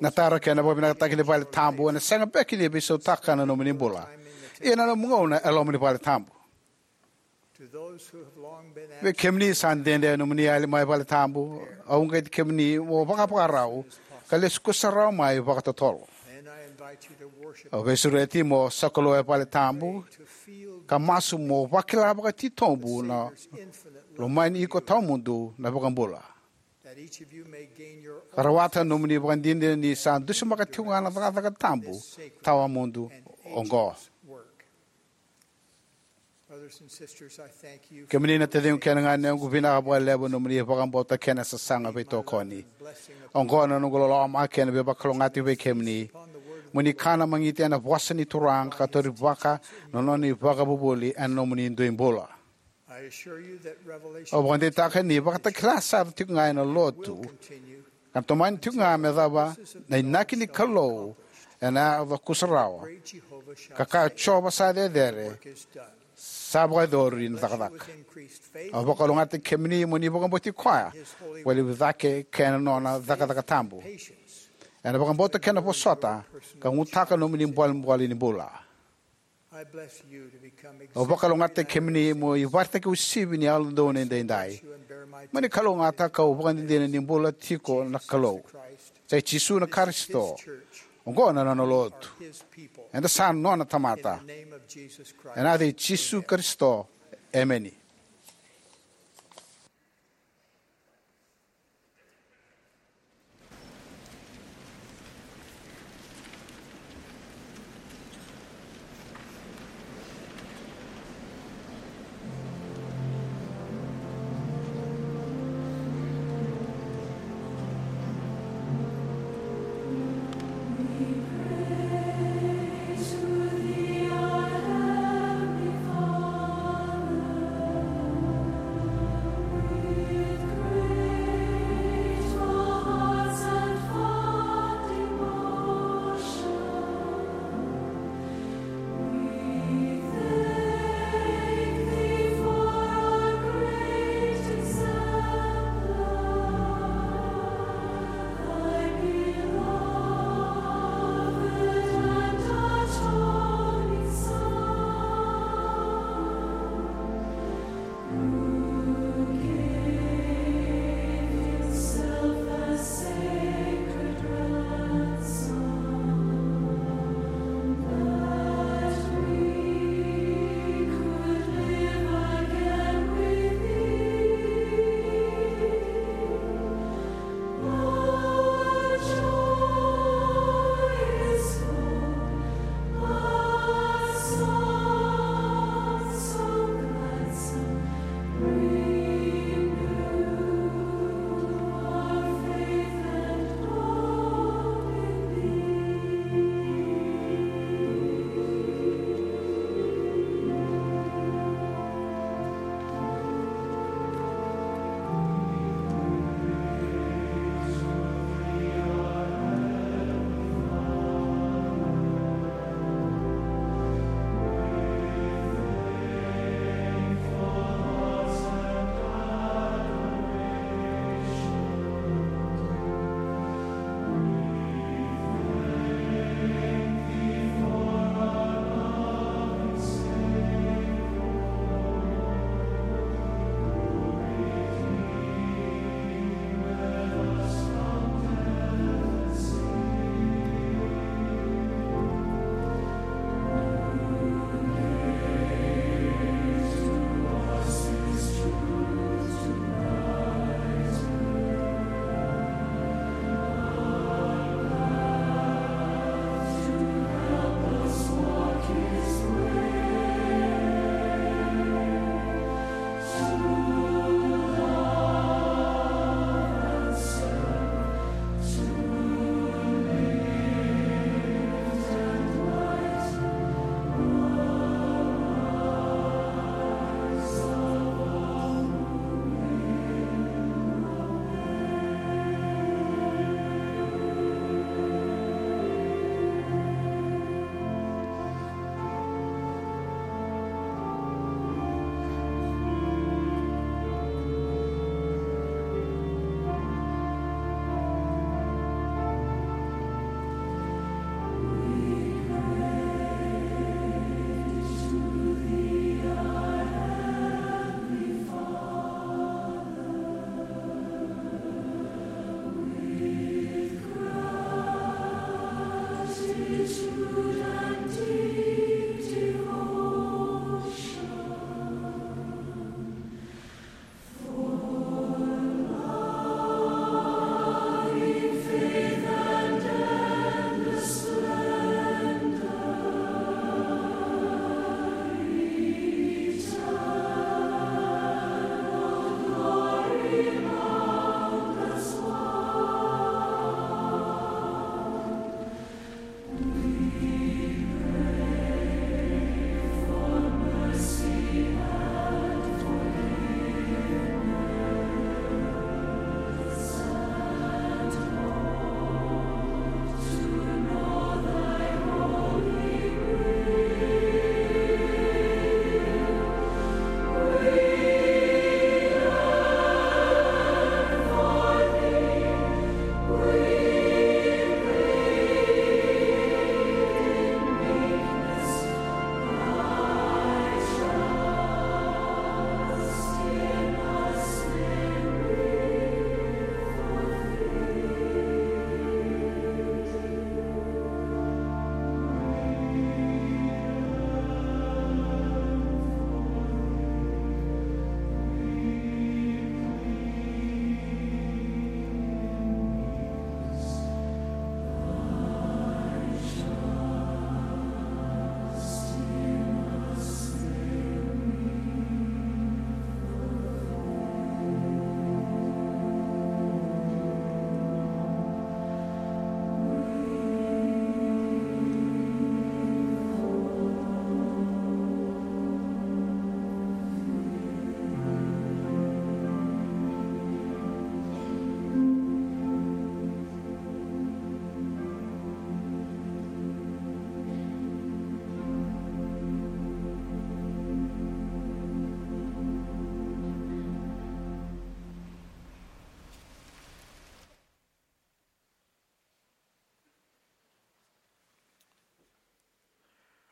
Na tara kei na vakavinakataki ni vale tabu ena sega beka ni veisautaka na nomuni bula, ia na nomu gauna e loma ni vale tabu. Vei kemuni sa dede nomuni yali mai vale tabu, au uqeti kemuni mo vakavakarau ka lesu kusarawa mai vakatotolo. Au veisureti mo sokalou e vale tabu ka masu mo vakila vakatitobu na lomani iko tawamudu na iVakabula, ka rawata na nomuni ivakadinadina ni sa dusimaka tiko ga na cakacaka tabu tawamudu oqo. Kemuni na taciqu kei na ganequ, vinaka vakalevu na nomuni vakabauta kei na sasaga veitokoni. Oqo na noqu loloma kei na veivakalougatataki vei kemuni. Mo ni kana magiti ena vosa ni Turaga ka taurivaka na nona ivakavuvuli ena nomuni dui bula. Au vakadeitaka ni vakatakila sara tiko ga ena lotu ka na tomani tiko ga me cava na inaki ni Kalou ena yaco kusarawa, ka kaya o Jiova sa cecere, sa vakayacori na cakacaka. Au vakalougatataki kemuni mo ni vakabauti koya vakalevu cake kei na nona cakacaka tabu ena vakabauta kei na vosota ka gutaka na nomuni bolebole ni bula. Au vakalougatataki kemuni mo ivakaraitaki uasivi ni Yalododonu Edaidai. Mo ni kalougata kau ivakadinadina ni bula tiko na Kalou. Sa i Jisu na Karisito. Oqo na nona lotu. Eda sa nona tamata. Ena yaca i Jisu Karisito, emeni.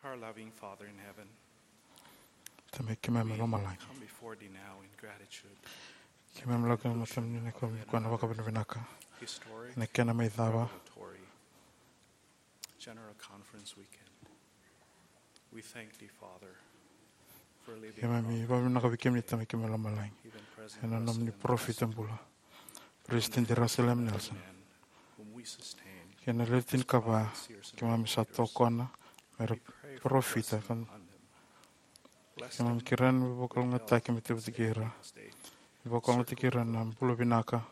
Our loving Father in heaven, Tamai keimami mai lomalagi, come before thee now in gratitude. Keimami lako ena matamuni ena koya na vakavinavinaka. Historic, ena kena mai cava, revelatory General Conference weekend. We thank thee, Father, for leaving keimami vakavinavinaka vei kemuni, Tamai keimami mai lomalagi, even President ena nomuni Russell M. Nelson, parofita bula, Peresitedi Russell M. Nelson, whom we sustain, kei na lewe tinikava keimami sa tokona me ra parofita. Keimami kerea na veivakalougatataki me teivaki ira, veivakalougatataki ira na bula vinaka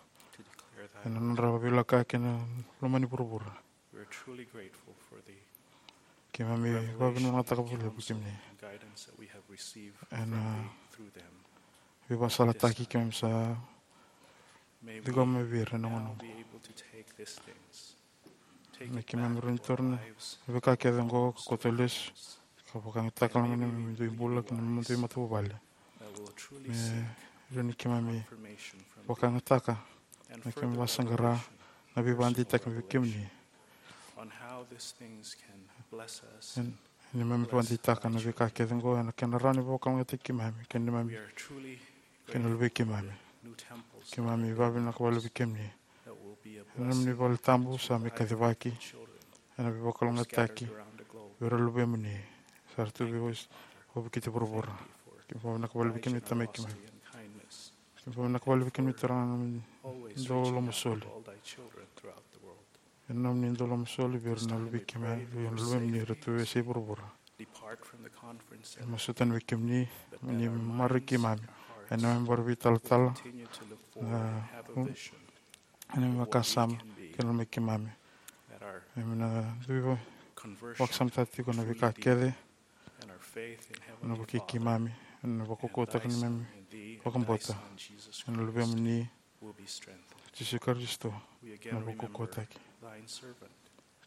ena nodra veilakoyaki ena loma ni vuravura. Keimami vakavinavinakataka vakalevu kemuni ena veivakasalataki keimami sa ciqoma mai vei ira ena gauna oqo. Me keimami rawa ni taura na veika kece oqo ka kauta lesu ka vakayagataka na neimami dui bula kei na neimami dui matavuvale. Me rawa ni keimami vakayagataka, me keimami vakasaqara na veivakadeitaki mai vei kemuni. Ena neimami vakadeitaka na veika kece oqo ena kena rawa ni vakalougatataki keimami kei na neimami, kei na luvei keimami. Keimami vakavinavinaka vakalevu vei kemuni ena nomuni vale tabu sa mai kacivaki ena veivakalougatataki vei ira na luvemuni sa ra tu vei ira e vuravura. Keimami vakavinavinaka vakalevu vei kemuni, Tamai keimami. Keimami vakavinavinaka vakalevu vei kemuni, Turaga, na nomuni dau lomasoli. Ena nomuni dau lomasoli vei ira na luvei keimami, vei ira na luvemuni era tu e veiyasai vuravura. Keimami masuta vei kemuni mo ni maroroi keimami ena neimami baravi talatala, na neimami vakasama kei na loma i keimami. Keimami na dui vakasamataka tiko na veika kece, na vukei keimami, na vakaukauwataki ni neimami vakabauta ena luvemuni, Jisu Karisito, na vakaukauwataki.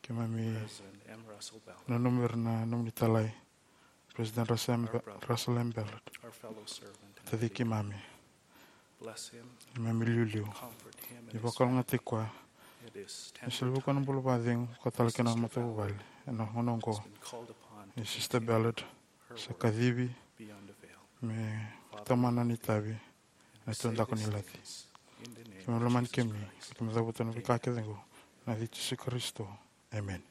Keimami nanumi ira na nomuni italai, President Russell M. Be-, Russell M. Ballard, taci keimami. Keimami liuliu ni vakalougatataki koya. Ni soli vei koya na bula vakacegu, koya tale kei na matavuvale ena gauna oqo. Ni Sister Ballard sa kacivi me tomana na itavi ena tudaku ni laci. Keimami lomani kemuni, keimami cavuta na veika kece oqo ena yaca i Jisu Karisito. Emeni.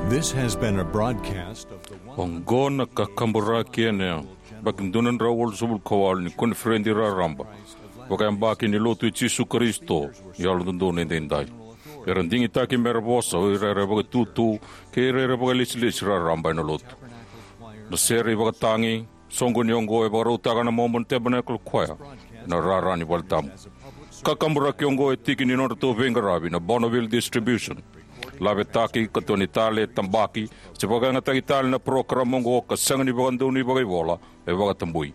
This has been a broadcast of the one hundred Oqo na kakaburaki ena yabaki dua na drau walusagavulu ka walu ni koniferedi raraba vakayabaki ni Lotu i Jisu Karisito ni Yalododonu Edaidai. Era digitaki mera vosa o ira era vakatutu kei ira era vakalesilesi raraba ena Lotu. Na sere ivakatagi soqoni oqo e vakarautaka na Mormon Tabernacle Choir ena rara ni valetabu. Kakaburaki oqo e tiki ni nodratou veiqaravi na Bonneville Distribution. Lavetaki, katoni tale, tabaki, se vakayagataki tale na parokaramu oqo ka sega ni vakadonui vakaivola, e vakatabui.